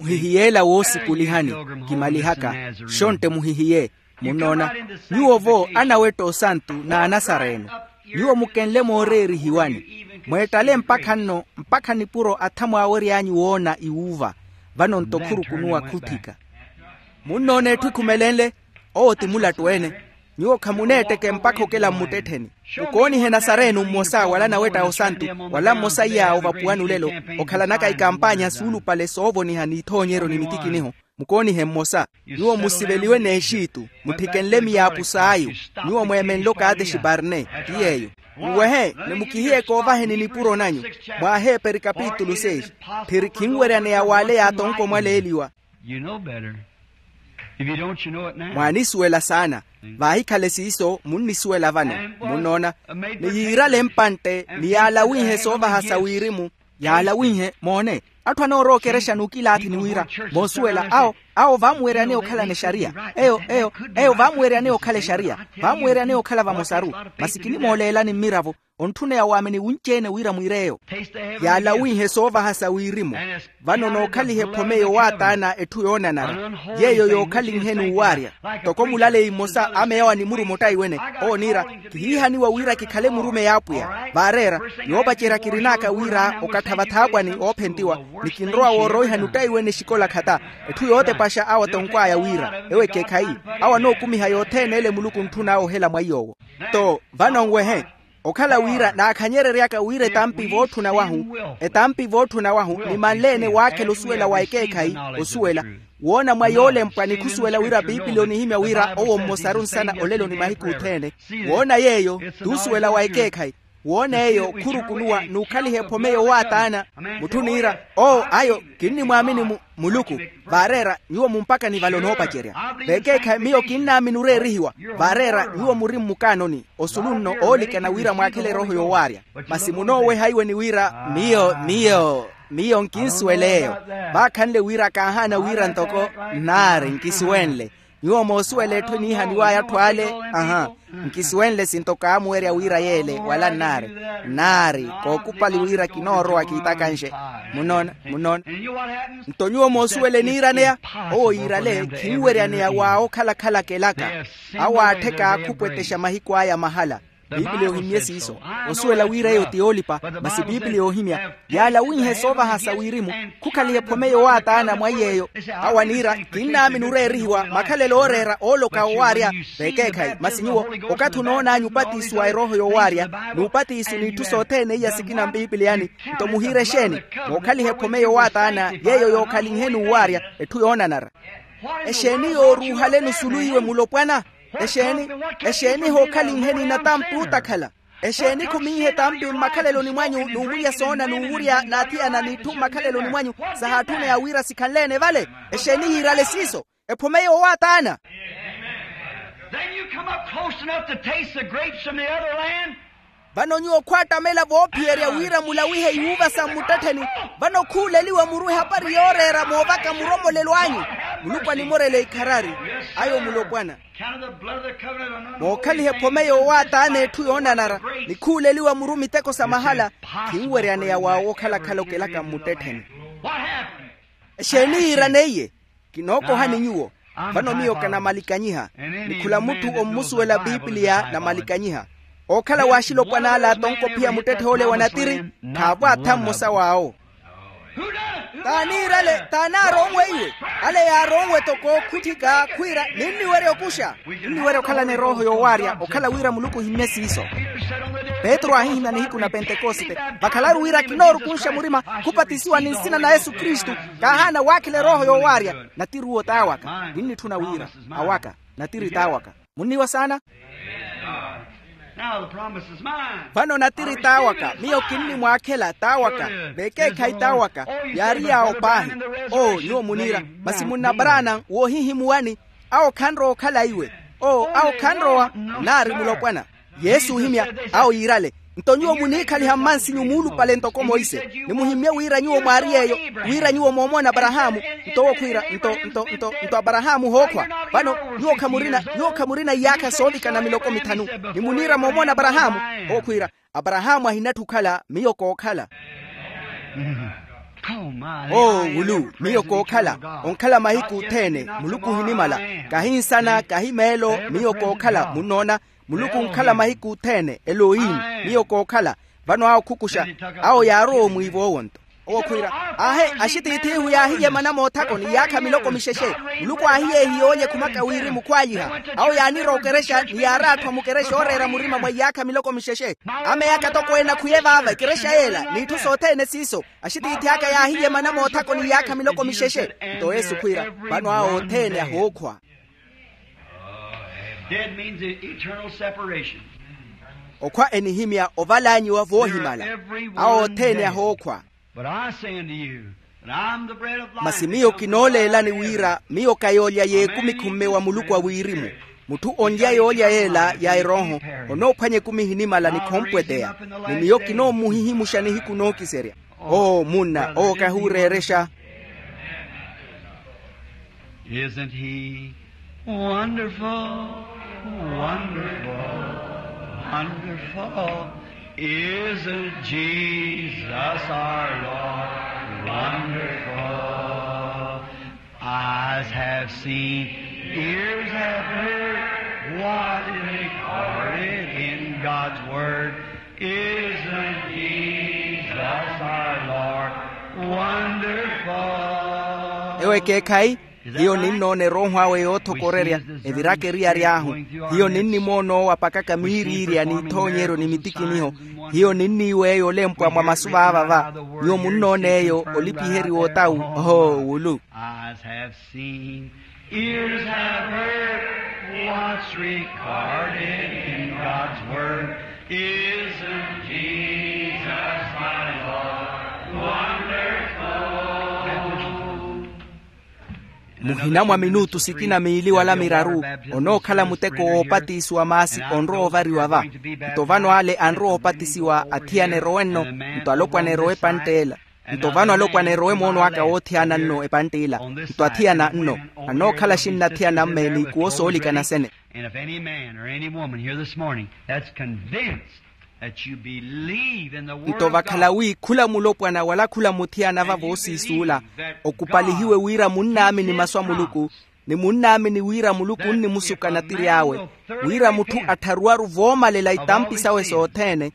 Muhihiye ela woosikulihani. Kimalihaka. Xontte muhihiye. Munnoona, nyuwo-vo anawetta osantu n'anasareeno. Nyuwo mukenle mooreerihiwani, mweettale mpakha nno mpakha nipuro atha mwaawery'anyu woona iwuuva. Vano-nto khurukunuwa khutthika. Munnoona etthu ekhumelenle. Owo ti mulattu-ene. Nyuwo khamuneetteke mpakha okela mmuttettheni. Mukoonihe nasareeno mmosa wala anawetta osantu, wala mmosa iy'awo vapuwani olelo, okhalanaka ikampanya suulupale soovoniha n'ithoonyeryo ni mitikiniho. Mukoonihe mmosa. Nyuwo musiveliwe n'exitu, mutthikenle miyaapu s'ayu. Nyuwo mweemenle okatexiparne. Ti yeeyo. Nwehe, ni mukihiye koovaheni nipuro nanyu. Mwa aheperi kapitulu seis. Phiri khinweryaneya w'ale yaatonko mwaleeliwa. Mwaanisuwela saana. Vaahikhale siiso munnisuwela vano. Munnoona, ni yiirale mpantte ni yaalawinhe soovaha sa wirimu. Yaalawinhe moone, atthu anoorowa okerexa n'ukilaathi ni wira, moosuwela awo awo vaamuweryaneya okhalana exariya. Eyo eyo eyo vaamuweryaneya okhala exariya. Vaamuweryaneya okhala vamosaru. Masi kinimooleelani mmiravo. Ontthuneya waamini wunci-ene wira mwiir'eyo. Yaalawinhe soovaha sa wirimu. Vano nookhaliha ephome yowaataana etthu yoonanara, yeeyo yookhalinheni owaarya. Ntoko mulaleyi mmosa ameyawa ni murumo ottaiwene, ooniira, kihiihaniwa wira kikhale murumeyi a apwiya. Vaareera, yoopacerya kirin'aka wira okattha vathaapwani oophentiwa, ni kinrowa wooroihani ottaiwene exikola khata. Etthu yootepaxa awo atonkw'aya wira ewo ekeekhayi, awo anookumiha yothene ele muluku ontthun'awe ohela mwa iy'owo. Nto vano nwehe, okhala wira naakhanyereryaka wira etampi vootthuna wahu, etampi vootthuna wahu ni manle-ene waakhela osuwela wa ekeekhayi, osuwela woona mwa yoolempwa ni khusuwela wira piipili onihimya wira owo mmosaru nsana olelo ni mahiku othene. Woona yeeyo t'usuwela wa ekeekhayi. Woona eyo khurukunuwa n'ukhaliha ephome yowaataana. Mutthu niira, oo ayo, kinnimwaamini muluku. Vaareera, nyuwo mumpakani vale onoopacerya. Vekeekhayi miyo kinnaamini oreerihiwa. Vaareera nyuwo muri mmukaanoni. Osulu nno oolikana wira mwaakhele erooho yowaarya. Masi munooweha iwe ni wira, miyo miyo miyo nkinsuwel'eyo. Vaakhanle wira kaahaana wira ntoko nnaari nkisuwenle. Nyuwo moosuwela etthu eniihaniw'aya atthu ale. Aha. Nkisuwenle sinto kaamuwerya wira yeele wala nnaari. Nnaari kookupali wira kinoorowa kiitakanxe. Munoona munoona. Nto nyuwo moosuwela eniiraneya. Owo yiirale khinweryaneya wa okhalakhala kelaka. Awo aattheka khupwettexa mahiku aya mahala. Piipili yoohimye siiso. Osuwela wira eyo ti yoolipa. Masi piipili yoohimya yaalawinhe soovahasa wirimu. Khukhaliha ephome yowaataana mwa iy'eyo. Awo aniira kinnaamini oreerihiwa makhalelo ooreera ooloka owaarya. Vekeekhayi masi nyuwo okathi onoon'anyu opatiso wa erooho yowaarya n'upatiso n'itthu sothene iya sikina mpiipiliyani. Nto muhiire exeeni? Mookhaliha ephome yowaataana yeeyo yookhalinheni owaarya. Etthu yoonanara. Exeeni yooruuhaleni osulu iwe mulopwana? Exeeni exeeni hookhalinheni natampi otakhala? Exeeni khuminhe tampi mmakhaleloni mwanyu n'umulya soona n'uwurya n'athiyana n'itthu mmakhaleloni mwanyu? Sahaatthuna ya wira sikhanleene vale. Exeeni yiirale siiso? Ephome yowaataana. Then you come up close enough to taste the grapes from the other land. Vano nyuwo khwaattamela voophiyerya wira mulawihe iyuuva sa mmuttettheni. Vano khuuleliwa muru ehapari yooreera moovaka muromolelo anyu. Muluku animorele ikharari. Ayo mulopwana. Mookhaliha ephome yowaataana etthu yoonanara ni khuuleliwa muru miteko sa mahala. Khinweryaneya wa wookhalakhala okelaka mmuttettheni. Exeeni yiiraneiye? Kinookohani nyuwo. Vano miyo kanamalikanyiha. Ni khula mutthu ommusuwela piipiliya namalikanyiha. Ookhala w'axilopwana ale atonko ophiya muttetthe ole wa natiri. Khaavo atha mmosa w'awo. T'aniirale t'anaaronwe iwe? Ale yaaronwe toko okhutthika khwiira ninniwerya okuxa. Ninniwerya okhalana erooho yowaarya okhala wira muluku ohimmye siiso. Petru aahihimya nihiku na pentekoste. Vakhalaru wira kinoorukunxa murima khupatisiwa ni nsina na yesu kristu. Kaahaana waakhela erooho yowaarya. Natiruwo t'awaka. Ninnitthuna wira awaka. Natiri t'awaka. Munniwa saana? Vano natiri t'awaka miyo kinnimwaakhela t'awaka. Vekeekhayi t'awaka. Yaari yaawo paahi. Oo nyuwo muniira. Masi munna abraana woohihimuwani? Awo khanrowa okhala iwe. Oo awo khanrowa. Nnaari mulopwana. Yesu ohimya. Awo yiirale. Nto nyuwo muniikhaliha mmansinyu muulupale ntoko monse. Nimuhimmye wira nyuwo mwaari yeeyo. Wira nyuwo moomoona aparahaamu. Nto owo khwiira nto nto nto nto aparahaamu hookhwa. Vano nyuwo khamurina nyuwo khamurina iyaakha soovikana miloko mithanu. Nimuniira moomoona aparahaamu. Owo khwiira aparahaamu ahinatthi okhala miyo kookhala. Oo wulu miyo kookhala. Onkhala mahiku othene. Muluku ohinimala. Kahi nsana kahi meelo miyo kookhala munnoona. Muluku onkhala mahiku othene elohini. Miyo kookhala. Vano awo khukuxa. Awo yaarowa omwiivo owo nto owo khwiira. Aahe axitiithihu yaahiye mana moothako ni iyaakha miloko mixexe. Muluku aahiyeehiye oolye khumaka wirimu khwaayiha. Awo yaanirowa okerexa ni yaaraatthwa mukerexa ooreera murima mwa iyaakha miloko mixexe. Ameyaka toko ena khuye vaava ekerexa yeela n'itthu sothene siiso. Axitiithi aka yaahiye mana moothako ni iyaakha miloko mixexe. Nto yesu khwiira. Vano awo othene ahookhwa. Dead means eternal separation. Okhwa enihimya ovalanyiwa voohimala. Awo othene ahookhwa. But I say unto you that I am the bread of life. Masi miyo kinooleelani wira miyo ka yoolya y'ekumi khumme wa muluku a wirimu. Mutthu onlya yoolya yeela ya erooho onoophwanya ekumi ehinimala ni khompweteya. Ni miyo kinoomuhihimuxa nihiku nookiserya. Oo munna owo kahuureerexa. Isn't he wonderful? Wonderful, wonderful. Isn't Jesus our Lord wonderful? Eyes have seen, ears have heard, what is recorded in God's word. Isn't Jesus our Lord wonderful? Ewo ekeekhayi. Hiyo ninnoona erooho awe yoothokorerya. Eviraka eriyari ahu. Hiyo ninnimoona owo apakaka miiriirya n'ithoonyeryo ni mitikiniho. Hiyo ninniiwa eyo olempwa mwa masu vaava va. Nyuwo munnoona eyo olipiheriwa otawu. Oho wulu. Eyes have seen, ears have heard, what's recorded in God's word. Isn't Jesus my Lord wonderful? Muhina mwa minutu sikina miili wala miraru onookhala muteko woopatisiwa maasi onrowa ovariwa va. Nto vano ale anrowa opatisiwa athiyana erowe nno, nto alopwana erowe epantt'ela. Nto vano alopwana erowe moono aka woothiyana nno epantt'ila. Nto athiyana nno anookhala xinna athiyana mmeeni kuwo soolikana sene. And if any man or any woman here this morning that's convinced that you believe in the word of God, nto vakhala wi khula mulopwana wala khula muthiyana va voosiisuula, okupalihiwe wira munnaamini masu a muluku, ni munnaamini wira muluku onnimusuka natiri awe, wira mutthu attharuwaru voomalela itampi sawe sothene.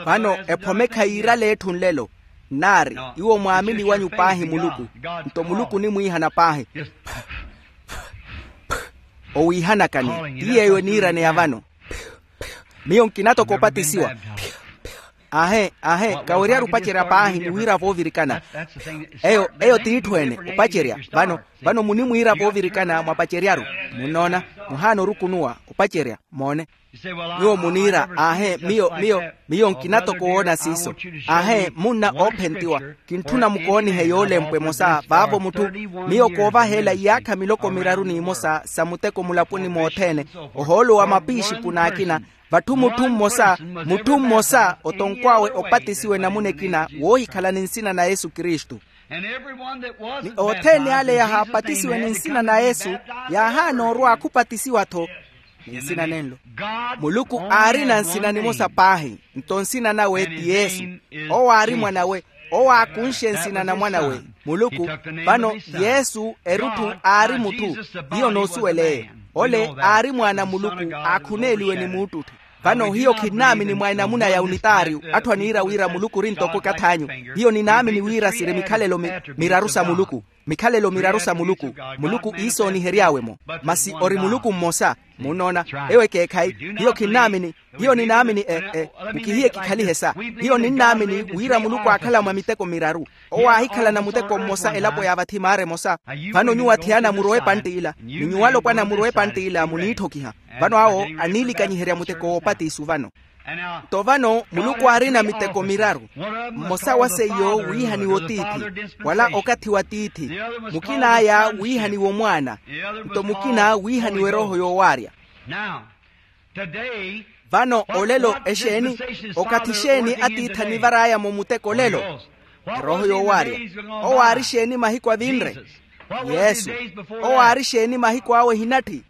Vano ephomekha yiirale etthu nlelo, nnaari iwo mwaamini wanyu paahi muluku. Nto muluku onimwiihana paahi. Owiihanakani ti yeeyo eniiraneya vano. Miyo nkina toko opatisiwa. Aahe aahe kaweryaru opacerya paahi ni wira voovirikana. Eyo eyo t'itthu ene opacerya. Vano vano munimwiira voovirikana mwapaceryaru. Munnoona, muhaana orukunuwa opacerya moone. Nyuwo muniira aahe miyo miyo miyo nkina toko woona siiso. Aahe munna oophentiwa, kintthuna mukoonihe yoolempwa emosa vaavo mutthu. Miyo koovaheela iyaakha miloko miraru n'imosa sa muteko mulaponi mothene, ohoolo wa mapiixipu n'akina, vatthu mutthu mmosa mutthu mmosa otonkw'awe opatisiwe namuna ekina woohikhala ni nsina na yesu kristu. Ni othene ale yahaapatisiwe ni nsina na yesu yaahaana orwa khupatisiwa-tho. Ni nsina nenlo muluku aarina nsina nimosa paahi, nto nsina nawe ti yesu. Owo aari mwan'awe. Owo aakunxe nsina na mwan'awe muluku. Vano yesu erutthu aari mutthu. Hiyo noosuwel'eyo ole aari mwaana a muluku aakhuneeliwe ni muuttutthu. Vano hiyo khinnaamini mwa enamuna ya unitaariyu atthu aniira wira muluku ori ntoko ekath'anyu. Hiyo ninaamini wira siri mikhalelo miraru sa muluku. Mikhalelo miraru sa muluku. Muluku iisoonihery'awe-mo. Masi ori muluku mmosa. Munnoona? Eyo ekeekhayi. Hiyo khinnaamini. Hiyo ninaamini e e mukihiye kikhalihe sa. Hiyo ninnaamini wira muluku aakhala mwa miteko miraru. Owo aahikhalana muteko mmosa elapo ya vathi maara emosa. Vano nyuwo athiyana murowe epantt'ila ni nyuwo alopwana murowe epantt'ila muniitthokiha. Vano awo aniilikanyiherya muteko woopatisu vano. Nto vano muluku aarina miteko miraru. Mmosa wa seiyo wiihaniwa otiithi wala okathi wa tiithi. Mukin'aya wiihaniwa omwaana. Nto mukina wiihaniwa erooho yoowaarya. Vano olelo exeeni? Okathi xeeni atiithi anivar'aya-mo muteko olelo? Erooho yoowaarya. Owo aari xeeni mahiku avinre? Yesu. Owo aari xeeni mahiku awe ehinatthi?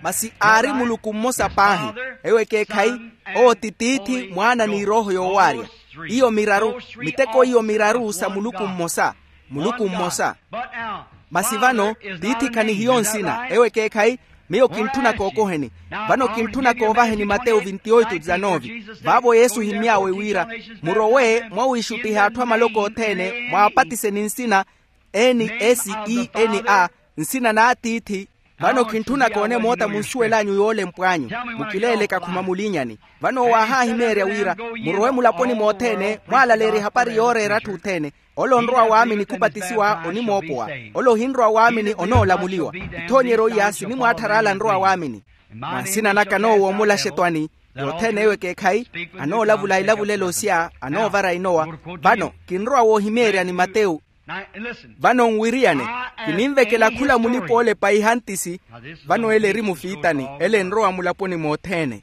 Masi aari muluku mmosa paahi. Eyo ekeekhayi. Owo ti tiithi mwaana ni erooho yoowaarya. Iyo miraru. Miteko iyo miraru sa muluku mmosa. Muluku mmosa. Masi vano tiithi khanihiyo nsina eyo ekeekhayi. Miyo kintthuna kookoheni. Vano kintthuna koovaheni mateyu vinti oito dizanovi. Vaavo yesu ohimmy'awe wira murowe mwawiixuttiha atthu a maloko othene mwaapatiseni nsina. N s e n a. Nsina n'atiithi. Vano kintthuna koone moota munsuwel'anyu yoolempw'anyu. Mukileeleke akhuma mulinyani. Vano owo aahaahimeerya wira murowe mulaponi mothene mwaalaleerye ehapari yooreera atthu othene. Ole onrowa waamini khupatisiwa onimoopowa. Ole ohinrowa waamini onoolamuliwa. Ithoonyeryo iya sinimwaatthara ale anrowa waamini. Mwa nsina naka noowo omulaxa etwani. Yothene eyo ekeekhayi. Anoolavula ilavulelo sya anoovara inowa. Vano kinrowa woohimeerya ni mateyu. Vano nwiriyane. Kininvekela khula mulipa oolepa ihantisi. Vano ele eri mufiitani ele enrowa mulaponi mothene.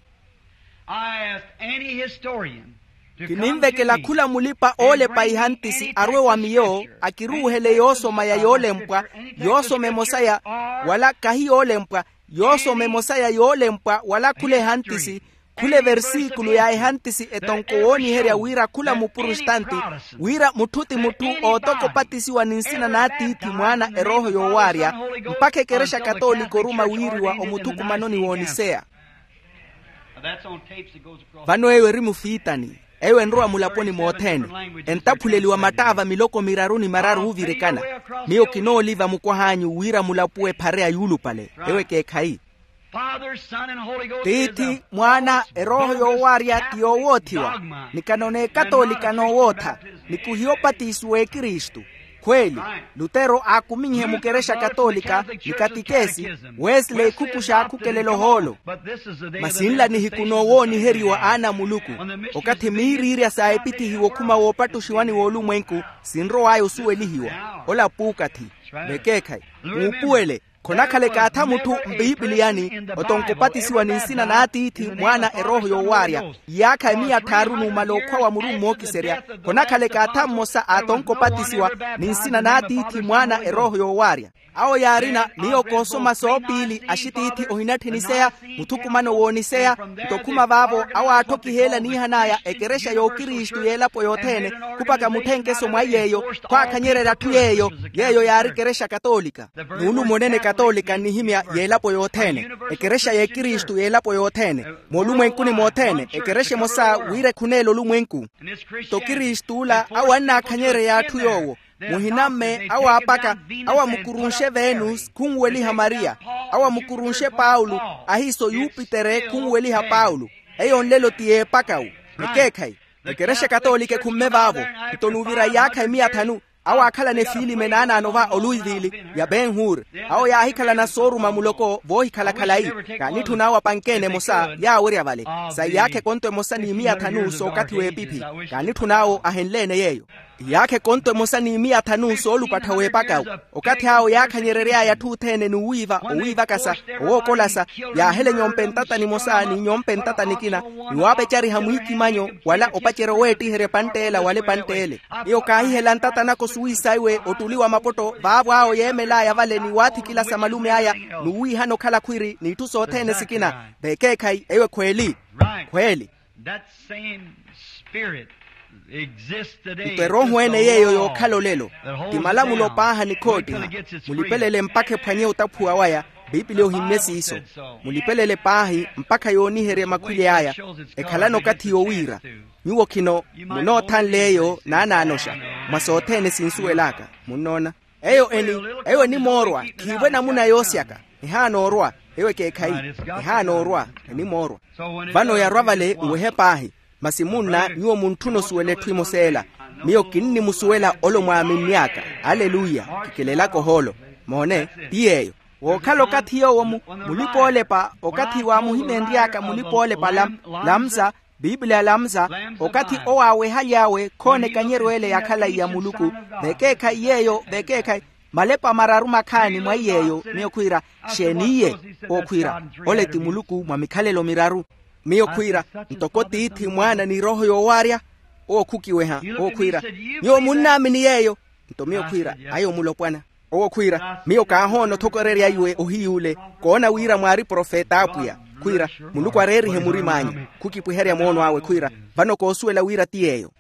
Kininvekela khula mulipa oolepa ihantisi arwe wa miyo akiruuhele yoosoma ya yoolempwa. Yoosoma emosa ya wala kahi yoolempwa. Yoosoma emosa ya yoolempwa wala khula ehantisi. Khula eversikulu ya ehantisi etonko wooniherya wira khula mupurustanti wira mutthu ti mutthu ootokopatisiwa ni nsina n'atiithi mwaana erooho yoowaarya. Mpakha ekerexa katoolika oruma wiiriwa omuthukumanoni w'oniseya. Vano eyo eri mufiitani. Eyo enrowa mulaponi mothene. Entaphuleliwa mattaava miloko miraru ni mararu oovirikana. Miyo kinooliva mukwah'anyu wira mulapuwe ephare ya yuulupale. Eyo ekeekhayi. Tiithi mwaana erooho yoowaarya ti yoowoothiwa. Nikano n'ekatoolika noowootha. Nikuhiya opatiso w'ekristu. Khweeli, lutero aakuminyihe mukerexa katolika, ni katikesi, wesley khupuxa akhukelela ohoolo. Masi nla nihiku noowooniheriwa aana a muluku, okathi miiriirya sa epitihiwa okhuma woopattuxiwani w'olumwenku, sinrow'aya osuwelihiwa. Ola puukathi. Vekeekhayi, muupuwele. Khonakhala ekaatha mutthu mpiipiliyani, otonka opatisiwa ni nsina n'atiithi, mwaana, erooho yoowaarya. Iyaakha emiya tthaaru numala okhwa wa muru mmookiserya, khonakhala ekaatha mmosa aatonka opatisiwa ni nsina n'atiithi, mwaana, erooho yoowaarya. Awo yaarina miyo koosoma soopiili axitiithi ohinatthiniseya, muthukumano wooniseya. Nto okhuma vaavo awo aatthokiheela niihan'aya ekerexa y'okristu y'elapo yothene, khupaka mutthenkeso mwa yeeyo, khwaakhanyererya atthu yeeyo. Yeeyo yaari ekerexa katolika. Nuulumo onene katolika nnihimya y'elapo yothene, ekerexa y'ekristu y'elapo yothene, moolumwenkuni mothene ekerexa emosa wira ekhuneela olumwenku. Nto kristu ola awo annaakhanyereya atthu yoowo, muhinamme awo aapaka, awo amukurunxe venus khunweliha mariya, awo amukurunxe paulo, ahiiso yupitere khunweliha paulo. Eyo nlelo ti y'epakawu. Ekeekhayi, ekerexa katolika ekhumme vaavo. Nto nuuvira iyaakha emiya thanu, awo aakhalana efiilime naanaano va oluivili ya ben hur, awo yaahikhalana sooruma muloko voohikhala khalayi. Kaanitthun'awo apanke-ene emosa yaawerya vale, sa iyaakha ekonto emosa n'imiya thanu s'okathi w'epiphi. Kaanitthun'awo ahenle-ene yeeyo. Iyaakha ekonto emosa n'imiya thanu soolupattha w'epakawu. Okathi awo yaakhanyerery'aya atthu othene n'uwiiva owiivakasa, owookolasa, yaahele nyompe ntata nimosa ni nyompe ntata nikina, ni waapecariha mwiikimanyo wala opacerya oweettiherya epantt'ela wala epantt'ele. Miyo kaahihela ntata naka osuwiisaiwe ottuli wa mapotto vaavo awo yeemel'aya vale ni waathikilasa malume aya, n'uwiihana okhala khwiri n'itthu sothene sikina. Vekeekhayi eyo ekhweeli. Khweeli. Nto erooho ene yeeyo yookhala olelo, ti malamulo paaha ni khoottiha. Mulipelele mpakha ephwanye otaphuwa waya. Piipiliya ohimmye siiso. Mulipelele paahi mpakha yooniherye makhwile aya. Ekhalana okathi yowiira. Nyuwo khino munoothanle eyo naanaanoxa, mwa sothene sinsuwel'aka. Munnoona? Eyo eni, eyo enimoorwa. Khiivo enamuna yoosyaka. Ehaanoorwa. Eyo ekeekhayi. Ehaanoorwa. Enimoorwa. Vano yarwa vale nwehe paahi. Masi munna nyuwo muntthuna osuwela etthu emosa ela. Miyo kinnimusuwela ole omwaaminni aka. Aleluya. Kikilelaka ohoolo. Moone, ti yeeyo. Wookhala okathi yoowo mu, mulipa-oolepa okathi waamuhimeenry'aka mulipa-oolepa lam, lamsa, piipiliya lamsa, okathi owo aawehaly'awe khoona ekanyeryo ele ya khalayi ya muluku. Vekeekhayi yeeyo vekeekhayi, malepa mararu makhaani mwa iy'eyo. Miyo khwiira, xeeniiye? Owo khwiira, ole ti muluku mwa mikhalelo miraru. Miyo khwiira, ntoko tiithi mwaana ni erooho yoowaarya. Owo khukiweha. Owo khwiira, nyuwo munnaamini yeeyo? Nto miyo khwiira, ayo mulopwana. Owo khwiira, miyo kaahoona othokorerya iwe ohiy'ule, koona wira mwaari profeta a apwiya. Khwiira, muluku areerihe murim'anyu. Khukipwiherya moono awe khwiira, vano koosuwela wira ti yeeyo.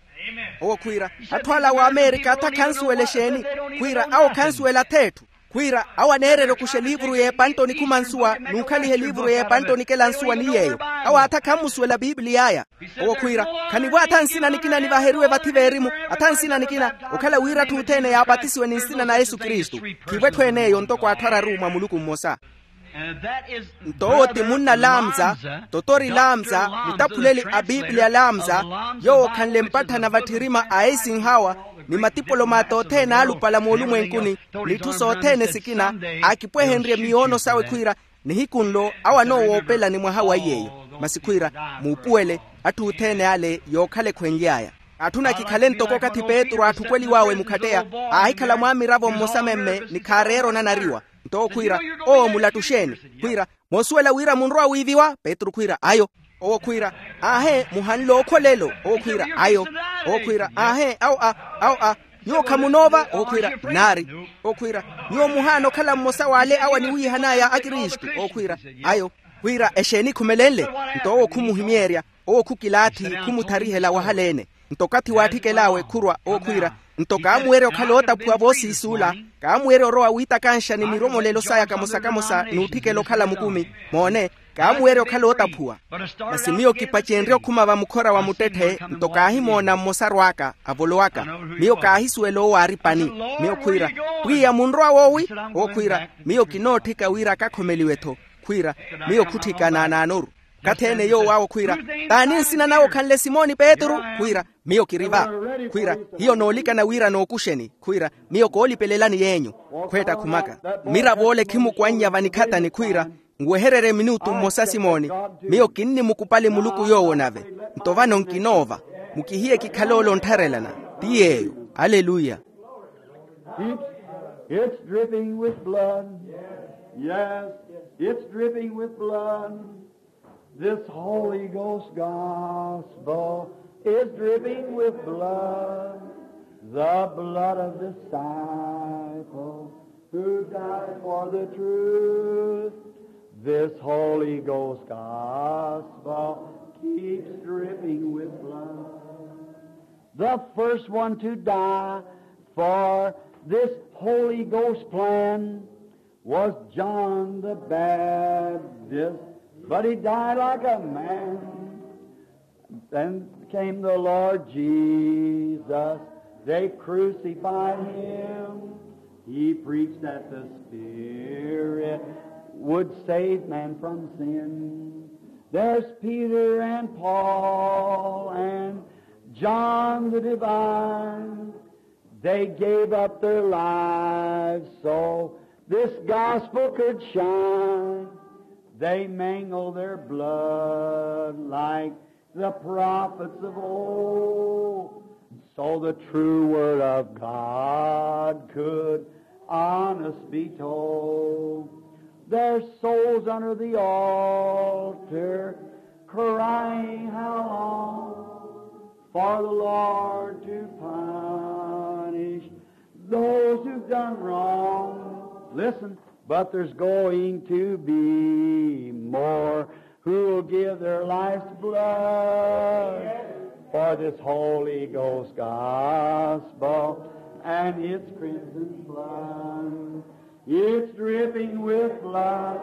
Owo khwiira, atthu ala w'amerika atha khansuwela exeeni? Khwiira awo khansuwela ath'etthu. Khwiira awo aneererya okuxa eliivuru y'epanttoni khuma nsuwa n'ukhaliha eliivuru y'epanttoni ikela nsuwa ni yeeyo. Awo atha khammusuwela piipiliy'aya. Owo khwiira, khanivo atha nsina nikina nivaheriwe vathi veerimu, atha nsina nikina, okhala wira atthu othene yaapatisiwe ni nsina na yesu kristu. Khivo etthu en'eyo ntoko atthu araru mwa muluku mmosa. Nto owo ti munna lamza, totori lamza, mutaphuleli a piipiliya lamza, yoowo okhanle mpatthana vatthirima a eisenhower, ni matipolomata othene aalupala moolumwenkuni, n'itthu sothene sikina, aakipwehenrye miyoono sawe khwiira, nihiku nlo awo anoowoopelani mwaha wa iy'eyo. Masi khwiira, muupuwele, atthu othene ale yookhala ekhwenly'aya. Atthuna kikhale ntoko okathi petru aathukweliw'awe mukhatteya, aahikhala mwaamiravo mmosa memme ni khaareera onanariwa. Nto owo khwiira, owo mulattuxeeni? Khwiira, moosuwela wira munrowa wiiviwa? Petru khwiira, ayo. Owo khwiira, aahe muhanle ookholelo? Owo khwiira, ayo. Owo khwiira, aahe awo a, awo a, nyuwo khamunoova? Owo khwiira, nnaari. Owo khwiira, nyuwo muhaana okhala mmosa w'ale awo aniwiihan'aya akristu? Owo khwiira, ayo. Khwiira, exeeni khumelenle? Nto owo khumuhimeerya. Owo khukilaathi, khumutharihela wahaleene. Nto okathi waatthikela awe khurwa owo khwiira, nto kaamuwerya okhala ootaphuwa voosiisuula. Kaamuwerya orowa wiitakanxa ni miromolelo saya kamosa-kamosa n'utthikela okhala mukumi. Moone, kaamuwerya okhala ootaphuwa. Masi miyo kipacenrye okhuma vamukhora wa muttetthe, nto kaahimoona mmosaru aka avolowaka. Miyo kaahisuwela owo aari pani. Miyo khwiira, pwiya munrowa woowi? Owo khwiira, miyo kinootthika wira akakhomeliwe-tho. Khwiira, miyo khutthika naanaanoru. Okathi ene yoowo awo khwiira, t'ani nsina nawe okhanle simoni petru? Khwiira, Miyo kiri va. Khwiira, hiyo noolikana wira nookuxeni. Khwiira, miyo koolipelelani yeenyu. Khweetta khumaka. Mirav'ole khimukwannya vanikhatani khwiira, nwehererye minutu mmosa simooni. Miyo kinnimukupali muluku yoowo nave. Nto vano nkinoova. Mukihiye kikhale ole onttharelana. Ti yeeyo. Aleluya. It's, it's dripping with blood. Yes, it's dripping with blood. This Holy Ghost gospel is dripping with blood, the blood of disciples who died for the truth. This Holy Ghost gospel keeps dripping with blood. The first one to die for this Holy Ghost plan was John the Baptist, but he died like a man. Then came the Lord Jesus. They crucified him. He preached that the Spirit would save man from sin. There's Peter and Paul and John the Divine. They gave up their lives so this gospel could shine. They mingled their blood like the prophets of old, so the true word of God could honest be told. Their souls under the altar crying, how long for the Lord to punish those who've done wrong. Listen, but there's going to be more who'll give their life's blood for this Holy Ghost gospel and its crimson flood. It's dripping with blood.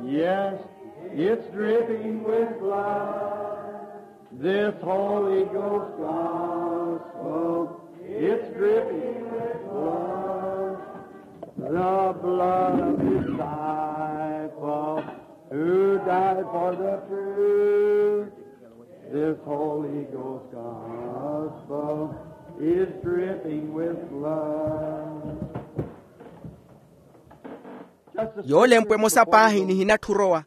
Yes, it's dripping with blood. This Holy Ghost gospel, it's dripping with blood. The blood of disciples who died for the truth. This Holy Ghost gospel is dripping with blood. Yoolempwe emosa paahi nihinatthi orowa.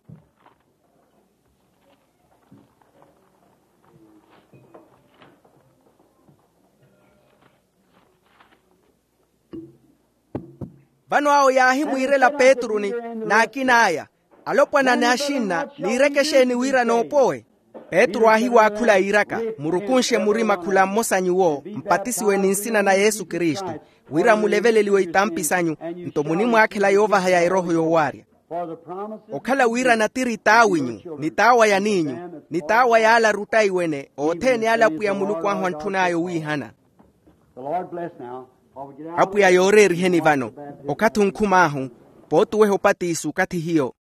Vano awo yaahimwiirela petru ni n'akin'aya, alopwana n'axinna, niireke exeeni wira noopowe? Petru aahiwaakhula yiiraka, murukunxe murima khula mmosa nyuwo mpatisiwe ni nsina na yesu kristu, wira muleveleliwe itampi sanyu, nto munimwaakhela yoovaha ya erooho yoowaarya. Okhala wira natiri t'awinyu, ni t'awa ya niinyu, ni t'awa y'ala arutta iwene othene ale apwiya muluku ahu antthun'aya owiihana. Apwiya yooreeriheni vano, okathi onkhum'ahu, pootuweha opatiso okathi hiyo.